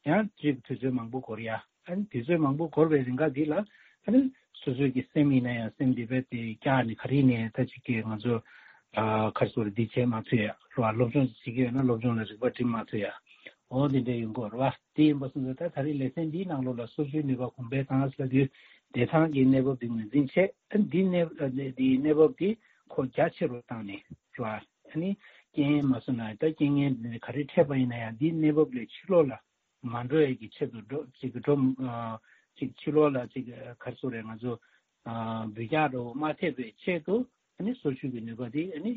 ཡང་ཅིག་དུས་ཚོད་མང་པོ་འགོར་ཡ། ཨ་ནི་དུས་ཚོད་མང་པོ་འགོར་བའི་རིང་ག་འདི་ལ་ཨ་ནི་སོ་སོའི་གི་སེམས་ཡིན་ན་ཡང་སེམས་འདི་བས་དེ་བཀྱག་ནས་ག་རེ་ནས་ད་ཅིག་གི་ང་ཚོ་ཨ་ག་རེ་ཟེར་འདི་བྱེད་མ་ཐུབ་ཡ་རེད་བ། སློབ་སྦྱོང་བྱེད་ཀྱི་ཡོད་ན་སློབ་སྦྱོང་ལ་རིག་པ་སྒྲིམ་མ་ཐུབ་ཡ། འོ་འདི་འདྲ་ཡོང་གི་ཡོད་རེད་བ། དེ་ཡིན་པ་སོང་ཙང་ད་ད་རེས་ལེ་ཚན་འདིའི་ནང་ལོགས་ལ་སོར་ཆུད་ནུས་པ་གོང་འཕེལ་བཏང་ཟེར་དུས་བདེ་ཐང་གི་གནས་བབ་འདི་ངོས་འཛིན་བྱས། ཨ་འདི་གནས་འདིའི་གནས་བབ་འདི་ཁོ་རྒྱ་ཆེ་རུ་བཏང་ནས་རེད་བ། ཨ་ནི་རྐྱེན་མ་སོང་ན་ད་རྐྱེན་ངན་འདི་ག་རེ་འཕྲད་པ་ཡིན་ན་ཡང་འདིའི་གནས་བབ་ལས་ཕྱི་ལོགས་ལ་མ་འགྲོ་ཡས་ཀྱི་ཆེད་དུ་འགྲོ་ཅིག་འགྲོ་ཅིག་ཕྱི་ལོགས་ལ་ཅིག་ག་རེ་ཟེར་རེད། ང་ཚོ་འབུད་རྒྱག་འགྲོ་མ་ཐེབས་པའི་ཆེད་དུ་ཨ་ནི་སོར་ཆུད་ཀྱི་ནུས་པ་དེ་ཨ་ནི་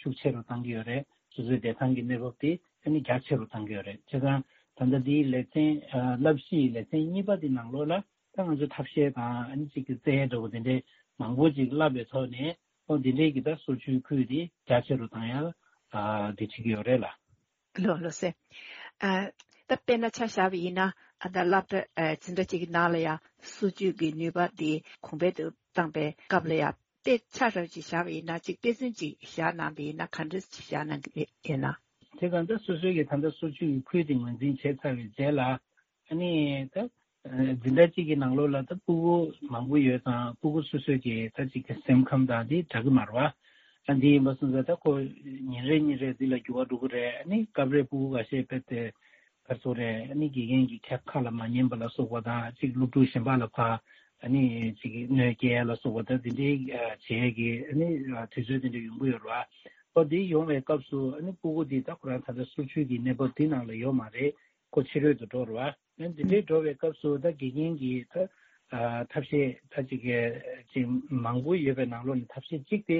ཤུགས་ཆེ་རུ་བཏང་གི་ཡོད་རེད། སོ་སོའི་བདེ་ཐང་གི་གནས་བབ་དེ་ཨ་ནི་རྒྱ་ཆེ་རུ་བཏང་གི་ཡོད་རེད། བྱས་ཙང་ད་ལྟ་འདིའི་ལེ་ཚན་བསླབ་གཞིའི་ལེ་ཚན་གཉིས་པ་དེ་ནང་ལོགས་ལ་ད་ང་ཚོ་ཐབས་ཤེས་དང་ཨ་ནི་ཅིག་གི་རྩལ་འདྲ་བོ་དེ་འདྲའི་མང་པོ་ཅིག་བསླབ་པའི་ཐོག་ནས་ཨོ་དེ་འདྲའི་གི་ད་སོར་ཆུད་ཁུལ་དེ་རྒྱ་ཆེ་རུ་བཏང་ཡ་དེ་བྱེད་ཀྱི་ཡོད་རེད་ལ། ལགས་ལགས་སེ། ཨ་ད་དཔེར་ན་ཆ་བཞག་པ་ཡིན་ན་ཨ་ད་སློབ་གྲྭ་ཨ་འཛིན་གྲྭ་གཅིག་གི་ནང་ལ་ཡང་སོར་ཆུད་ཀྱི་ནུས་པ་དེ་གོང་འཕེལ་དུ་བཏང་པའི་སྐབས་ལ་ཡང་དཔེ་ཆ་རབ་ཅིག་བཞག་པ་ཡིན་ན་ཅིག་དཔེ་མཚོན་ཅིག་བཞག་གནང་པ་ཡིན་ན་ག་འདྲ་ཅིག་བཞག་གནང་གི་ཡོད་ན། དེ་གང་ལྟར་སོ་སོའི་གི་ད་ལྟ་སོར་ཆུད་ཀྱི་ཁུལ་དེ་ངོས་འཛིན་བྱས་ཚར་བའི་རྗེས་ལ། ཨ་ནི་ད་འཛིན་གྲྭ་གཅིག་གི་ནང་ལོགས་ལ་ད་སྤུ་གུ་མང་པོ་ཡོད་ཙང་སྤུ་གུ་སོ་སོའི་གི་ད་ཅིག་གི་སེམས་ཁམས་དང་དེ་འདྲ་གི་མ་རེད་བ། ཨ་འདི་ཡིན་པ་སོང་ཙང་ད་ཁོ་ཉིན་རེ་ཉིན་རེ་འདི་ལ་འགྱུར་བ་འགྲོ་གི་རེད། ཨ་ནི་སྐབས་རེ་སྤུ་གུ་ཁ་ཤས་དཔེ་དེ་ག་རེ་ཟེར་རེད། ཨ་ནི་དགེ་རྒན་གྱི་ཁ་ཁ་ལ་མ་ཉན་པ་ལ་སོགས་པ་དང་ཅིག་སློབ་ཕྲུག་གཞན་པ་ལ་ཕར་ཨ་ནི་ཅིག་གནོད་སྐྱེལ་ཡ་ལ་སོགས་པ་ད་དེ་འདྲའི་བྱེད་ཡ་གི་ཨ་ནི་དུས་ཚོད་དེ་འདྲ་ཡོང་གི་ཡོད་རེད་བ། ཨོ་འདི་ཡོང་བའི་སྐབས་སུ་ཨ་ནི་སྤུ་གུ་འདི་ད་ཁོ་རང་ད་ལྟ་སོར་ཆུད་ཀྱི་གནས་བབ་འདི་ནང་ལ་ཡོད་མ་རེད། ཁོ་ཕྱི་རོལ་དུ་འགྲོ་རེད་བ། ཨ་ནི་འདི་འདྲའི་འགྲོ་བའི་སྐབས་སུ་ད་དགེ་རྒན་གྱིས་ད་ཨ་ཐབས་ཤེས་ད་ཅིག་གི་ཅིག་མང་པོ་ཡོད་པའི་ནང་ལོགས་ནས་ཐབས་ཤེས་གཅིག་དེ་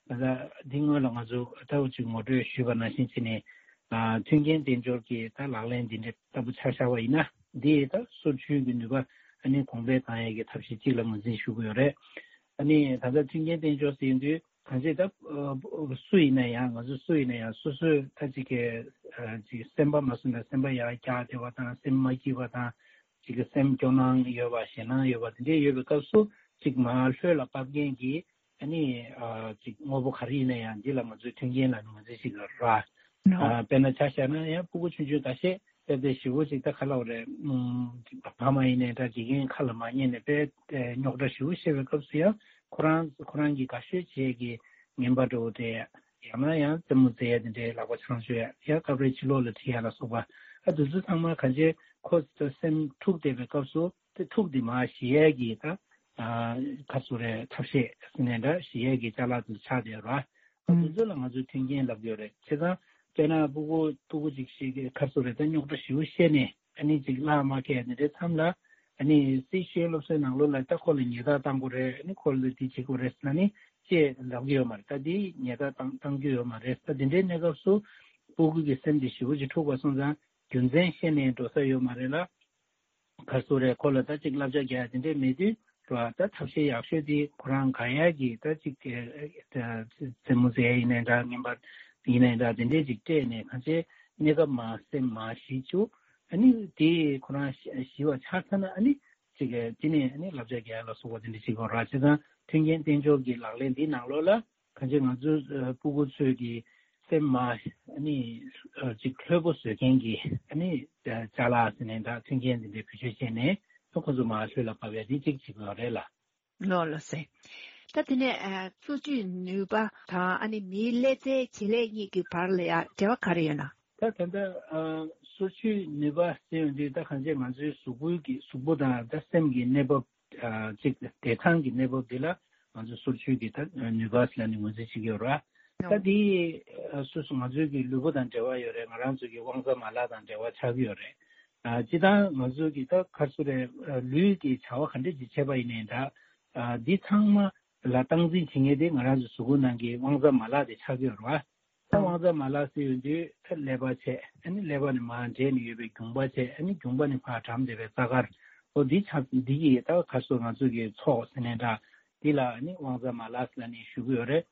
ད་ལྟ་འདི་སྔོན་ལ་ང་ཚོ་ད་འུ་ཅིག་ངོ་སྤྲོད་ཞུས་པ་ནང་བཞིན་བྱས་ནས་ཨ་མཐུན་རྐྱེན་དཔལ་འབྱོར་གྱི་ད་ལག་ལེན་འདི་འདྲའི་ལྟ་བུ་ཆ་བཞག་པ་ཡིན་ན་འདི་ད་སོར་ཆུད་ཀྱི་ནུས་པ་ ཨ་ནི་གོང་འཕེལ་བཏང་ཡས་ཀྱི་ཐབས་ཤེས་གཅིག་ལ་ངོས་འཛིན་ཞུ་གི་ཡོད་རེད། ཨ་ནི་ད་ལྟ་མཐུན་རྐྱེན་བསྟན་འཇོག་ཟེར་དུས་གང་ཅི་ད་སུ་ཡིན་ན་ཡང་ང་ཚོ་སུ་ཡིན་ན་ཡང་སོ་སོའི་ད་ཅིག་གི་ཅིག་སེམས་པ་མ་བཟོད་ན་སེམས་པ་ཡར་བཀྱག་བསྡད་པ་དང་སེམས་མ་སྐྱིད་པ་དང་ཅིག་གི་སེམས་སྐྱོ་སྣང་ཡོད་པ་ཞེད་སྣང་ཡོད་པ་དེ་འདྲས་ཡོད་པའི་སྐབས་སུ་ཅིག་མར་ལྷོད་ལ་བབས་མཁན་གྱི་ཨ་ནི་ཅིག་དངོས་པོ་ག་རེ་ཡིན་ན་ཡང་འདི་ལ་ང་ཚོའི་མཐུན་རྐྱེན་ལ་ནི་ང་ཚོས་ཅིག་ར། དཔེར་ན་ཆ་བཞག་ན་ཡང་སྤུ་གུ་ཆུང་ཆུང་ཁ་ཤས་དཔེ་དེ་ཞེ་པོ་ཅིག་ད་ག་ལབ་རེད། ཕ་མ་ཡིན་ནའི་འདྲ་དགེ་རྒན་ཁ་ལ་མ་ཉན་ནས་དཔེ་རྙོག་དྲ་ཞེ་པོ་བཤད་པའི་སྐབས་སུ་ཡང་ཁོ་རང་ཁོ་རང་གི་དགའ་ཤོས་བྱེད་ཀྱི་ངན་པ་འདྲ་བོ་དེ་ཡང་ན་ཡང་རྩེད་མོ་རྩེ་ཡ་དེ་འདྲའི་ལག་པ་འཆང་ཆོག་ཡ་ཡང་སྐབས་རེ་ཕྱི་ལོགས་ལ་ཁྲིད་ཡ་ལ་སོགས་པ་ཨ་དེ་ཚོ་ཚང་མ་གང་ཅི་ཁོ་སེམས་འཁྲུག་བསྡད་པའི་སྐབས་སུ་དེ་འཁྲུག་དེ་མར་ཞི་ཡ་གི་ད་ག་ཚོད་རེད་ཐབས་ཤེས་ཟེར་ནས་འདྲ་ཞི་ཡ་གི་ཅ་ལག་དེ་ཆགས་བསྡད་ར། ཨ་དེ་ཚོ་ལ་ང་ཚོས་མཐུན་རྐྱེན་ལབ་ཡོད་རེད། བྱས་ཙང་དཔེར་ན་སྤུ་གུ་སྤུ་གུ་ཅིག་ཞིག་གི་ཁ་སོ་རེད་ད་རྙོག་དྲ་ཞེ་པོ་བཤད་ནས་ཨ་ནི་ཅིག་བརླག་མ་ཁེལ་དེ་འདྲའི་མཚམས་ལ་ཨ་ནི་སྲིད་ཤེས་སློབ་གསོའི་ནང་ལོགས་ལ་ད་ཁོ་ལ་ཉེས་རྡུང་བཏང་དགོས་རེད། ཨ་ནི་ཁོ་ལ་འདི་བྱེད་དགོས་རེད་ཟེར་ན་ནི་ཅེས་ལབ་ཀྱི་ཡོད་མ་རེད། ད་འདི་ཉེས་རྡུང་བཏང་བཏང་རྒྱུ་ཡོད་མ་རེད། ད་འདི་འདྲའི་གནས་སྐབས་སུ་སྤུ་གུ་གི་སེམས་དེ་ཞེ་པོ་ཅིག་འཁྲུགས་པ་སོང་ཙང་རྒྱུ་མཚན་ཤེས་ནས་འགྲོ་ས་ཡོད་མ་རེད་ལ། ག་རེ་ཟེར་རེད། ཁོ་ལ་ད་ཅིག་བསླབ་བྱ་རྒྱག་ཡ་དེ་འདྲས་མེད་དུས་རེད་བ། ད་ཐབས་ཤེས་ཡག་ཤོས་དེ་ཁོ་རང་དགའ་ཡ་གི་ད་ཅིག་རྩེད་མོ་རྩེ་ཡ་ཡིན་ནའི་འདྲ་རྔན་པ་ཡིན་ནའི་འདྲ་དེ་འདྲས་ཅིག་སྤྲད་ནས་གང་ཅི་གནས་སྐབས་མར་སེམས་མར་ཞི་བཅུག་ཨ་ནི་དེ་ཁོ་རང་ཞི་བ་ཆགས་ཚར་ན་ཨ་ནི་ཅིག་དེ་ནས་ཨ་ནི་བསླབ་བྱ་རྒྱག་ཡ་ལ་སོགས་པ་དེ་འདྲས་ཅིག་དགོས་རེད་བ། བྱས་ཙང་མཐུན་རྐྱེན་བསྟན་འཇོག་གི་ལག་ལེན་འདི་ནང་ལོགས་ལ། གང་ཅི་ང་ཚོའི་ཨ་སྤུ་གུ་ཚོས་ཀྱི་སེམས་མ་ཨ་ནི་ཨ་ཅིག་ལྷོད་པོ་བཟོ་མཁན་གྱི་ཨ་ནི་ཨ་ཅ་ལག་ཟེར་ནས་ད་མཐུན་རྐྱེན་འདི་འདྲའི་བེད་སྤྱོད་བྱས་ནས་ཨ་ཁོ་ཚོ་མར་ལྷོད་ལ་བབས་ཡ་འདི་གཅིག་བྱེད་དགོས་རེད་ལ། ལགས་ལགས་སེ། ད་དེ་ནས་ཨ་སོར་ཆུད་ནུས་པ་དང་ཨ་ནི་མིའི་ཀླད་རྩའི་བྱེད་ལས་གཉིས་ཀྱི་བར་ལ་ཡ་འབྲེལ་བ་ག་རེ་ཡོད་ན། ད་ད་ལྟ་ཨ་སོར་ཆུད་ནུས་པ་ཟེར་ཡོང་དུས་ད་གང་ཅི་ང་ཚོའི་གཟུགས་པོའི་གི་གཟུགས་པོ་དང་ད་སེམས་ཀྱི་གནས་བབ། ཨ་གཅིག་བདེ་ཐང་གི་གནས་བབ་འདི་ལ་ང་ཚོ་སོར་ཆུད་ཀྱི་ད་ནུས་པ་ལ་ནི་ངོས་འཛིན་བྱེད་ཀྱི་ཡོད་རེད་བ། ད་འདི་ཨ་སོ་སོ་ང་ཚོའི་གི་ལུས་པོ་དང་འབྲེལ་བ་ཡོད་རེད། ང་རང་ཚོ་གི་དབང་རྩ་མ་ལག་དང་འབྲེལ་བ་ཆགས་ཀྱི་ཡོད་རེད། ཨ་སྤྱིར་བཏང་ང་ཚོ་གི་ད་ག་རེ་ཟེར་རེད། ཨ་ལུས་ཀྱི་བྱ་བ་ག་འདྲ་ཅིག་བྱས་པ་ཡིན་ནའི་འདྲ། ཨ་འདི་ཚང་མ་ལ་སྟངས་འཛིན་བྱེད་མཁན་དེ་ང་རང་ཚོ་གཟུགས་པོ་ནང་གི་དབང་རྩ་མ་ལག་དེ་ཆགས་ཀྱི་ཡོད་རེད་བ། ད་དབང་རྩ་མ་ལག་ཟེར་ཡོང་དུས་ད་ཀླད་པ་བྱས། ཨ་ནི་ཀླད་པ་ནས་མར་འདྲེས་ནས་ཡོད་པའི་རྒྱུངས་པ་བྱས། ཨ་ནི་རྒྱུངས་པ་ནས་ཕར་གྲམ་བསྡད་པའི་རྩ་དཀར། འོ་འདི་ཆ་འདི་གི་ད་ག་རེ་ཟེར་ང་ཚོ་གི་ཚོགས་ཟེར་ནའི་འདྲ། འདི་ལ་ཨ་ནི་དབང་རྩ་མ་ལག་ཟེར་ནས་ཞུ་གི་ཡོད་རེད།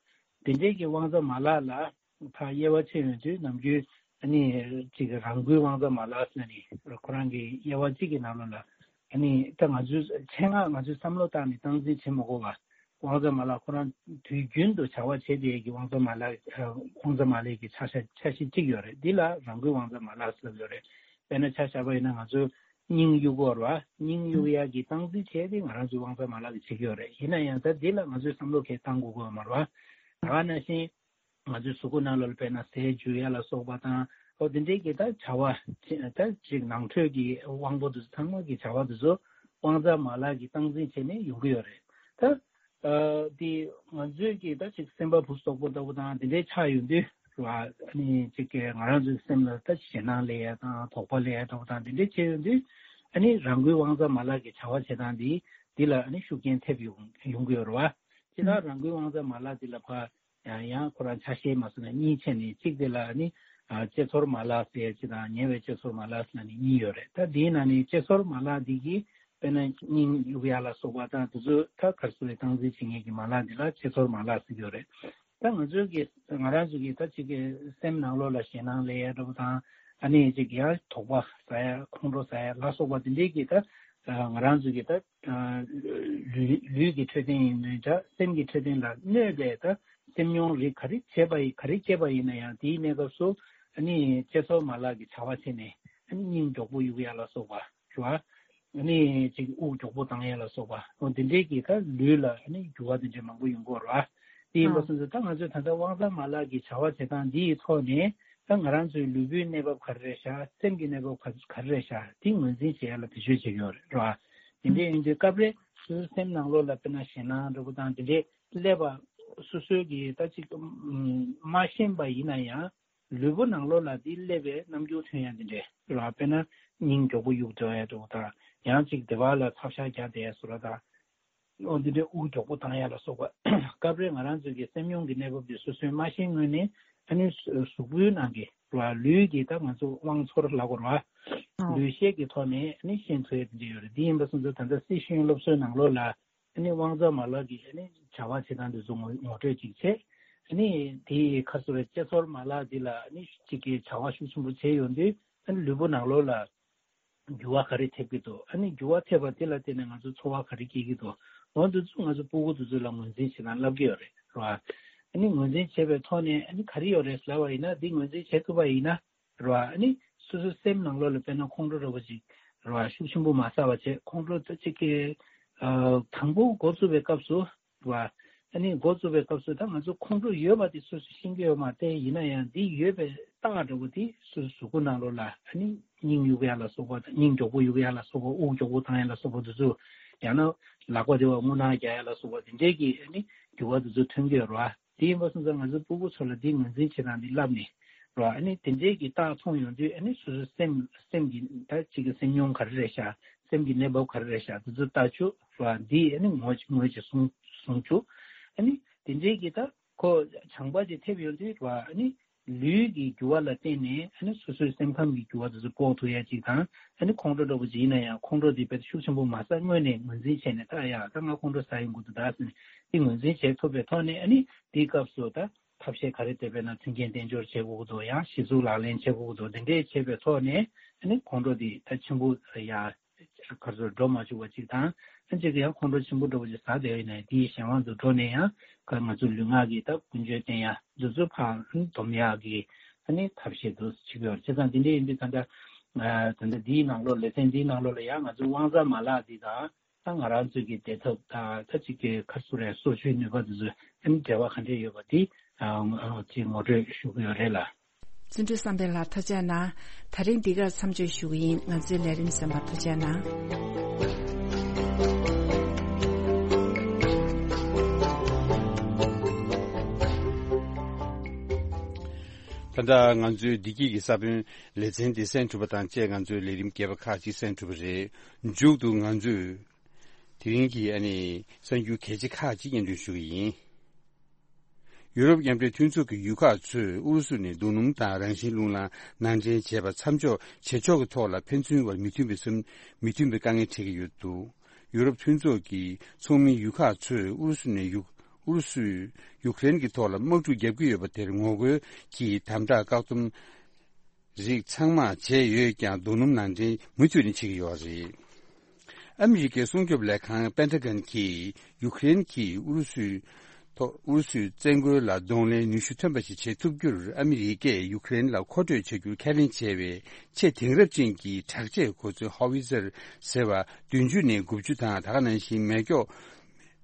དེ་འདྲའི་གི་དབང་རྩ་མ་ལག་ལ་ཕར་དབྱེ་བ་ཕྱེ་ཡོང་དུས་ནམ་རྒྱུན་ཨ་ནི་ཅིག་རང་འགུལ་དབང་རྩ་མ་ལག་ཟེར་ནས་ཁོ་རང་གི་དབྱེ་བ་གཅིག་གི་ནང་ལོགས་ལ་ཨ་ནི་ད་ང་ཚོའི་ཆེད་མངགས་ང་ཚོས་བསམ་བློ་བཏང་ནས་སྟངས་འཛིན་བྱེད་མ་དགོས་པ། དབང་རྩ་མ་ལག་ཁོ་རང་དུས་རྒྱུན་དུ་བྱ་བ་བྱེད་བསྡད་ཀྱི་དབང་རྩ་མ་ལག་ཨ་དབང་རྩ་མ་ལག་གི་ཆ་ཤས་ཆ་ཤས་གཅིག་ཡོད་རེད། འདི་ལ་རང་འགུལ་དབང་རྩ་མ་ལག་ཟེར་ཡོད་རེད། དཔེར་ན་ཆ་བཞག་པ་ཡིན་ན་ང་ཚོ་སྙིང་གཡུག་དགོས་རེད་བ། སྙིང་གཡུག་ཡག་གི་སྟངས་འཛིན་བྱས་ཏེ་ང་རང་ཚོའི་དབང་རྩ་མ་ལག་གིས་བྱེད་ཀྱི་ཡོད་རེད། ཡིན་ན་ཡང་ད་འདི་ལ་ང་ཚོས་བསམ་བློ་གང་ཡང་བཏང་དགོས་ཀྱི་ཡོད་མ་རེད་བ། ད་ག་ནང་བཞིན་ང་ཚོའི་གཟུགས་པོ་ནང་ལོགས་ལ་དཔེར་ན་ཟས་འཇུ་ཡག་ལ་སོགས་པ་དང་འོ་དེ་འདྲའི་གི་ད་བྱ་བ་ཅི་ད་ཅིག་ནང་ཁྲོལ་གྱི་དབང་པོ་དེ་ཚོ་ཚང་མ་གི་བྱ་བ་དེ་ཚོ་དབང་རྩ་མ་ལག་གིས་སྟངས་འཛིན་བྱས་ནས་ཡོང་གི་ཡོད་རེད། ད་ཨ་དེ་ང་ཚོའི་གི་ད་ཅིག་སེམས་པ་བུ་སོག་པོ་ལྟ་བུ་དང་དེ་འདྲའི་ཆགས་ཡོང་དུས་རེད་བ། ཨ་ནི་ཅིག་གི་ང་རང་ཚོའི་སེམས་ལ་ད་ཞེད་སྣང་སླེབས་ཡག་དང་དོགས་པ་སླེབས་ཡག་ལྟ་བུ་དང་དེ་འདྲའི་བྱས་ཡོང་དུས་ཨ་ནི་རང་འགུལ་དབང་རྩ་མ་ལག་གི་བྱ་བ་བྱེད་སྟངས་འདི་འདི་ལ་ཨ་ནི་ཤུགས་རྐྱེན་ཐེབས་ཡོང་ཡོང་གི་ཡོད་རེད་བ། ཅི་ད་རང་འགུལ་དབང་རྩ་མ་ལག་འདི་ལ་ཕར་ཡང་ཡང་ཁོ་རང་ཆ་ཤས་མ་བཟོ་ན་གཉིས་ཕྱེ་ནས་གཅིག་དེ་ལ་ནི་ཨ་ལྕེ་ཚོར་མ་ལག་ཟེར་གཅིག་དང་ཉེ་བའི་ལྕེ་ཚོར་མ་ལག་ཟེར་ནི་གཉིས་ཡོད་རེད། ད་དེའི་ནང་ནས་ལྕེ་ཚོར་མ་ལག་འདི་གིས་དཔེར་ན་སྙིང་གཡུག་ཡག་ལ་སོགས་པ་དང་དེ་ཚོ་ད་ག་རེ་ཟེར་རེད། སྟངས་འཛིན་བྱེད་མཁན་གྱི་མ་ལག་འདི་ལ་ལྕེ་ཚོར་མ་ལག་ཟེར་གྱི་ཡོད་རེད། ད་ང་ཚོའི་གི་ང་རང་ཚོ་གི་ད་ཅིག་གི་སེམས་ནང་ལོགས་ལ་ཞེད་སྣང་སླེབས་ཡག་འདྲ་པོ་དང་ཨ་ནི་ཅིག་ཡང་དོགས་པ་ཟ་ཡག་ཁོང་ཁྲོ་ཟ་ཡག་ལ་སོགས་པ་དེ་འདྲའི་གི་ད་ང་རང་ཚོ་གི་ད། ལུས་ལུས་ཀྱི་འཕྲོད་བསྟེན་ཡིན་ནའི་འདྲ། སེམས་ཀྱི་འཕྲོད་བསྟེན་ལ་གནོད་པའི་ད་སེམས་མྱོང་རིགས་ག་རེ་བྱས་པ་ཡིན་ག་རེ་སྐྱེས་པ་ཡིན་ན་ཡང་དེའི་གནས་སྐབས་སུ་ཨ་ནི་ལྕེ་ཚོར་མ་ལག་གི་བྱ་བ་བྱས་ནས་ཨ་ནི་སྙིང་མགྱོགས་པོ་གཡུག་ཡག་ལ་སོགས་པ་རེད་བ། ཨ་ནི་ཅིག་དབུགས་མགྱོགས་པོ་བཏང་ཡག་ལ་སོགས་པ་འོ་འདི་འདྲའི་གི་ད་ལུས་ལ་ཨ་ནི་འགྱུར་བ་འདི་འདྲའི་མང་པོ་ཡོང་གི་ཡོད་རེད་བ། དེ་ཡིན་པ་སོང་ཙང་ད་ང་ཚོས་ད་ལྟ་དབང་རྩ་མ་ལག་གི་བྱ་བ་བྱེད་སྟངས་འདི་ཡི་ཐོག་ནས་ད་ང་རང་ཚོའི་ལུས་པོའི་གནས་བབ་ག་རེ་རེད་ཤག་སེམས་ཀྱི་གནས་བབ་ག་ག་རེ་རེད་ཤག་དེ་ངོས་འཛིན་བྱེད་ཡག་ལ་བེད་སྤྱོད་བྱེད་ཀྱི་ཡོད་རེད་རེད་བ། དེ་འདྲ་ཡིན་དུས་སྐབས་རེ་སོ་སོའི་སེམས་ནང་ལོགས་ལ་དཔེར་ན་ཞེད་སྣང་འདྲ་པོ་དང་དེ་འདྲའི་སླེབས་པ་སོ་སོའི་གི་ད་ཅིག་མ་ཤེས་པ་ཡིན་ན་ཡང་ལུས་པོ་ནང་ལོགས་ལ་དེ་སླེབས་པའི་རྣམ་འགྱུར་ཐོན་ཡ་དེ་འདྲས་རེད་བ། དཔེར་ན་སྙིང་མགྱོགས་པོ་གཡུག་འགྲོ་ཡ་འདྲ་པོ་དང་ཡང་ཅིག་བདེ་བ་ལ་ཐབས་ཤ་རྒྱག་བསྡད་ཡ་བཟོ་འདྲ་དང་། འོ་འདི་འདྲའི་དབུགས་མགྱོགས་པོ་བཏང་ཡ་ལ་སོགས་པ། སྐབས་རེ་ང་རང་ཚོའི་གི་སེམས་མྱོང་གི་གནས་བབ་དེ་སོ་སོས་མ་ཤེས་སྔོན་ནས་ ཨ་ནི་གཟུགས་པོའི་ནང་གི་རེད་བ། ལུས་ཀྱི་ད་ང་ཚོ་དབང་ཚོར་ལབ་དགོས་རེད་བ། ལུས་ཤེས་ཀྱི་ཐོག་ནས་ཨ་ནི་ཤེས་ཐུབ་ཡ་དེ་འདྲ་ཡོད་རེད། དེ་ཡིན་པ་སོང་ཙང་ད་ལྟ་སྲིད་ཤེས་ཡོན་སློབ་གསོའི་ནང་ལོགས་ལ་ཨ་ནི་དབང་རྩ་མ་ལག་གི་ཨ་ནི་བྱ་བ་བྱེད་སྟངས་དེ་ཚོ་ངོ་ངོ་སྤྲོད་ཅིག་བྱས། ཨ་ནི་དེའི་ཁ་སོ་རེ་དཔྱད་ཚོར་མ་ལག་འདི་ལ་ཨ་ནི་གཅིག་གི་བྱ་བ་ཤུགས་ཆེན་པོ་བྱས་ཡོང་དུས་ཨ་ནི་ལུས་པོ་ནང་ལོགས་ལ་འགྱུར་བ་ག་རེ་ཐེབས་ཀྱི་འདུག་ཨ་ནི་འགྱུར་བ་ཐེབས་པ་དེ་ལ་བརྟེན་ནས་ང་ཚོ་ཚོར་བ་ག་རེ་སྐྱེ་གི་འདུག་འོ་འདི་ཚོ་ང་ཚོ་སྤུ་གུ་དེ་ཚོ་ལ་ངོས་འཛིན་བྱེད་སྟངས་བསླབ་ཀྱི་ཡོད་རེད། རེད་བ། ཨ་ནི་ངོས་འཛིན་བྱས་པའི་ཐོག་ནས་ཨ་ནི་ག་རེ་ཡོད་རེད་ལབ་པ་ཡིན་ན། འདི་ངོས་འཛིན་བྱེད་ཐུབ་པ་ཡིན་ན། རེད་བ། ཨ་ནི་སོ་སོའི་སེམས་ནང་ལོགས་ལ་དཔེར་ན་ཁོང་ཁྲོ་འདྲ་པོ་ཅིག་རེད་བ། ཤུགས་ཆེན་པོ་མ་ཟ་བ་བྱས། ཁོང་ཁྲོ་ད་ཅིག་གི་ཨ་དང་པོ་འགོ་བཙུགས་པའི་སྐབས་སུ་རེད་བ། ཨ་ནི་འགོ་བཙུགས་པའི་སྐབས་སུ་ད་ང་ཚོ་ཁོང་ཁྲོ་ཡོད་པ་དེ་སོ་སོས་ཤེས་ཀྱི་ཡོད་མ་རེད། ཡིན་ན་ཡང་འདི་ཡོད་པའི་རྟགས་འདྲ་པོ་དེ་སོ་སོའི་གཟུགས་པོ་ནང་ལོགས་ལ་ཨ་ནི་སྙིང་གཡུག་ཡ་ལ་སོགས་པ། སྙིང་མགྱོགས་པོ་གཡུག་ཡ་ལ་སོགས་པ། དབུགས་མགྱོགས་པོ་བཏང་ཡ་ལ་སོགས་པ་དེ་ཚོ། ཡང་ན་ལག་པ་དེ་བ་རྔུལ་ནག་རྒྱག་ཡ་ལ་སོགས་པ་དེ་འདྲས་ཀྱི་ཨ་ནི་འགྱུར་བ་དེ་ཚོ་ཐོན་གྱི་ཡོད་རེད་བ། དེ་ཡིན་པ་སོང་ཙང་ང་ཚོའི་སྤུ་གུ་ཚོ་ལ་འདི་ངོས་འཛིན་བྱེད་སྟངས་འདི་བསླབས་ནས་རེད་བ། ཨ་ནི་དེ་འདྲའི་གི་རྟགས་མཐོང་ཡོང་དུས་ཨ་ནི་སོ་སོའི་སེམས་སེམས་ཀྱི་ད་ཅིག་གི་སེམས་མྱོང་ག་རེ་རེད་ཤག་སེམས་ཀྱི་གནས་བབ་ག་རེ་རེད་ཤག་དེ་ཚོ་ལྟ་ཆོག་རེད་བ། འདི་ཨ་ནི་ངོས་ངོས་ཀྱིས་བཟུང་བཟུང་ཆོག་ཨ་ནི་དེ་འདྲའི་གི་ད་ཁོ་བྱང་པ་ཅིག་ཐེབས་ཡོང་དུས་རེད་བ། ཨ་ནི་ལུས་ཀྱི་འགྱུར་བ་ལ་བརྟེན་ནས་ཨ་ནི་སོ་སོའི་སེམས་ཁམས་ཀྱི་འགྱུར་བ་དེ་ཚོ་དཔོག་ཐུབ་ཡ་ཅིག་དང་། ཨ་ནི་ཁོང་ཁྲོ་འདྲ་པོ་ཅིག་ཡིན་ན་ཡང་ཁོང་ཁྲོ་དེ་དཔེ་ཤུགས་ཆེན་པོ་མ་ཟ། སྔོན་ནས་ངོས་འཛིན་བྱས་ནས། ད་ཡ་ད་ང་ཁོང་ཁྲོ་ཟ་ཡོང་གི་འདུག་ད་ཟེར་ནས་དེ་ངོས་འཛིན་བྱེད་ཐུབ་པའི་ཐོག་ནས། ཨ་ནི་དེའི་སྐབས་སུ་ད་ཐབས་ཤེས་ག་རེ་དེ་དཔེར་ན་མཐུན་རྐྱེན་དཔལ་འབྱོར་བྱེད་དགོས་ཀྱི་འདུག་ཡང་གཞི་གཟུགས་ལག་ལེན་བྱེད་དགོས་ཀྱི་འདུག་དེ་འདྲས་བྱེད་པའི་ཐོག་ནས་ཨ་ནི་ཁོང་ཁྲོ་དེ་ད་ཆེན་པོ་ཡ་གར་སོར་འགྲོ་མ་བཅུག་པ་ཅིག་དང་། ཨ་གཅིག་གི་ཡང་ཁོང་ཁྲོ་ཆེན་པོ་འདྲ་པོ་ཅིག་ཟ་བསྡད་ཡོད་ན་དེའི་གཞན་དབང་དུ་འགྲོ་ནས་ཡང་ཁ་ང་ཚོ་ལུས་ངག་གི་ད་ཀུན་སྤྱོད་བསྟེན་ཡ་འདི་ཚོ་ཕར་སྡོམ་ཡག་གི་ཨ་ནི་ཐབས་ཤེས་འདུག་བྱེད་ཀྱི་ཡོད་རེད། བྱས་ཙང་དེ་འདྲ་ཡིན་དུས་ད་ལྟ་ཨ་ད་ལྟ་འདིའི་ནང་ལོགས་ལེ་ཚན་འདིའི་ནང་ལོགས་ལ་ཡང་ང་ཚོའི་དབང་རྩ་མ་ལག་འདི་དང་། ད་ང་རང་ཚོའི་གི་བདེ་ཐབས་དང་ད་ཅིག་གི་གར་སོ་རེད། གསོ་བཅོས་ནུས་པ་འདི་ཚོ་ཨ་ནི་འབྲེལ་བ་ག་འདྲས་ཡོད་པ་འདི་ཨ་ཅིག་ངོ་སྤྲོད་ཞུ་གི་ཡོད་རེད་ལ། བརྩོན་འགྲུས་བསམ་འཕེལ་ལགས་ཐུགས་རྗེ་གནང་། ད་རིང་འདི་གར་མཚམས་གཅོད་ཞུ་གི་ཡིན། ང་ཚོའི་ལས་རིམ་གསན་པར་ཐུགས་རྗེ་གནང་། ད་ལྟ་ང་ཚོའི་བདེ་སྐྱིད་ཀྱི་ས་བོན་ལེ་ཚན་འདི་གསན་གྲུབ་པ་དང་བཅས་ང་ཚོའི་ལས་རིམ་རྒྱས་པ་ཁག་ཅིག་གསན་གྲུབ་པ་རེད། མཇུག་ཏུ་ང་ཚོས་དེ་རིང་གི་ཨ་ནི་གསར་འགྱུར་གལ་ཆེ་ཁག་ཅིག་སྙན་སྒྲོན་ཞུ་གི་ཡིན། ཡུ་རོབ་མཉམ་འབྲེལ་མཐུན་ཚོགས་ཀྱི་ཡུལ་ཁག་ཚོས་ཨུ་རུ་སུ་ནས་རྡོ་སྣུམ་དང་རང་བཞིན་རླུང་ལམ་ནང་འདྲེན་བྱས་པ་མཚམས་འཇོག་བྱེད་ཕྱོགས་ཀྱི་ཐོག་ལ་ཕན་ཚུན་བར་མི་མཐུན་པའི་སེམས། མི་མཐུན་པའི་དཀའ་ངལ་འཕྲད་ཀྱི་ཡོད་འདུག་ཡུ་རོབ་མཐུན་ཚོགས་ཀྱི་ཚོགས་མི་ཡུལ་ཁག་ཚོས་ཨུ་རུ་སུ་ནས་ཡུ་ཨུ་རུ་སུས་ཡུ་ཀེ་རེན་གྱི་ཐོག་ལ་དམག་འཁྲུག་བརྒྱབ་ཀྱི་ཡོད་པ་དེར་ངོ་རྒོལ་གྱིས་དམ་དྲག་བཀག་སྡོམ་རིགས་ཚང་མ་བྱས་ཡོད་ཀྱང་རྡོ་སྣུམ་ནང་འདྲེན་མུ་མཐུད་ནས་བྱེད་ཀྱི་ཡོད་རེད། ཨ་མི་རི་ཀའི་སྲུང་སྐྱོབ་ལས་ཁང་པེན་ཏ་གོན་གྱིས་ཡུ་ཀེ་རེན་གྱིས་ཨུ་རུ་སུའི་ཐོག་ཨུ་རུ་སུའི་བཙན་རྒོལ་ལ་གདོང་ལེན་ནུས་ཤུགས་ཐོན་པ་ཞིག་བྱེད་ཐུབ་རྒྱུར་ཨ་མི་རི་ཀས་ཡུ་ཀེ་རེན་ལ་མཁོ་སྤྲོད་བྱ་རྒྱུར་ཁས་ལེན་བྱས་པའི་ཆེས་དེང་རབས་ཅན་གྱི་དྲག་ཆས་གོ་མཚོན་ཧོ་ཝི་ཛར་ཟེར་བ་བདུན་ཅུ་ནས་དགུ་བཅུ་དང་། ད་ག་ནང་བཞིན་མེ་སྒྱོགས་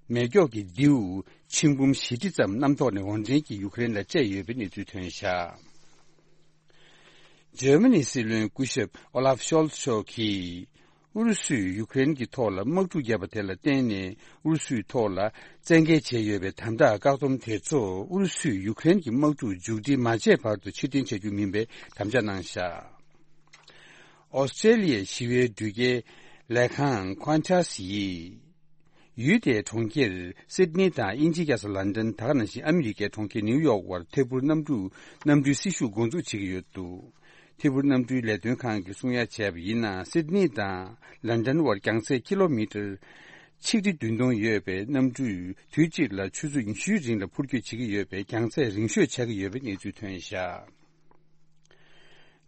མེ་སྒྱོགས་ཀྱི་མདེའུ་ཆིག་འབུམ་བཞི་ཁྲི་ཙམ་གནམ་ཐོག་ནས་འོར་འདྲེན་གྱིས་ཡུ་ཀེ་རེན་ལ་སྤྲད་ཡོད་པའི་གནས་ཚུལ་ཐོན་བཞག་འཇར་མ་ནིའི་སྲིད་བློན་སྐུ་ཞབས་ཨོ་ལཱབ་ཤོལ་ཚ་མཆོག་གིས། ཨུ་རུ་སུས་ཡུ་ཀེ་རེན་གྱི་ཐོག་ལ་དམག་འཁྲུག་བརྒྱབ་པ་དེ་ལ་བརྟེན་ནས་ཨུ་རུ་སུའི་ཐོག་ལ་བཙན་འགེལ་བྱས་ཡོད་པའི་དམ་དྲག་བཀག་སྡོམ་དེ་ཚོ་ཨུ་རུ་སུས་ཡུ་ཀེ་རེན་གྱི་དམག་འཁྲུག་མཇུག་སྒྲིལ་མ་བྱས་བར་དུ་ཕྱིར་འཐེན་བྱ་རྒྱུ་མིན་པའི་དམ་བཅའ་གནང་བཞག་ཨོ་སི་ཀྲེ་ལི་ཡའི་ཞི་བའི་འགྲུལ་སྐྱེལ་ལས་ཁང་Qantas་ཡིས། ཡུལ་དེའི་གྲོང་ཁྱེར་སིད་ནི་དང་དབྱིན་ཇིའི་རྒྱལ་ས་ལན་ཌན། ད་ག་ནང་བཞིན་ཨ་མི་རི་ཀའི་གྲོང་ཁྱེར་ནིའུ་ཡོག་བར་ཐད་འཕུར་གནམ་གྲུ་གནམ་གྲུའི་སྲིད་ཞུགས་འགོ་འཛུགས་བྱེད་ཀྱི་ཡོད་འདུག་ཐད་འཕུར་གནམ་གྲུའི་ལས་དོན་ཁང་གིས་གསུང་ཡ་བྱས་པ་ཡིན་ན། སིད་ནི་དང་ལན་ཌན་བར་རྒྱང་ཚད་ཀི་ལོ་མི་ཊར་ཆིག་ཁྲི་བདུན་སྟོང་ཡོད་པའི་གནམ་གྲུས་དུས་གཅིག་ལ་ཆུ་ཚོད་ཉི་ཤུའི་རིང་ལ་འཕུར་སྐྱོད་བྱེད་ཀྱི་ཡོད་པས་རྒྱང་ཚད་རིང་ཤོས་ཆགས་ཀྱི་ཡོད་པའི་གནས་ཚུལ་ཐོན་བཞག་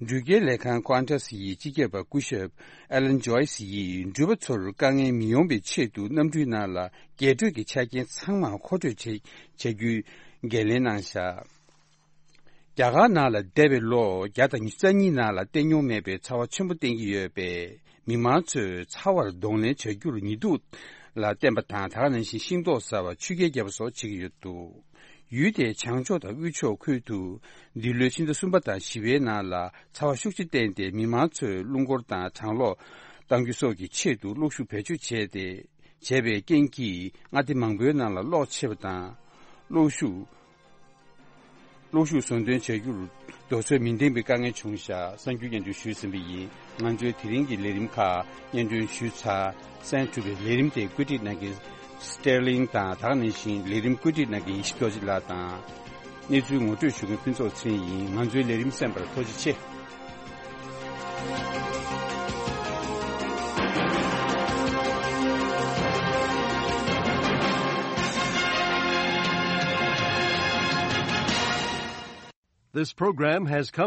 འགྲུལ་སྐྱེལ་ལས་ཁང་Qantas་ཡི་སྤྱི་ཁྱབ་པ་སྐུ་ཞབས་Alan Joyce་ཡིས་འགྲུལ་པ་ཚོར་དཀའ་ངལ་མི་ཡོང་བའི་ཆེད་དུ་གནམ་གྲུའི་ནང་ལ་རྒྱས་སྤྲོས་ཀྱི་ཆ་རྐྱེན་ཚང་མ་མཁོ་སྤྲོད་བྱེད་བྱ་རྒྱུའི་འགན་ལེན་གནང་བཞག་རྒྱ་གར་ནང་ལ་འདས་པའི་ལོ་བརྒྱ་དང་ཉི་ཤུ་རྩ་གཉིས་ནང་ལ་བསྟན་མྱོང་མེད་པའི་ཚ་བ་ཆེན་པོ་བསྟན་གྱི་ཡོད་པས། མི་མང་ཚོས་ཚ་བར་གདོང་ལེན་བྱ་རྒྱུར་ཉི་གདུགས་ལ་བརྟེན་པ་དང་། ད་ག་ནང་བཞིན་ཤིང་ཏོག་ཟ་བ། ཆུ་རྐྱལ་རྒྱབ་པ་སོགས་བྱེད་ཀྱི་ཡོད་འདུག་ཡུལ་དེའི་བྱང་ཕྱོགས་དང་དབུས་ཕྱོགས་ཁུལ་དུ་འདི་ལོའི་ཕྱི་ཟླ་གསུམ་པ་དང་བཞི་པའི་ནང་ལ་ཚ་བ་ཤུགས་ཆེ་བསྟན་ཏེ། མི་མང་ཚོས་རླུང་འཁོར་དང་གྲང་གློག་གཏང་རྒྱུ་སོགས་ཀྱི་ཆེད་དུ་གློག་ཤུགས་བེད་སྤྱོད་བྱས་ཏེ། བྱས་པའི་རྐྱེན་གྱིས་མངའ་སྡེ་མང་པོའི་ནང་ལ་གློག་ཆད་པ་དང་། གློག་ཤུགས། གློག་ཤུགས་ཟུང་འདོན་བྱ་རྒྱུར་རྡོ་སོལ་མི་འདེང་པའི་དཀའ་ངལ་བྱུང་བཞག་གསར་འགྱུར་སྙན་སྒྲོན་ཞུས་ཟིན་པ་ཡིན། ང་ཚོའི་དེ་རིང་གི་ལས་རིམ་ཁག་སྙན་སྒྲོན་ཞུས་ཚར། གསན་གྲུབ་པའི་ལས་རིམ་དེ་བཀོད་སྒྲིག་གནང་མཁན་Sterling་དང་། ད་ག་ནང་བཞིན་ལས་རིམ་བཀོད་སྒྲིག་གནང་མཁན་ཡེ་ཤེས་རྡོ་རྗེ་ལགས་དང་། གནས་ཚུལ་ངོ་སྤྲོད་ཞུ་མཁན་ཕུན་ཚོགས་ཚེ་རིང་ཡིན། ང་ཚོའི་ལས་རིམ་གསན་པར་ཐུགས་རྗེ་ཆེ། This program has come